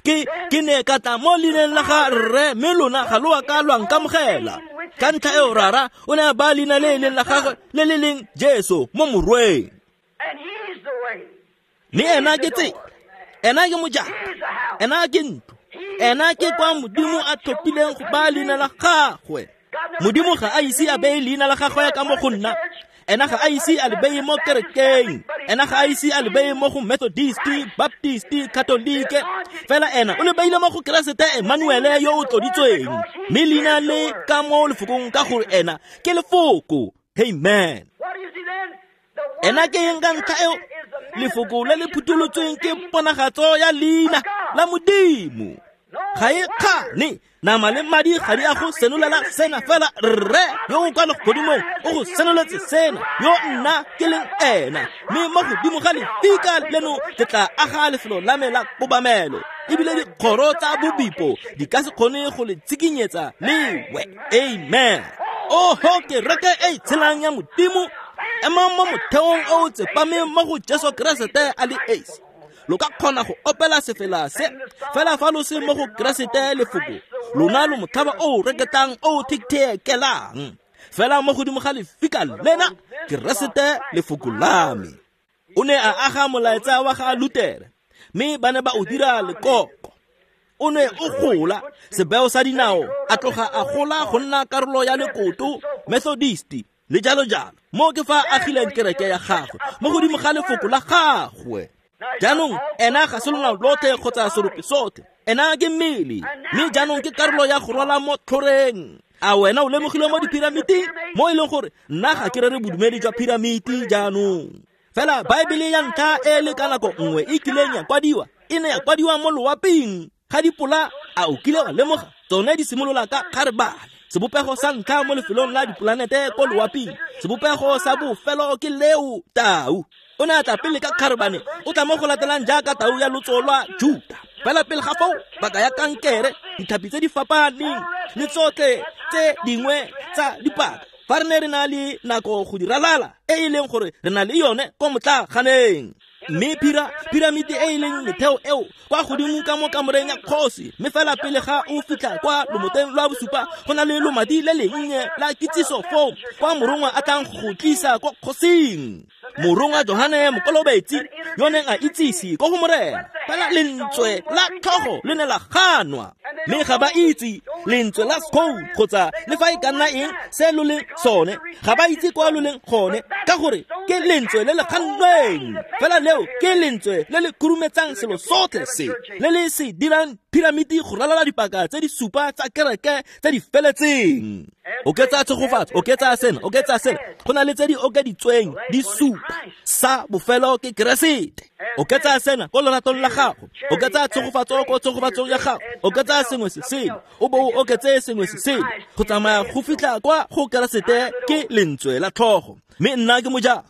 Ke ke ne ka tla mo leineng la ga rre, mme lona ga lo a ka lwa nkamogela. Ka ntlha eo rara o ne a baya leina le e leng la gagwe le le leng Jesu mo morweng. Mme ena ke tsela, ena ke mojako, ena ke ntlo, ena ke kwa Modimo a tlhophileng go baya leina la gagwe. Modimo ga a ise a beye leina la gagwe ka mo go nna, ena ga a ise a le beye mo kerekeng, ena ga a ise a le beye mo go Methodist, Baptist, Catholic, fela ena o le beile mo go Keresete Emmanuel yo o tloditsweng. Mme leina le ka mo lefokong ka gore ena ke lefoko. Amen. Ena ke eng ka ntlha eo? Lefoko le le phutolotsweng ke ponagatso ya leina la Modimo. Ga e kgane, nama le madi ga di a go senolela sena, fela Rre yo o kwa legodimong o go senoletse sena, yo nna ke leng ena. Mme mo godimo ga lefika leno ke tla aga lefelo la me la kobamelo, ebile dikgoro tsa bobipo di ka se kgone go le tshikinyetsa lewe. Amen. Oho, kereke e e tshelang ya Modimo, emang mo motheong o o tsepameng mo go Jesu Keresete a le esi. Lo ka kgona go opela sefela se, fela fa lo se mo go Keresete lefoko, lona lo motlhaba o o reketlang o o thekelang. Fela mo godimo ga lefika lena, Keresete lefoko la me. O ne a aga molaetsa wa ga Lutere, mme ba ne ba o dira lekoko. O ne o gola, sebeo sa dinao, a tloga a gola go nna karolo ya lekoto, Methodist, le jalo jalo. Mo ke fa a agileng kereke ya gagwe, mo godimo ga lefoko la gagwe. Jaanong ena ga se lonao lotlhe kgotsa serope sotlhe, ena ke mmele, mme jaanong ke karolo ya go rwala mo tlhoreng. A wena o lemogile mo dipiramiting, mo e leng gore nna ga ke rere bodumedi jwa piramiti jaanong. Fela Baebele ya ntlha e le ka nako nngwe e kileng ya kwadiwa, e ne ya kwadiwa mo loaping ga dipola. A o kile wa lemoga? Tsone di simolola ka kgarebane, sebopego sa ntlha mo lefelong la dipolanete ko loaping, sebopego sa bofelo ke leo tau. O ne a tla pele ka kgarebane, o tla mo go latelang jaaka tau ya lotso lwa Juta. Fela pele ga foo, baka ya kankere, ditlhapi tse di fapaneng le tsotlhe tse dingwe tsa dipaka. Fa re ne re na le nako go di ralala, e e leng gore re na le yone ko motlaganeng. Mme phira piramiti e e leng metheo eo kwa godimo ka mo kamoreng ya kgosi, mme fela pele ga o fitlha kwa lomoteng lwa bosupa, go na le lomati le lennye la kitsiso foo kwa morongwa a tlang go tlisa kwa kgosing. Morongwa Johane Mokolobetsi yo neng a itsise ko go Morena, fela lentswe la tlhogo le ne la ganwa, mme ga ba itse lentswe la scone kgotsa le fa e ka nna eng se lo leng sone, ga ba itse kwa lo leng gone, ka gore ke lentswe le le gannweng. Fela leo ke lentswe le le khurumetsang selo sotlhe se, le le se dirang piramiti go ralala dipaka tse di supa tsa kereke tse di feletseng. Oketsa tshegofatso, oketsa sena, oketsa sena, go na le tse di okeditsweng di supa. Sa bofelo ke Keresete. Oketsa sena ko loratong la gago, oketsa tshegofatso ko tshegofatsong ya gago, oketsa sengwe se sele, o bo o oketse sengwe se sele, go tsamaya go fitlha kwa go Keresete ke lentswe la tlhogo. Mme nna ke mojang.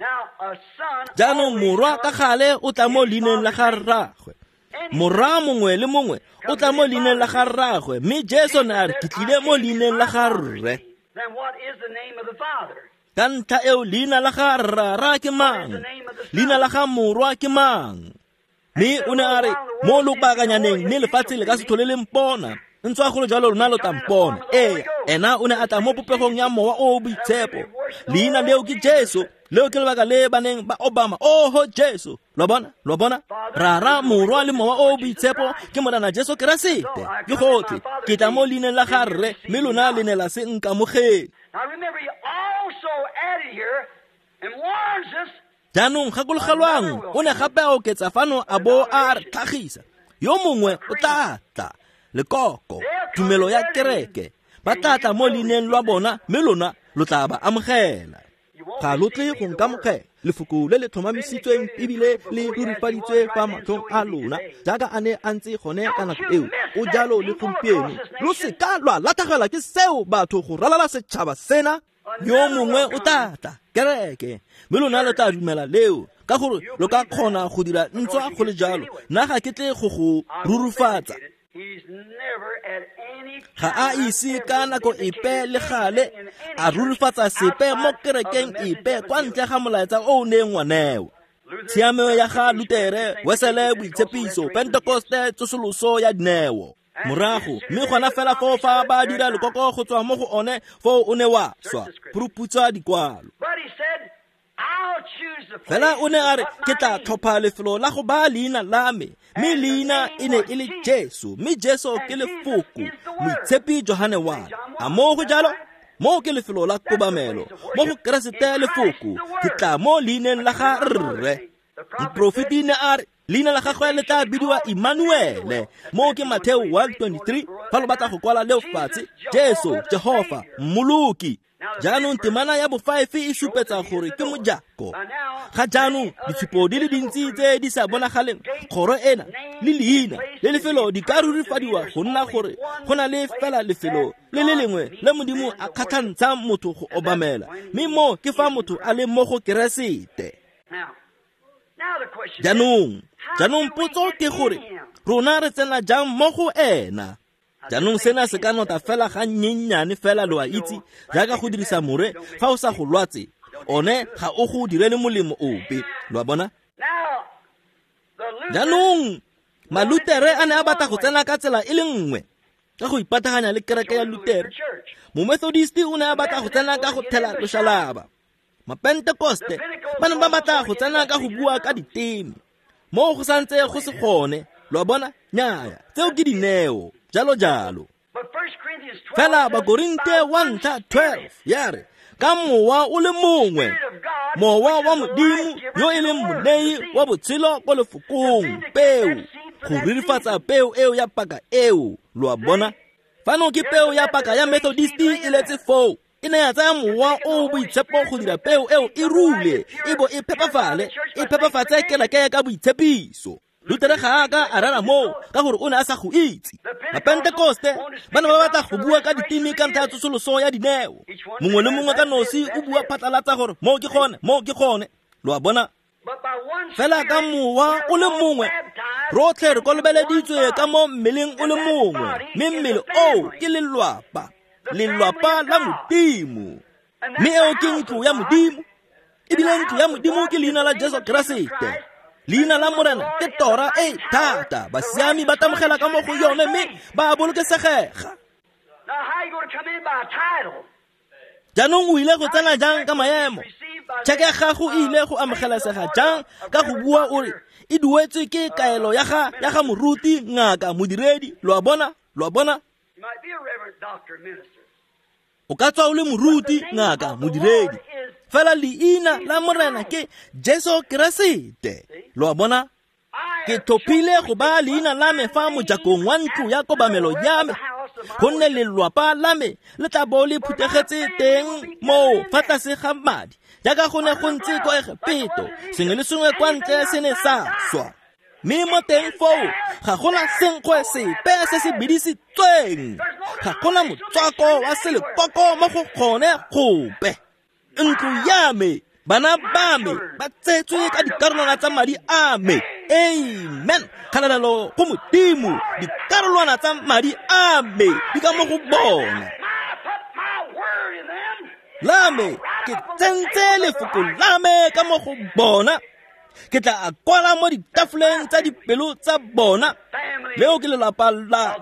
Jaanong morwa ka gale o tla mo leineng la ga rraagwe. Morwa mongwe le mongwe o tla mo leineng la ga rraagwe, mme Jesu ne a re ke tlile mo leineng la ga rre. Ka ntlha eo leina la ga rrara ke mang? Leina la ga morwa ke mang? Mme o ne a re mo lobakanyaneng, mme lefatshe le ka se tlhole le mpona, ntswa go le jalo lona lo tla mpona. Ee, ena o ne a tla mo popegong ya Mowa o o Boitshepo. Leina leo ke Jesu. Leo ke lebaka le ba neng ba obama, oho Jesu. Lo bona? Lo bona? Rara, Morwa le Mowa o o Boitshepo ke Morena Jesu Keresete. Ke gotlhe. Ke tla mo leineng la ga Rre, mme lona le ne la se nkamogele. Jaanong gakologelwang, o ne gape a oketsa fano a bo a re tlhagisa. Yo mongwe o tla tla, lekoko, tumelo ya kereke, ba tla tla mo leineng lwa bona, mme lona lo tla ba amogela. Ga lo tle go nkamogela. Lefoko le le tlhomamisitsweng ebile le rurifaditswe fa matlhong a lona, jaaka a ne a ntse gone ka nako eo, o jalo le gompieno. Lo seka lwa latlhegelwa ke seo batho go ralala setšhaba sena. Yo mongwe o tla tla, kereke, mme lona lo tla dumela leo, ka gore lo ka kgona go dira ntswa go le jalo. Nna ga ke tle go go rurufatsa. Ga a ise ka nako epe le gale a rurifatsa sepe mo kerekeng epe kwa ntle ga molaetsa o o neng wa newa. Tshiamelo ya ga Lutere, Wesele, boitshepiso, Pentekoste, tsosoloso ya dineo. Morago, mme gona fela foo fa ba dira lekoko go tswa mo go one, foo o ne wa swa, phuruphutsa dikwalo. Fela o ne a re ke tla tlhopha lefelo la go baya leina la me, mme leina e ne e le Jesu, mme Jesu ke lefoko, Moitshepi Johane wa re. A moo go jalo? Moo ke lefelo la kobamelo, mo go Keresete lefoko, ke tla mo leineng la ga Rre. Moprofeti ne a re leina la gagwe le tla bidiwa Emmanuele. Moo ke Mateo one twenty-three, fa lo batla go kwala leo fatshe, Jesu, Jehofa, Mmoloki. Jaanong temana ya bofive e supetsa gore ke mojako. Ga jaanong ditshupo di le dintsi tse di sa bonagaleng, kgoro ena le leina le lefelo di ka rurifadiwa go nna gore go na le fela lefelo le le lengwe le Modimo a kgatlhantshang motho go obamela, mme mo ke fa motho a le mo go Keresete. Jaanong, jaanong potso ke gore rona re tsena jang mo go ena? Jaanong sena se ka nota fela ga nnyennyane fela, lo a itse, jaaka go dirisa more fa o sa go lwatse, one ga o go direle molemo ope, lo a bona? Jaanong Malutere a ne a batla go tsena ka tsela e le nngwe, ka go ipataganya le kereke ya Lutere. Momethodist o ne a batla go tsena ka go thela loshalaba. Mapentekoste ba ne ba batla go tsena ka go bua ka diteme. Mo go santse go se gone, lo a bona? Nnyaya, tseo ke dineo, jalo jalo. Fela Bakorinte wa ntlha twelve ya re, ka mowa o le mongwe, mowa wa Modimo yo e leng monei wa botshelo ko lefokong, peo, go rurifatsa peo eo ya paka eo, lo a bona? Fano ke peo ya paka ya Methodist e letse foo. E ne ya tsaya mowa o o boitshepo go dira peo eo e rule, e bo e phepafale, e phepafatse kereke ka boitshepiso. Lutere ga a ka a rera moo ka gore o ne a sa go itse. Mapentekoste ba ne ba batla go bua ka diteme ka ntlha ya tsosoloso ya dineo. Mongwe le mongwe ka nosi o bua phatlalatsa gore moo ke gone, moo ke gone, lo a bona? Fela ka mowa o le mongwe, rotlhe re kolobeleditswe ka mo mmeleng o le mongwe, mme mmele oo ke lelwapa, lelwapa la Modimo. Mme eo ke ntlo ya Modimo, ebile ntlo ya Modimo ke leina la Jesu Keresete. Leina la Morena ke tora e thata, basiami ba tamogela ka mo go yone mme ba bolokesegega. Jaanong o ile go tsena jang ka maemo? Tšheke ya gago e ile go amogelesega jang ka go bua o re e duetswe ke kaelo ya ga ya ga moruti, ngaka, modiredi, lo a bona? Lo a bona? O ka tswa o le moruti, ngaka, modiredi, fela leina la Morena ke Jesu Keresete, lo a bona? Ke tlhophile go baya leina la me fa mojakong wa ntlo ya kobamelo ya me, gonne lelwapa la me le tla bo le phuthegetse teng moo fa tlase ga madi, jaaka go ne go ntse kwa Egepeto, sengwe le sengwe kwa ntle se ne sa swa. Mme mo teng foo ga gona senkgwe sepe se se bidisitsweng, ga gona motswako wa selekoko mo go gone gope. Ntlo ya me, bana ba me ba tsetswe ka dikarolwana tsa madi a me. Amen. Kgalalelo go Modimo, dikarolwana tsa madi a me di ka mo go bona. La me, ke tsentse lefoko la me ka mo go bona. Ke tla a kwala mo ditafoleng tsa dipelo tsa bona. Leo ke lelapa la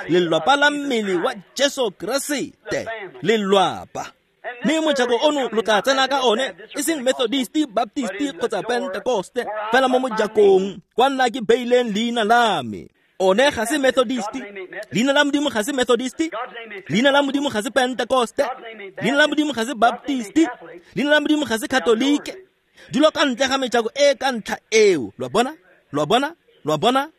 lelapa la mmele wa Jesu Keresete, lelwapa. Mme mojako ono lo tla tsena ka one, e seng Methodist, Baptist kgotsa Pentecoste, fela mo mojakong kwa nna ke beileng leina la me. One ga se Methodist, leina la Modimo ga se Methodist, leina la Modimo ga se Pentecoste, leina la Modimo ga se Baptist, leina la Modimo ga se Katolike. Dilo ka ntle ga mejako e ka ntlha eo, lo a bona? Lo a bona? Lo a bona?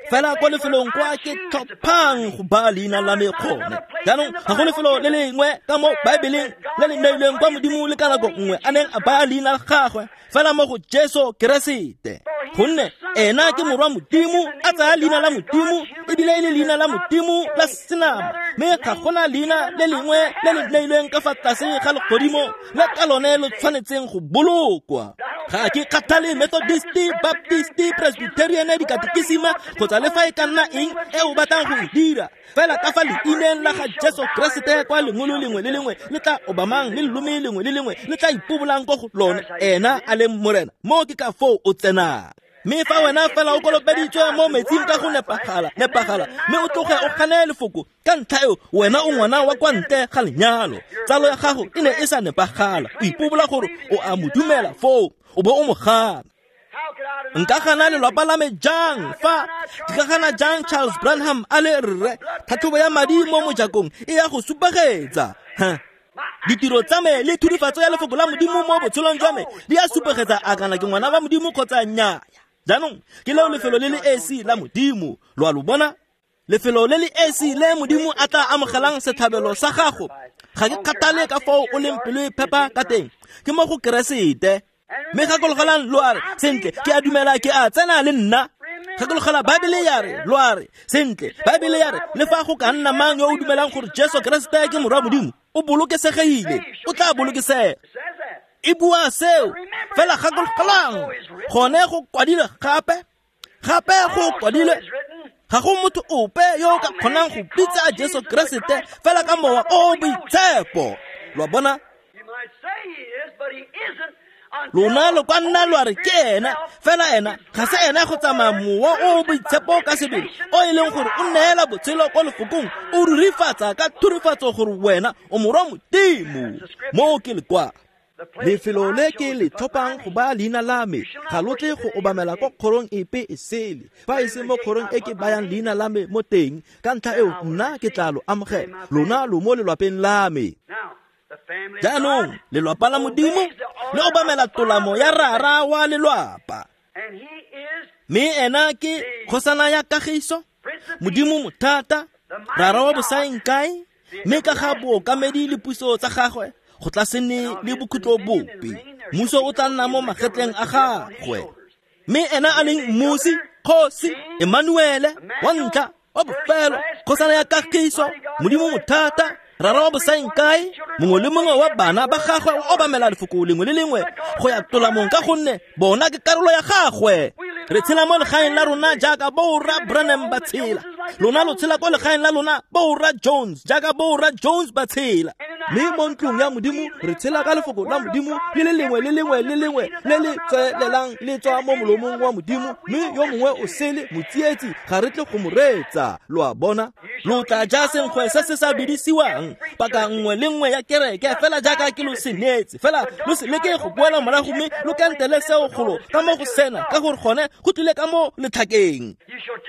Fela kwa lefelong kwa ke tlhophang go baya leina la me gone. Jaanong ga go lefelo le lengwe ka mo Baebeleng le le neilweng kwa Modimo le ka nako nngwe a neng a baya leina la gagwe, fela mo go Jesu Keresete. Gonne ena ke morwa Modimo, a tsaya leina la Modimo, ebile e le leina la Modimo la senama, mme ga gona leina le lengwe le le neilweng ka fa tlase ga legodimo le ka lone lo tshwanetseng go bolokwa. Ga ke kgathale Methodist, Baptist, Presbyterian, dikatekisima kgotsa le fa e ka nna eng e o batlang go e dira, fela ka fa leineng la ga Jesu Keresete kwa lengolo lengwe le lengwe le tla obamang le lelome lengwe le lengwe le tla ipobolang ko go lone, ena a leng Morena. Mo ke ka foo o tsenang. Mme fa wena fela o kolobeditswe mo metsing ka go nepagala, nepagala, mme o tloge o gane lefoko, ka ntlha eo wena o ngwana wa kwa ntle ga lenyalo. Tsalo ya gago e ne e sa nepagala, o ipobola gore o a mo dumela foo, o bo o mo gana. Nka gana lelwapa la me jang fa ke ka gana jang Charles Branham a le rre? Tlhatlhobo ya madi mo mojakong e ya go supegetsa. Ditiro tsa me le thurifatso ya lefoko la Modimo mo botshelong jwa me di a supegetsa a kana ke ngwana wa Modimo kgotsa nnyaya. Jaanong ke leo lefelo le le esi la Modimo, lo a lo bona? Lefelo le le esi le Modimo a tla amogelang setlhabelo sa gago, ga ke kgathale ka foo o leng pelo e phepa ka teng, ke mo go Keresete. Mme gakologelang lo a re, sentle, ke a dumela ke a tsena le nna. Gakologela Baebele ya re, lo a re, sentle, Baebele ya re, le fa go ka nna mang yo o dumelang gore Jesu Keresete ke morwa Modimo, o bolokesegile, o tla bolokesega. E bua seo, fela gakologelang, gone go kwadilwe gape, gape go kwadilwe, ga go motho ope yo o ka kgonang go bitsa Jesu Keresete fela ka mowa o o boitshepo. Lo a bona? Lona lo ka nna lwa re ke ena, fela ena ga se ena go tsamaya mowa o o boitshepo ka sebele, o e leng gore o neela botshelo ko lefokong, o rurifatsa ka thurifatso gore wena o morwa Modimo. Moo ke lekwalo. Lefelo le ke le tlhophang go baya leina la me, ga lo tle go obamela ko kgorong epe e sele, fa e se mo kgorong e ke bayang leina la me mo teng. Ka ntlha eo nna ke tla lo amogela, lona lo mo lelwapeng la me. Jaanong lelwapa la Modimo le obamela tolamo ya rara wa lelwapa, mme ena ke kgosana ya kagiso, Modimo mothata, rara wa bosaengkae, mme ka ga bookamedi le puso tsa gagwe go tla se nne le bokhutlo bope. Mmuso o tla nna mo magetleng a gagwe, mme ena a leng mmusi, kgosi Emmanuele, wa ntlha, wa bofelo, kgosana ya kagiso, Modimo mothata, rara wa bosaengkae. Mongwe le mongwe wa bana ba gagwe o obamela lefoko lengwe le lengwe go ya tolamong, ka gonne bona ke karolo ya gagwe. Re tshela mo legaeng la rona jaaka borra Branham ba tshela. Lona lo tshela ko legaeng la lona borra Jones jaaka borra Jones ba tshela. Mme mo ntlong ya Modimo re tshela ka lefoko la Modimo le le lengwe le lengwe le lengwe le le tswelelang le tswa mo molomong wa Modimo, mme yo mongwe o sele motsietsi ga re tle go mo reetsa. Lo a bona? Lo tla ja senkgwe se se sa bidisiwang paka nngwe le nngwe ya kereke, fela jaaka ke lo se neetse. Fela lo se leke go boela morago mme lo kantele seo golo ka mo go sena, ka gore gone go tlile ka mo letlhakeng.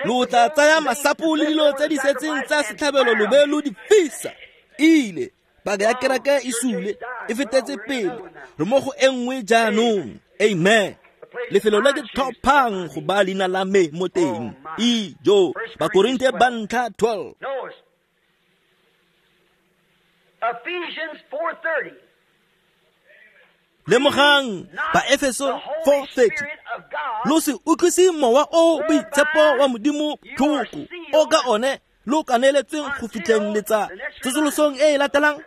Lo tla tsaya masapo le dilo tse di setseng tsa setlhabelo lo be lo di fisa. Ile paka ya kereke e sule, e fetetse pele, re mo go e nngwe jaanong. Amen. Lefelo le ke tlhophang go baya leina la me mo teng. Ijo, Bakorinthe ba ntlha twelve. Ephesians four thirty. Lemogang Baefeso four thirty. Lo se utlwise mowa o boitshepo wa Modimo tlhoko, o ka one lo kaneletsweng go fitlheng letsa tsosolosong e e latelang,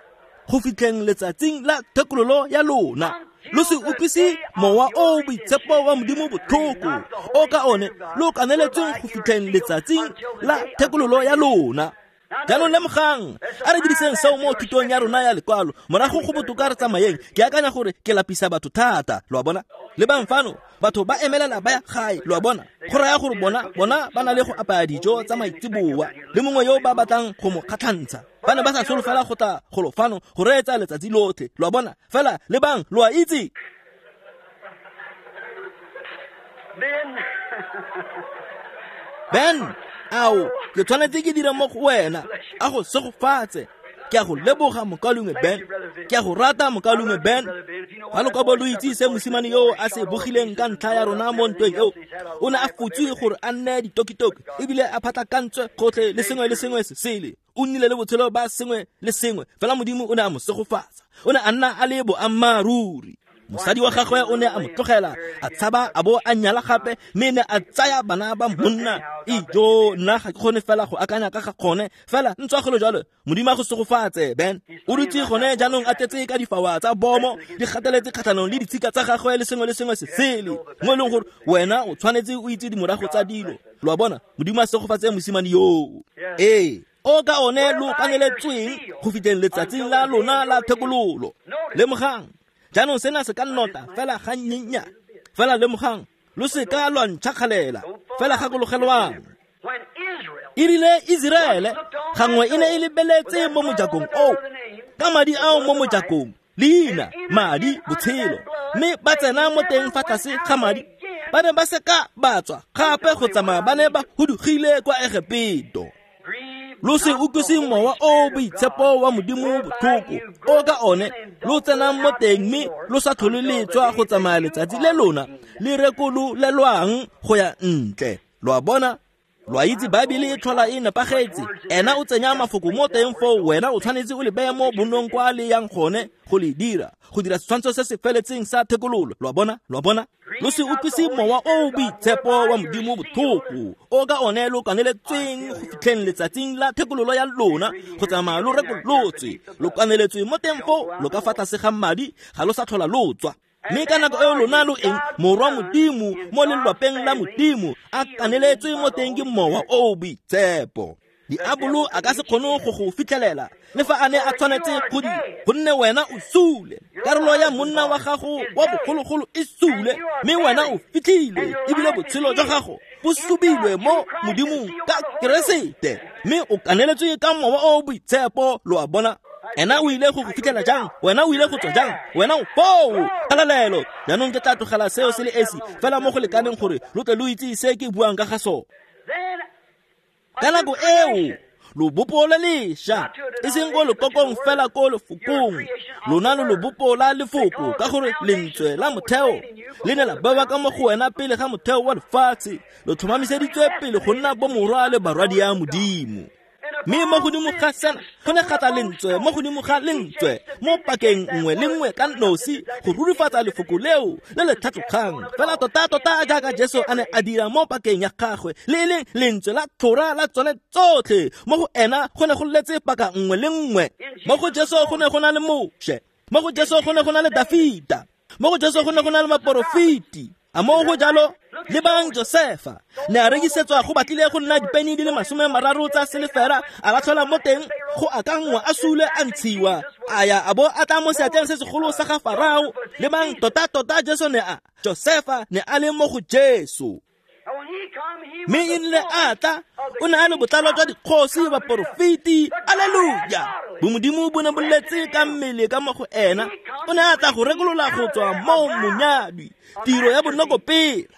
go fitlheng letsatsing la thekololo ya lona. Lo se utlwise mowa o boitshepo wa Modimo botlhoko, o ka one lo kaneletsweng go fitlheng letsatsing la thekololo ya lona. Jaanong lemogang, a re diriseng seo mo thutong ya rona ya lekwalo. Morago go botoka re tsamayeng. Ke akanya gore ke lapisa batho thata, lo a bona? Lebang fano, batho ba emelela ba ya gae, lo a bona? Go raya gore bona, bona ba na le go apaya dijo tsa maitseboa le mongwe yo ba batlang go mo kgatlhantsha. Ba ne ba sa solofela go tla golo fano go reetsa letsatsi lotlhe, lo a bona? Fela lebang, lo a itse. Ben, ao, ke tshwanetse ke dira mo go wena, a go segofatse. Ke a go leboga mokaulengwe Ben, ke a go rata mokaulengwe Ben. Fa lo ka bo lo itse se mosimane yo a se bogileng ka ntlha ya rona mo ntweng eo, o ne a fotswe gore a nne ditokitoki, ebile a phatlakantswe gotlhe le sengwe le sengwe se sele. O nnile le botshelo ba sengwe le sengwe, fela Modimo o ne a mo segofatsa. O ne a nna a le boammaaruri. Mosadi wa gagwe o ne a mo tlogela, a tshaba a bo a nyala gape, mme ne a tsaya bana ba monna. Ijo, nna ga ke kgone fela go akanya ka ga gone, fela ntswa golo jalo, Modimo a go segofatse, Ben. O dutse gone jaanong a tletse ka difawa tsa bomo, di gateletse kgatlhanong le ditshika tsa gagwe le sengwe le sengwe se sele, mo e leng gore wena o tshwanetse o itse dimorago tsa dilo. Lo a bona? Modimo a segofatse mosimane yoo. Ee, o ka one lo kaneletsweng go fitlheng letsatsing la lona la thekololo. Lemogang, jaanong sena se ka nnota fela ga nnyennyane. Fela lemogang, lo se ka lwa ntšhakgalela, fela gakologelwang. E rile Iseraele gangwe e ne e lebeletse mo mojakong oo, ka madi ao mo mojakong, leina, madi, botshelo, mme ba tsena mo teng fa tlase ga madi. Ba ne ba se ka ba tswa gape go tsamaya, ba ne ba hudugile kwa Egepeto. Lo se utlwise mowa o boitshepo wa Modimo botlhoko, o ka one lo tsenang mo teng mme lo sa tlhole le tswa go tsamaya letsatsi le lona le rekololelwang go ya ntle. Lo a bona? Lo a itse Baebele e tlhola e nepagetse. Ena o tsenya mafoko mo teng foo, wena o tshwanetse o le beye mo bonnong kwa le yang gone go le dira, go dira setshwantsho se se feletseng sa thekololo. Lo a bona? Lo a bona? Lo se utlwise mowa o o boitshepo wa Modimo botlhoko, o ka one lo kaneletsweng go fitlheng letsatsing la thekololo ya lona, go tsamaya lo rekolotswe, lo kaneletswe mo teng foo, lo ka fa tlase ga madi, ga lo sa tlhola lo tswa. Mme ka nako eo lona lo eng? Morwa Modimo mo lelwapeng la Modimo a kaneletswe mo teng ke mowa o o boitshepo. Diabolo a ka se kgone go go fitlhelela le fa a ne a tshwanetse go di, gonne wena o sule. Karolo ya monna wa gago wa bogologolo e sule, mme wena o fitlhilwe, ebile botshelo jwa gago bo subilwe mo Modimong ka Keresete, mme o kaneletswe ka mowa o o boitshepo. Lo a bona? Ena o ile go go fitlhela jang? Wena o ile go tswa jang? Wena o foo. Kgalalelo. Jaanong ke tla tlogela seo se le esi fela mo go lekaneng gore lo tle lo itse se ke buang ka ga sone. Ka nako eo lobopo le lešwa, e seng ko lekokong fela ko lefokong, lona lo lobopo la lefoko, ka gore lentswe la motheo le ne la bewa ka mo go wena pele ga motheo wa lefatshe, lo tlhomamiseditswe pele go nna bomorwa le barwadi ya Modimo. Mme mo godimo ga sena go ne ga tla lentswe mo godimo ga lentswe mo pakeng nngwe le nngwe ka nosi go rurifatsa lefoko leo le le tlhatlogang fela tota-tota jaaka Jesu a ne a dira mo pakeng ya gagwe, le e leng lentswe la tlhora la tsone tsotlhe. Mo go ena go ne go letse paka nngwe le nngwe. Mo go Jesu go ne go na le Moshe, mo go Jesu go ne go na le Dafita, mo go Jesu go ne go na le baporofeti. A mo go jalo? Lebang Josefa ne a rekisetswa go batlile go nna dipeni di le masome mararo tsa selefera, a latlhelwa mo teng go akanngwa a sule a ntshiwa, a ya a bo a tla mo seatleng se segolo sa ga Farao. Lebang tota-tota Jesu ne a Josefa ne a le mo go Jesu. Mme e rile a tla, o ne a le botlalo jwa dikgosi, baporofeti. Aleluya! Bomodimo bo ne bo letse ka mmele ka mo go ena. O ne a tla go rekolola go tswa mo monyadwi, tiro ya bonokopela.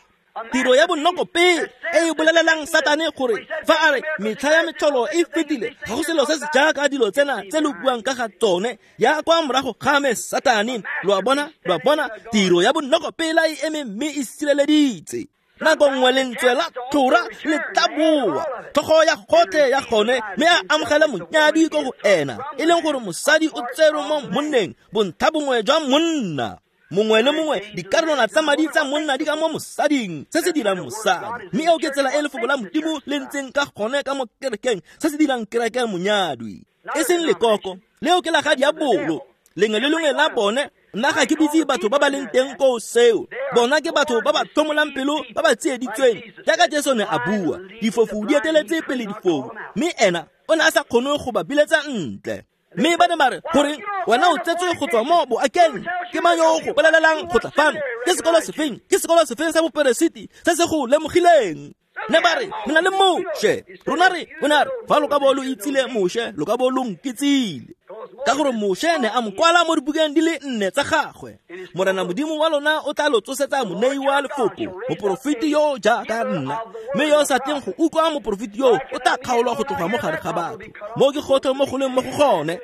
Tiro ya bonokopela e e bolelelang Satane gore fa a re metlha ya metlholo e fetile, ga go selo se se jaaka dilo tsena tse lo buang ka ga tsone, ya kwa morago ga me Satane. Lo a bona? Lo a bona? Tiro ya bonokopela e eme mme e sireleditse. Nako nngwe lentswe la tlhora le tla boa, tlhogo ya gotlhe ya gone, mme a amogela monyadi ko go ena, e leng gore mosadi o tserwe mo monneng, bontlha bongwe jwa monna. Mongwe le mongwe dikarolwana tsa madi tsa monna di ka mo mosading, se se dirang mosadi. Mme eo ke tsela e lefoko la Modimo le ntseng ka gone ka mo kerekeng, se se dirang kereke monyadwi, e seng lekoko leo ke la ga diabolo. Lengwe le lengwe la bone, nna ga ke bitse batho ba ba leng teng koo seo. Bona ke batho ba ba tlhomolang pelo, ba ba tsieditsweng, jaaka Jesu ne a bua, difofu di eteletse pele difofu, mme ena o ne a sa kgone go ba biletsa ntle. Mme ba ne ba re, goreng wena o tsetswe go tswa mo boakeng? Ke mang yo o go bolelelang go tla fano? Ke sekolo sefeng? Ke sekolo sefeng sa boperesiti se se go lemogileng? Ne ba re, re na le Moshe. Rona re, o ne a re, fa lo ka bo lo itsile Moshe, lo ka bo lo nkitsile. Ka gore Moshe ne a mo kwala mo dibukeng di le nne tsa gagwe. Morena Modimo wa lona o tla lo tsosetsa monei wa lefoko, moporofeti yo jaaka nna. Mme yo o sa tleng go utlwa moporofeti yo o tla kgaolwa go tloga mo gare ga batho. Mo ke gotlhe mo go leng mo go gone.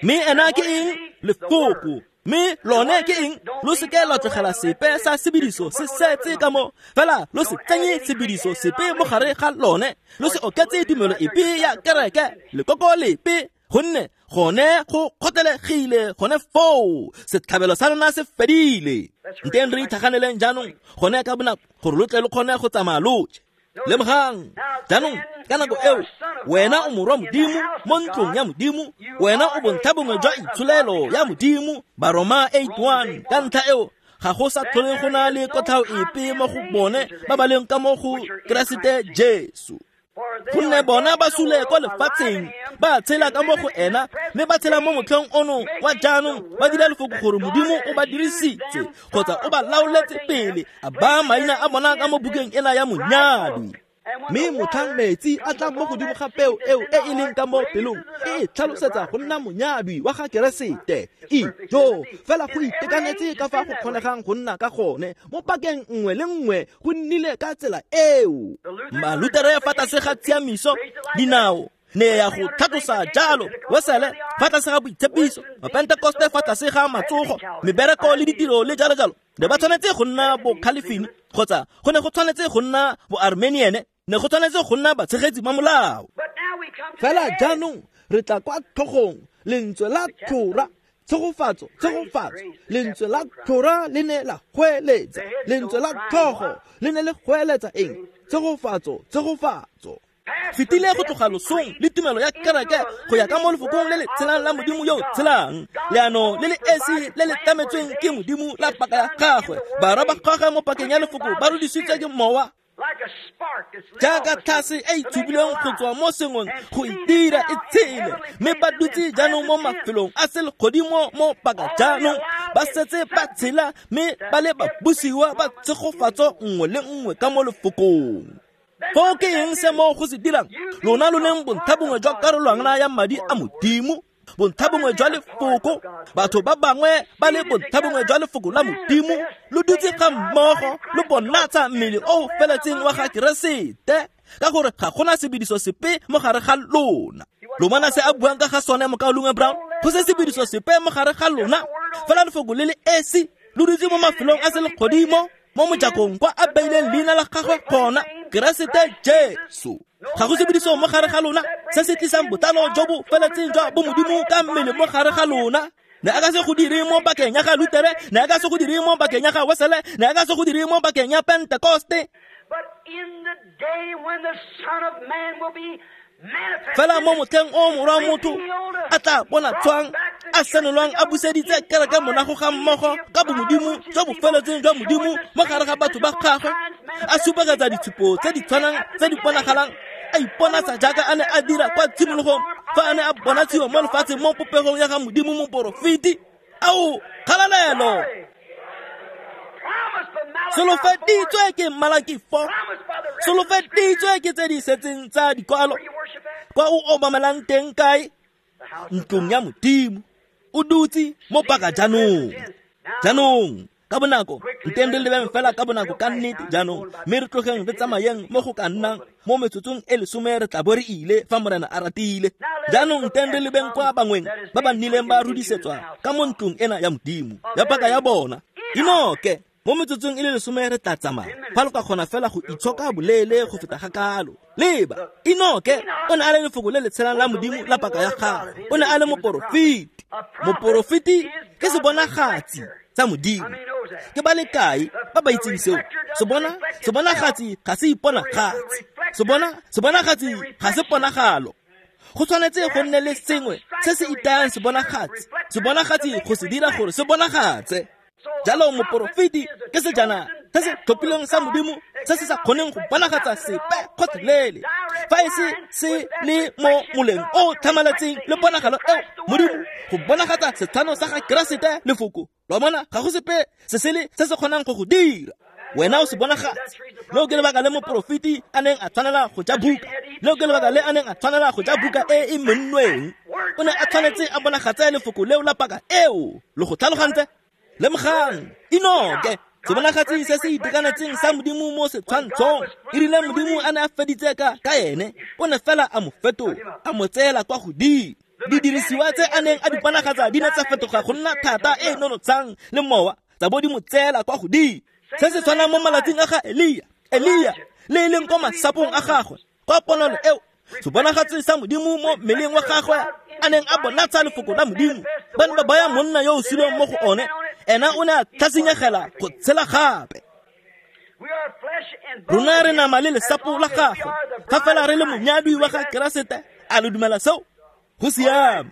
Mme ena ke eng? Lefoko. Mme lone ke eng? Lo seke la tlogela sepe sa sebediso se setse ka mo, fela lo se tsenye sebediso sepe mo gare ga lone. Lo se oketse tumelo epe ya kereke, lekoko lepe, gonne gone go kgotlegile gone foo. Setlhabelo sa lona se fedile. Nteng re itlhaganeleng jaanong gone ka bonako gore lo tle lo kgone go tsamaya lotlhe. Lemogang jaanong ka nako eo wena o morwa Modimo mo ntlong ya Modimo, wena o bontlha bongwe jwa itsholelo ya Modimo. Baroma eight one. Ka ntlha eo ga go sa tlhole go na le kotlhao epe mo go bone ba ba leng ka mo go Keresete Jesu. Gonne bona ba sule kwa lefatsheng, ba tshela ka mo go ena, mme ba tshela mo motlheng ono wa jaanong, ba dira lefoko gore Modimo o ba dirisitse kgotsa o ba laoletse pele, a baya maina a bona ka mo bukeng ena ya monyadwi. Mme motlhang metsi a tla mo godimo ga peo eo e e leng ka mo pelong, e e tlhalosetsa go nna monyadwi wa ga Keresete. Ijo, fela go itekanetse ka fa go kgonegang go nna ka gone mo pakeng nngwe le nngwe, go nnile ka tsela eo. Malutere fa tlase ga tshiamiso, dinao ne ya go tlhatlosa jalo, Wesele fa tlase ga boitshepiso, Mapentekoste fa tlase ga matsogo, mebereko le ditiro le jalo jalo. Ne ba tshwanetse go nna bo Calvin kgotsa go ne go tshwanetse go nna bo Armenian. Ne go tshwanetse go nna batshegetsi ba molao. Fela jaanong re tla kwa tlhogong, lentswe la tlhora, tshegofatso, tshegofatso. Lentswe la tlhora le ne la goeletsa, lentswe la tlhogo le ne le goeletsa eng? Tshegofatso, tshegofatso. Fetile go tloga losong le tumelo ya kereke go ya ka mo lefokong le le tshelang la Modimo yo o tshelang, leano le le esi le le tlametsweng ke Modimo la paka ya gagwe. Barwa ba gagwe mo pakeng ya lefoko ba rudisitswe ke mowa jaaka tlhase e e tshubilweng go tswa mo sengweng go itira e tshele, mme ba dutse jaanong mo mafelong a selegodimo mo paka jaanong ba setse ba tshela mme ba le babusiwa ba tshegofatso nngwe le nngwe ka mo lefokong. Foo ke eng se mo go se dirang? Lona lo leng bontlhabongwe jwa karolwana ya madi a Modimo, bontlhabongwe jwa lefoko, batho ba bangwe ba le bontlhabongwe jwa lefoko la Modimo, lo dutse ga mmogo lo bonatsa mmele o o feletseng wa ga Keresete, ka gore ga gona sebediso sepe mo gare ga lona. Lo bona se a buang ka ga sone, mokaulengwe Brown? Go se sebediso sepe mo gare ga lona, fela lefoko le le esi lo dutse mo mafelong a selegodimo, mo mojakong kwa a beileng leina la gagwe gona, Keresete Jesu. Ga go sebediso mo gare ga lona se se tlisang botlalo jo bo feletseng jwa bomodimo ka mmele mo gare ga lona. Ne a ka se go dire mo pakeng ya ga Lutere, ne a ka se go dire mo pakeng ya ga Wesele, ne a ka se go dire mo pakeng ya Pentekoste. Fela mo motlheng o morwa motho a tla bona tshwang a senolwang a buseditse kereke morago ga mmogo ka bomodimo jo bo feletseng jwa Modimo mo gare ga batho ba gagwe, a supegetsa ditshupo tse di tshwanang tse di bonagalang, a iponatsa jaaka a ne a dira kwa tshimologong fa a ne a bonatshiwa mo lefatsheng mo popegong ya ga Modimo moporofeti. Ao, kgalalelo! Solofeditswe ke Malaki four, solofeditswe ke tse di setseng tsa dikwalo. Kwa o obamelang teng kae? Ntlong ya Modimo. O dutse mo paka jaanong. Jaanong ka bonako, nteng re lebeng fela ka bonako ka nnete jaanong, mme re tlogeng re tsamayeng mo go ka nnang mo metsotsong e lesome re tla bo re ile fa Morena a ratile. Jaanong nteng re lebeng kwa bangweng ba ba nnileng ba rudisetswa ka mo ntlong ena ya Modimo ya paka ya bona. Enoke, mo metsotsong e le lesome re tla tsamaya, fa lo ka kgona fela go itshoka boleele go feta ga kalo. Leba, Enoke o ne a le lefoko le le tshelang la Modimo la paka ya gagwe. O ne a le moporofeti. Moporofeti ke sebonagatsi sa Modimo. Ke ba le kae ba ba itseng seo? Sebona, sebonagatsi ga se iponagatsi. Sebona, sebonagatsi ga se ponagalo. Go tshwanetse go nne le sengwe se se itayang sebonagatsi, sebonagatsi go se dira gore se bonagatse. Jalo moporofeti ke sejana se se tlhophilweng sa Modimo se se sa kgoneng go bonagatsa sepe kgotlhelele, fa e se se le mo moleng o tlhamaletseng le ponagalo eo Modimo go bonagatsa setshwano sa ga Keresete lefoko. Lo bona, ga go sepe se sele se se kgonang go go dira. Wena o se bonagatse. Leo ke lebaka le moporofeti a neng a tshwanela go ja buka. Leo ke lebaka le a neng a tshwanela go ja buka e e mennweng. O ne a tshwanetse a bonagatse lefoko leo la paka eo. Lo go tlhalogantse? Lemogang, Enoke, sebonagatsi se se itekanetseng sa Modimo mo setshwantshong. E rile Modimo a ne a feditse ka ka ene, o ne fela a mo fetola, a mo tseela kwa godimo. Didirisiwa tse a neng a di bonagatsa di ne tsa fetoga go nna thata e e nonotshang le mowa, tsa bo di mo tseela kwa godimo. Se se tshwanang mo malatsing a ga Elia, Elia le e leng kwa masapong a gagwe, kwa ponalo eo, sebonagatsi sa Modimo mo mmeleng wa gagwe a neng a bonatsa lefoko la Modimo. Ba ne ba baya monna yo o suleng mo go one, ena o ne a tlhasinyegela go tshela gape. Rona re nama le lesapo la gagwe, fa fela re le monyadwi wa ga Keresete. A lo dumela seo? Go siame.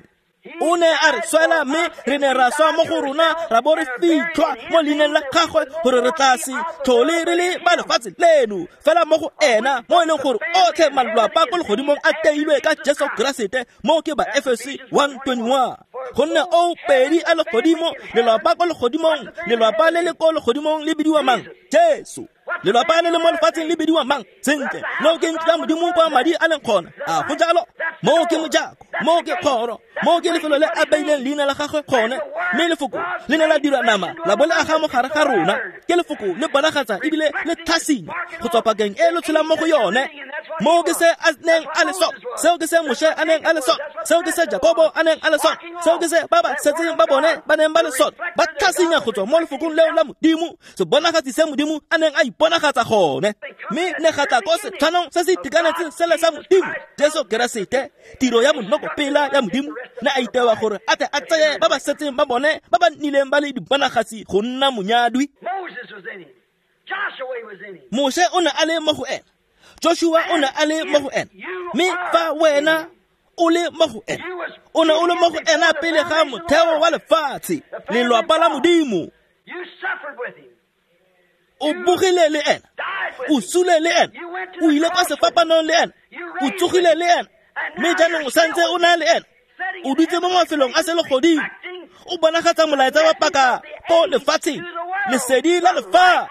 O ne a re swela mme re ne ra swa mo go rona, ra bo re fitlhwa mo leineng la gagwe gore re tla se tlhole re le ba lefatshe leno, fela mo go ena mo e leng gore otlhe malwapa ko legodimong a teilwe ka Jesu Keresete. Mo ke ba Efese one twenty-one. Gonne o pedi a legodimo, lelwapa ko legodimong, lelwapa le le ko legodimong le bidiwa mang? Jesu. Lelwapa le le mo lefatsheng le bidiwa mang? Sentle, leo ke ntlo ya Modimo kwa madi a leng gona. A go jalo? Moo ke mojako, moo ke kgoro, moo ke lefelo le a beileng leina la gagwe gone. Mme lefoko le ne la dirwa nama la bo le aga mo gare ga rona. Ke lefoko le bonagatsa ebile le tlhasinya go tswa pakeng e lo tshelang mo go yone. Moo ke se a neng a le sone, seo ke se Moshe a neng a le sone, Seo ke se Jakobo a neng a le sone, seo ke se ba ba setseng ba bone ba neng ba le sone, ba tlhasinya go tswa mo lefokong leo la Modimo, sebonagatsi se Modimo a neng a iponagatsa gone. Mme ne ga tla ko setshwanong se se itekanetseng sele sa Modimo, Jesu Keresete, tiro ya monokopela ya Modimo, ne a itewa gore a tle a tseye ba ba setseng ba bone ba ba nnileng ba le dibonagatsi go nna monyadwi. Moshe o ne a le mo go ena, Joshua o ne a le mo go ena, mme fa wena o le mo go ena, o ne o le mo go ena pele ga motheo wa lefatshe, lelwapa la Modimo. O bogile le ena, o sule le ena, o ile kwa sefapanong le ena, o tsogile le ena, mme jaanong o santse o na le ena, o dutse mo mafelong a selegodimo, o bonagatsa molaetsa wa paka ko lefatsheng, lesedi la lefatshe.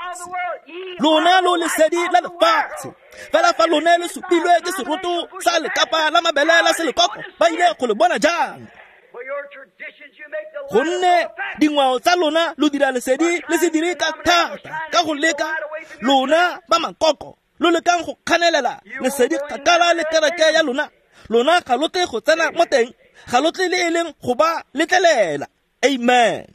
Lona lo lesedi la lefatshe. Fela fa lone le supilwe ke seroto sa lekapa la mabele la selekoko, ba ile go le bona jang? Gonne dingwao tsa lona lo dira lesedi le se dire ka thata, ka go leka lona ba makoko lo lekang go kganelela lesedi kgakala le kereke ya lona. Lona ga lo tle go tsena mo teng, ga lo tle le e leng go ba letlelela. Amen.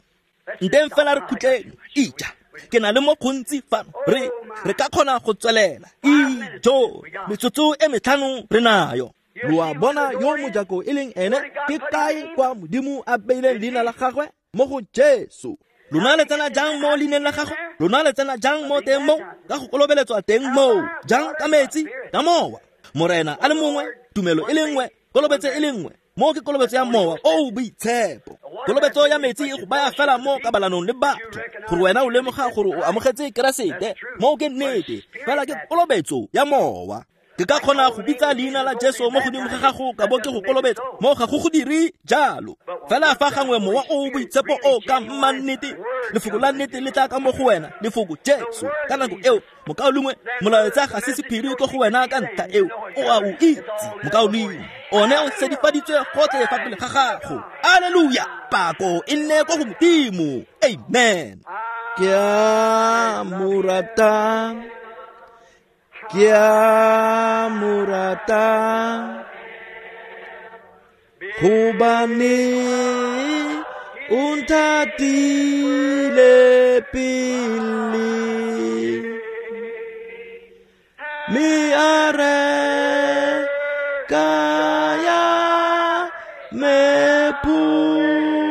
Nteng fela re khutleng ija, ke na le mo gontsi fano, re re ka kgona go tswelela. Ijo, metsotso e metlhano re nayo. Lo a bona yo mojako e leng ene, ke kae kwa Modimo a beileng leina la gagwe? Mo go Jesu. Lona le tsena jang mo leineng la gagwe? Lona le tsena jang mo teng mo? Ka go kolobeletswa teng moo. Jang ka metsi? Ka mowa. Morena a le mongwe, tumelo e le nngwe, kolobetso e le nngwe. Mo ke kolobetso ya mowa o boitshepo. Kolobetso ya metsi e go baya fela mo kabalanong le batho, gore wena o lemoga gore o amogetse Keresete. Mo ke nnete, fela ke kolobetso ya mowa. Ke ka kgona go bitsa leina la Jesu mo godimo ga gago ka bo ke go kolobetsa, mo ga go go dire jalo. Fela fa gangwe mowa o boitshepo o ka mma nnete, lefoko la nnete le tla ka mo go wena, lefoko Jesu. Ka nako eo, mokaulengwe, molaetsa ga se sephiri ko go wena ka ntlha eo, o a o itse, mokaulengwe. One o sedifaditswe gotlhe fa pele ga gago. Alleluia! Pako e nne ko go Modimo. Amen. Ke a mo rata, ke a mo rata, gobane o nthatile pele, mme a reka ya me pholo.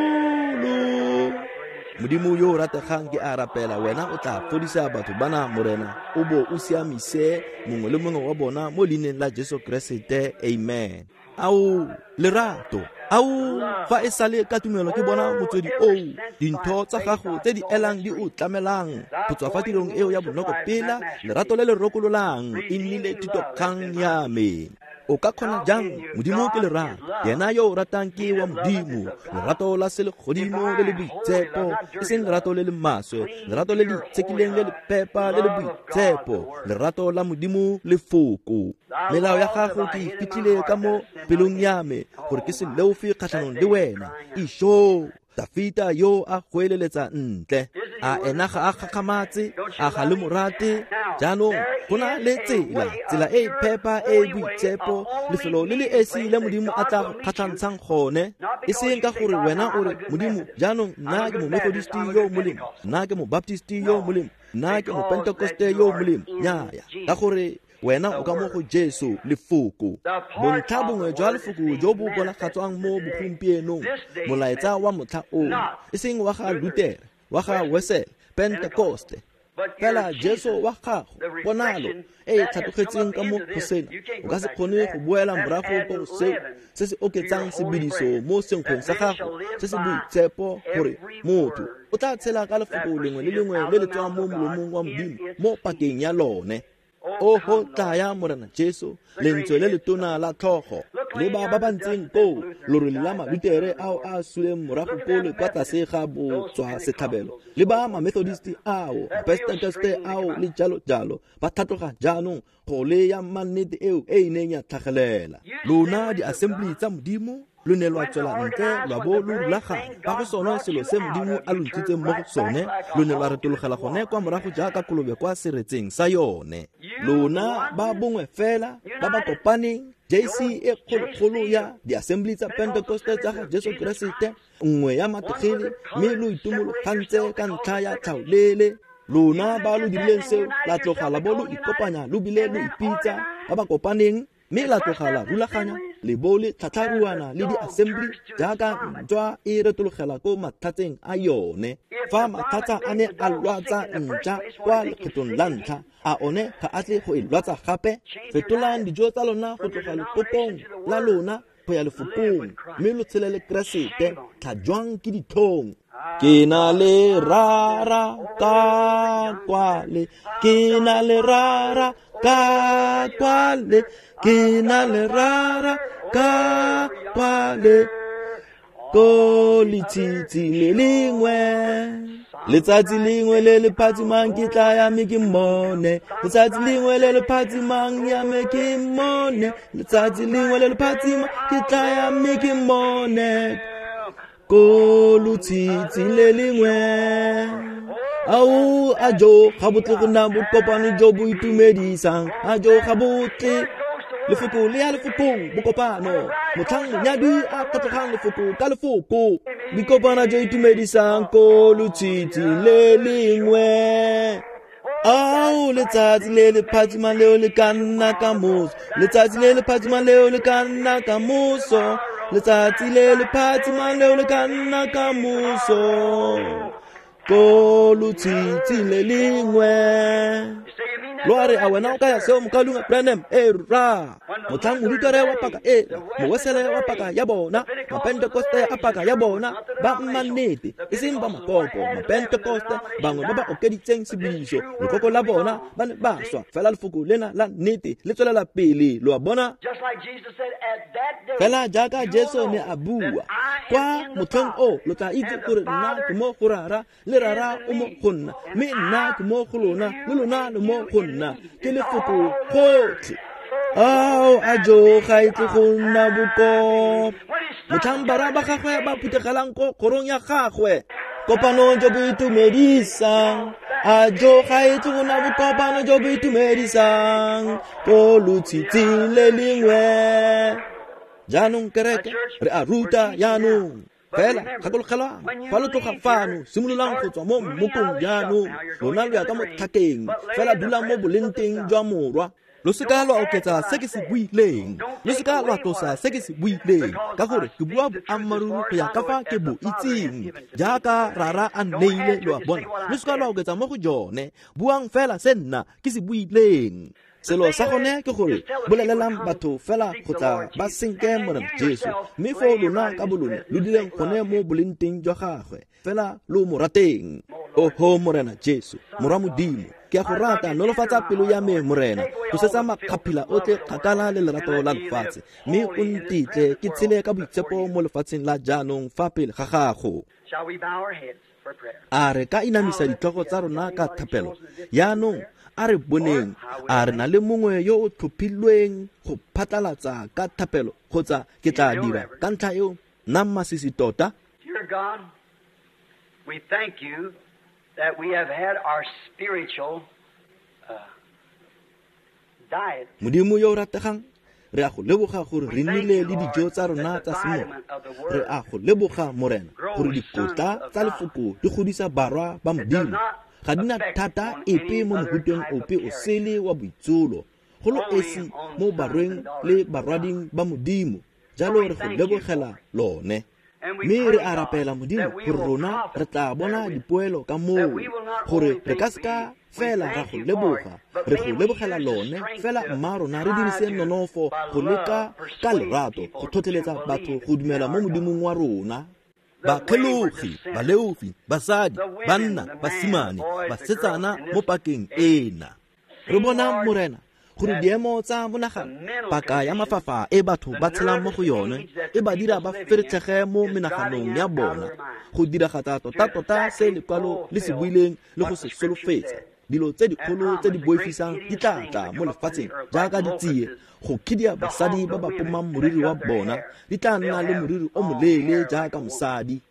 Modimo yo o rategang, ke a rapela wena o tla fodisa batho bana, Morena, o bo o siamise mongwe le mongwe wa bona mo leineng la Jesu Keresete. Amen. Ao lerato, ao fa e sale ka tumelo ke bona motswedi oo, dintho tsa gago tse di elang di o tlamelang go tswa fa tirong eo ya bonokopela, lerato le le rokololang e nnile thitokgang ya me. O ka kgona jang? Modimo ke lerato, yena yo o ratang ke wa Modimo. Lerato la selegodimo le le boitshepo, e seng lerato le le maswe, lerato le le itshekileng le le phepa le le boitshepo, lerato la Modimo lefoko. Melao ya gago ke e fitlhile ka mo pelong ya me, gore ke se leofe kgatlhanong le wena. Isho, Dafita yo a goeleletsa ntle, a ena ga a gakgamatse, a ga le morate. Jaanong go na le tsela, tsela e e phepa e e boitshepo, lefelo le le esi le Modimo a tla go kgatlhantshang gone. E seng ka gore wena o re, Modimo, jaanong nna ke mo-Methodist yo molemo, nna ke mo-Baptist yo molemo, nna ke mo-Pentecoste yo molemo. Nnyaya, ka gore wena o ka mo go Jesu lefoko. Bontlha bongwe jwa lefoko jo bo bonagatswang mo bogompienong, molaetsa wa motlha ono, e seng wa ga Luther, wa ga Wesele, Pentecoste, fela Jesu wa gago, ponalo e e tlhatlogetseng ka mo go sena. O ka se kgone go boela morago ko go seo se se oketsang sebediso mo senkgweng sa gago se se boitshepo, gore motho o tla tshela ka lefoko lengwe le lengwe le le tswang mo molomong wa Modimo mo pakeng ya lone. Oho tlaya Morena Jesu, lentswe le letona la tlhogo, le ba ba ba ntseng koo, lorole la Malutere ao a suleng morago koo le kwa tlase ga botswa setlhabelo, le ba ma-Methodist ao, Mapentekoste ao le jalo jalo, ba tlhatloga jaanong go le ya mannete eo e e neng ya tlhagelela. Lona di-assembly tsa Modimo, Lo ne lwa tswela ntle lwa bo lo rulaganya ka go sone selo se Modimo a lo ntshitseng mo go sone, lo ne lwa retologela gone kwa morago jaaka kolobe kwa seretseng sa yone. Lona ba bongwe fela ba ba kopaneng, J C e kgolokgolo ya di-assembly tsa Pentecoste tsa ga Jesu Keresete, nngwe ya mategele, mme lo itumologantse ka ntlha ya tlhaolele. Lona ba lo dirileng seo la tloga la bo lo ikopanya lo bile lo ipitsa ba ba kopaneng, mme la tloga la rulaganya le bo le tlhatlharuana le di-assembly jaaka ntšwa e retologela ko matlhatseng a yone. Fa matlhatsa a ne a lwatsa ntša kwa lekgetlong la ntlha, a one ga a tle go e lwatsa gape? Fetolang dijo tsa lona go tloga lekokong la lona go ya lefokong, mme lo tshele le Keresete. Tlhajwang ke ditlhong. Ke na le rara ka kwale, ke na le rara ka kwale, ke na le rara ka kwale, ko letshitshi le lengwe. Letsatsi lengwe le le phatsimang ke tla ya me ke mmone, letsatsi lengwe le le phatsimang ya me ke mmone, letsatsi lengwe le le phatsimang ke tla ya me ke mmone, ko lotshitshi le lengwe. Ao a jo ga bo tle go nna bokopano jo bo itumedisang, a jo ga bo tle. Lefoko le ya lefokong bokopano, motlhang monyadi a tlhatlogang lefoko ka lefoko, bokopano jo itumedisang ko lotshitshi le lengwe. Ao letsatsi le le phatsimang leo le ka nna ka moso, letsatsi le le phatsimang leo le ka nna ka moso, letsatsi le le phatsimang leo le ka nna ka moso, ko lotshitshi le lengwe. Lo a re a wena o kaya seo mokalunga Branham? E ra motlhang morutare wa paka ela, mowesele wa paka ya bona, mapentekoste a paka ya bona, ba mma nnete e seng ba makoko. Mapentekoste bangwe ba ba okeditseng sebiso lekoko la bona ba ne ba swa, fela lefoko lena la nnete le tswelela pele. Lo a bona? Fela jaaka Jesu ne a bua, kwa motlheng o lo tla itse gore nna ke mo go Rara, le Rara o mo go nna, mme nna ke mo go lona, le lona le mo go nna. Ke lefoko gotlhe. Ao a jo ga e tle go nna bokop. Motlhang bara ba gagwe ba phuthegelang ko kgorong ya gagwe, kopano jo bo itumedisang. A jo ga e tle go nna bokopano jo bo itumedisang ko lotshitshing le lengwe. Jaanong kereke re a ruta jaanong. Fela gakologelwang, fa lo tloga fano, simololang go tswa mo mmokong jaanong. Lona lo ya ka mo tlhakeng, fela dulang mo bolenteng jwa morwa. Lo seka lwa oketsa se ke se buileng, lo seka lwa tlosa se ke se buileng, ka gore ke bua boammaaruri go ya ka fa ke bo itseng, jaaka Rara a nneile. Lo a bona? Lo seka lwa oketsa mo go jone, buang fela se nna ke se buileng. Selo sa gone ke gore bolelelang batho fela go tla ba senke Morena Jesu, mme foo lona ka bolone lo dileng gone mo bolenteng jwa gagwe, fela lo mo rateng. Oho Morena Jesu, Morwa Modimo, ke a go rata, nolofatsa pelo ya me Morena, tlosetsa makgaphila otlhe kgakala le lerato la lefatshe, mme o ntetle ke tshele ka boitshepo mo lefatsheng la jaanong fa pele ga gago. A re ka inamisa ditlhogo tsa rona ka thapelo jaanong? A re boneng, a re na le mongwe yo o tlhophilweng go phatlalatsa ka thapelo, kgotsa ke tla dira ka ntlha eo nna masisi tota? Dear God, we thank you that we have had our spiritual uh, diet. Modimo yo o rategang, re a go leboga gore re nnile le dijo tsa rona tsa semoya. Re a go leboga Morena gore dikotla tsa lefoko di godisa barwa ba Modimo. Ga di na thata epe mo mohuteng ope o sele wa boitsholo, go lo esi mo barweng le barwading ba Modimo. Jalo re go lebogela lone. Mme re a rapela Modimo gore rona re tla bona dipoelo ka moo, gore re ka seka fela ra go leboga, re go lebogela lone fela, mma rona re dirise nonofo go leka ka lerato go tlhotlheletsa batho go dumela mo Modimong wa rona. Bakgelogi, baleofi, basadi, banna, basimane, basetsana mo pakeng ena. Re bona Morena gore diemo tsa monagano, paka ya mafafa e batho ba tshelang mo go yone, e ba dira ba feretlhege mo menaganong ya bona, go diragatsa tota-tota se lekwalo le se buileng le go se solofetsa. dilo tse dikgolo tse di boifisang di tla tla mo lefatsheng jaaka ditsie go khidia basadi ba ba pomang moriri wa bona di tla nna le moriri o moleele jaaka mosadi.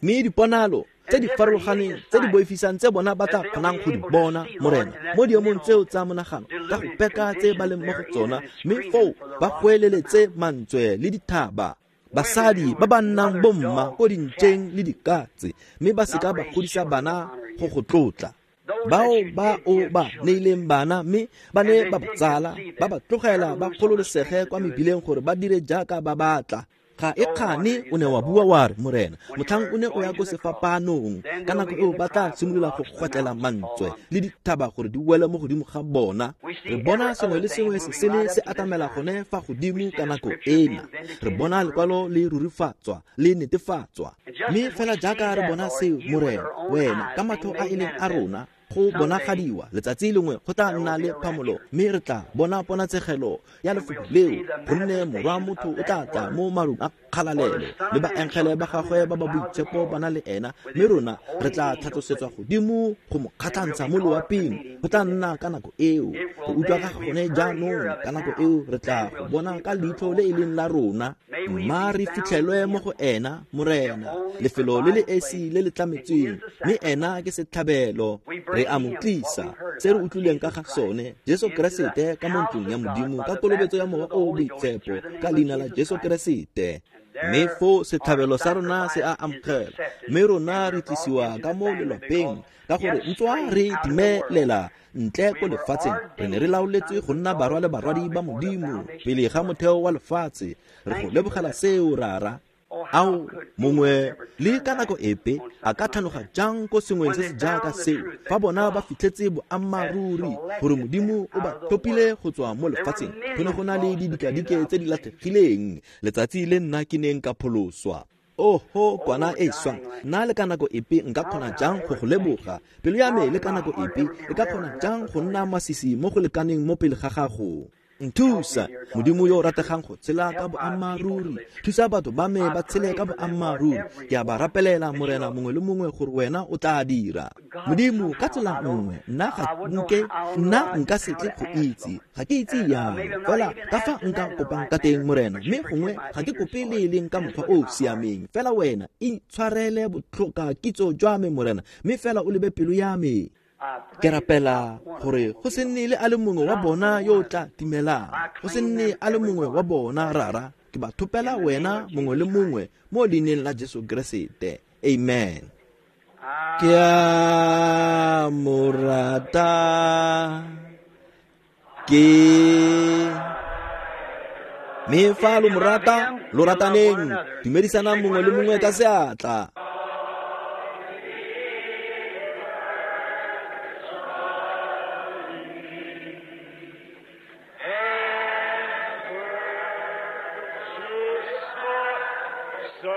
Mme diponalo tse di farologaneng tse di boifisang tse bona ba tla kgonang go di bona, Morena, mo diemong tseo tsa monagano ka go peka tse ba leng mo go tsona, mme foo ba goeleletse mantswe le dithaba. Basadi ba ba nnang bomma ko dintšeng le dikatse, mme ba seka ba godisa bana go go tlotla. Bao ba o ba neileng bana mme ba ne ba ba tsala, ba ba tlogela ba kgololesege kwa mebileng gore ba dire jaaka ba batla. Ga e kgane o ne wa bua wa re, Morena, motlhang o ne o ya ko sefapanong, ka nako eo ba tla simolola go gwetlela mantswe le dithaba gore di wele mo godimo ga bona. Re bona sengwe le sengwe se sele se atamela gone fa godimo ka nako ena. Re bona lekwalo le rurifatswa le netefatswa. Mme fela jaaka re bona seo, Morena, wena ka matlho a e leng a rona go bonagadiwa letsatsi lengwe go tla nna le phamolo, mme re tla bona ponatsegelo ya lefoko leo, gonne morwa motho o tla tla mo marung a kgalalelo le baengele ba gagwe ba ba boitshepo ba na le ena, mme rona re tla tlhatlosetswa godimo go mo kgatlhantsha mo loaping. Go tla nna ka nako eo go utlwa ka gone jaanong, ka nako eo re tla go bona ka leitlho le e leng la rona. Mma re fitlhelwe mo go ena, Morena, lefelo le le esi le le tlametsweng, mme ena ke setlhabelo. Re a mo tlisa se re utlwileng ka ga sone, Jesu Keresete, ka mo ntlong ya Modimo, ka kolobetso ya Mowa o o Boitshepo, ka leina la Jesu Keresete. Mme foo setlhabelo sa rona se a amogela, mme rona re tlisiwa ka mo lelapeng, ka gore ntswa re timelela ntle ko lefatsheng, re ne re laoletswe go nna barwa le barwadi ba Modimo pele ga motheo wa lefatshe. Re go lebogela seo, Rara. Ao mongwe le ka nako epe a ka tlhanoga jang ko sengweng se se jaaka seo, fa bona ba fitlhetse boammaaruri gore Modimo o ba tlhophile go tswa mo lefatsheng? Go ne go na le didikadike tse di latlhegileng letsatsi le nna ke neng ka pholoswa. Oho, kwana e swang, nna le ka nako epe nka kgona jang go go leboga? Pelo ya me le ka nako epe e ka kgona jang go nna masisi mo go lekaneng mo pele ga gago? Nthusa, Modimo yo o rategang, go tshela ka boammaaruri. Thusa batho ba me ba tshele ka boammaaruri. Ke a ba rapelela, Morena, mongwe le mongwe, gore wena o tla dira. Modimo, ka tsela nngwe nna ga nke nna nka se tle go itse, ga ke itse yang fela ka fa nka kopang ka teng, Morena, mme gongwe ga ke kope le e leng ka mokgwa o o siameng. Fela wena intshwarele botlhoka kitso jwa me, Morena, mme fela o lebe pelo ya me. Ke rapela gore go se nne le a le mongwe wa bona yo o tla timelang, go se nne a le mongwe wa bona, Rara. Ke ba thopela wena mongwe le mongwe mo leineng la Jesu Keresete. Amen. Ke a mo rata, ke mme fa lo mo rata, lo rataneng, dumedisanang mongwe le mongwe ka seatla. So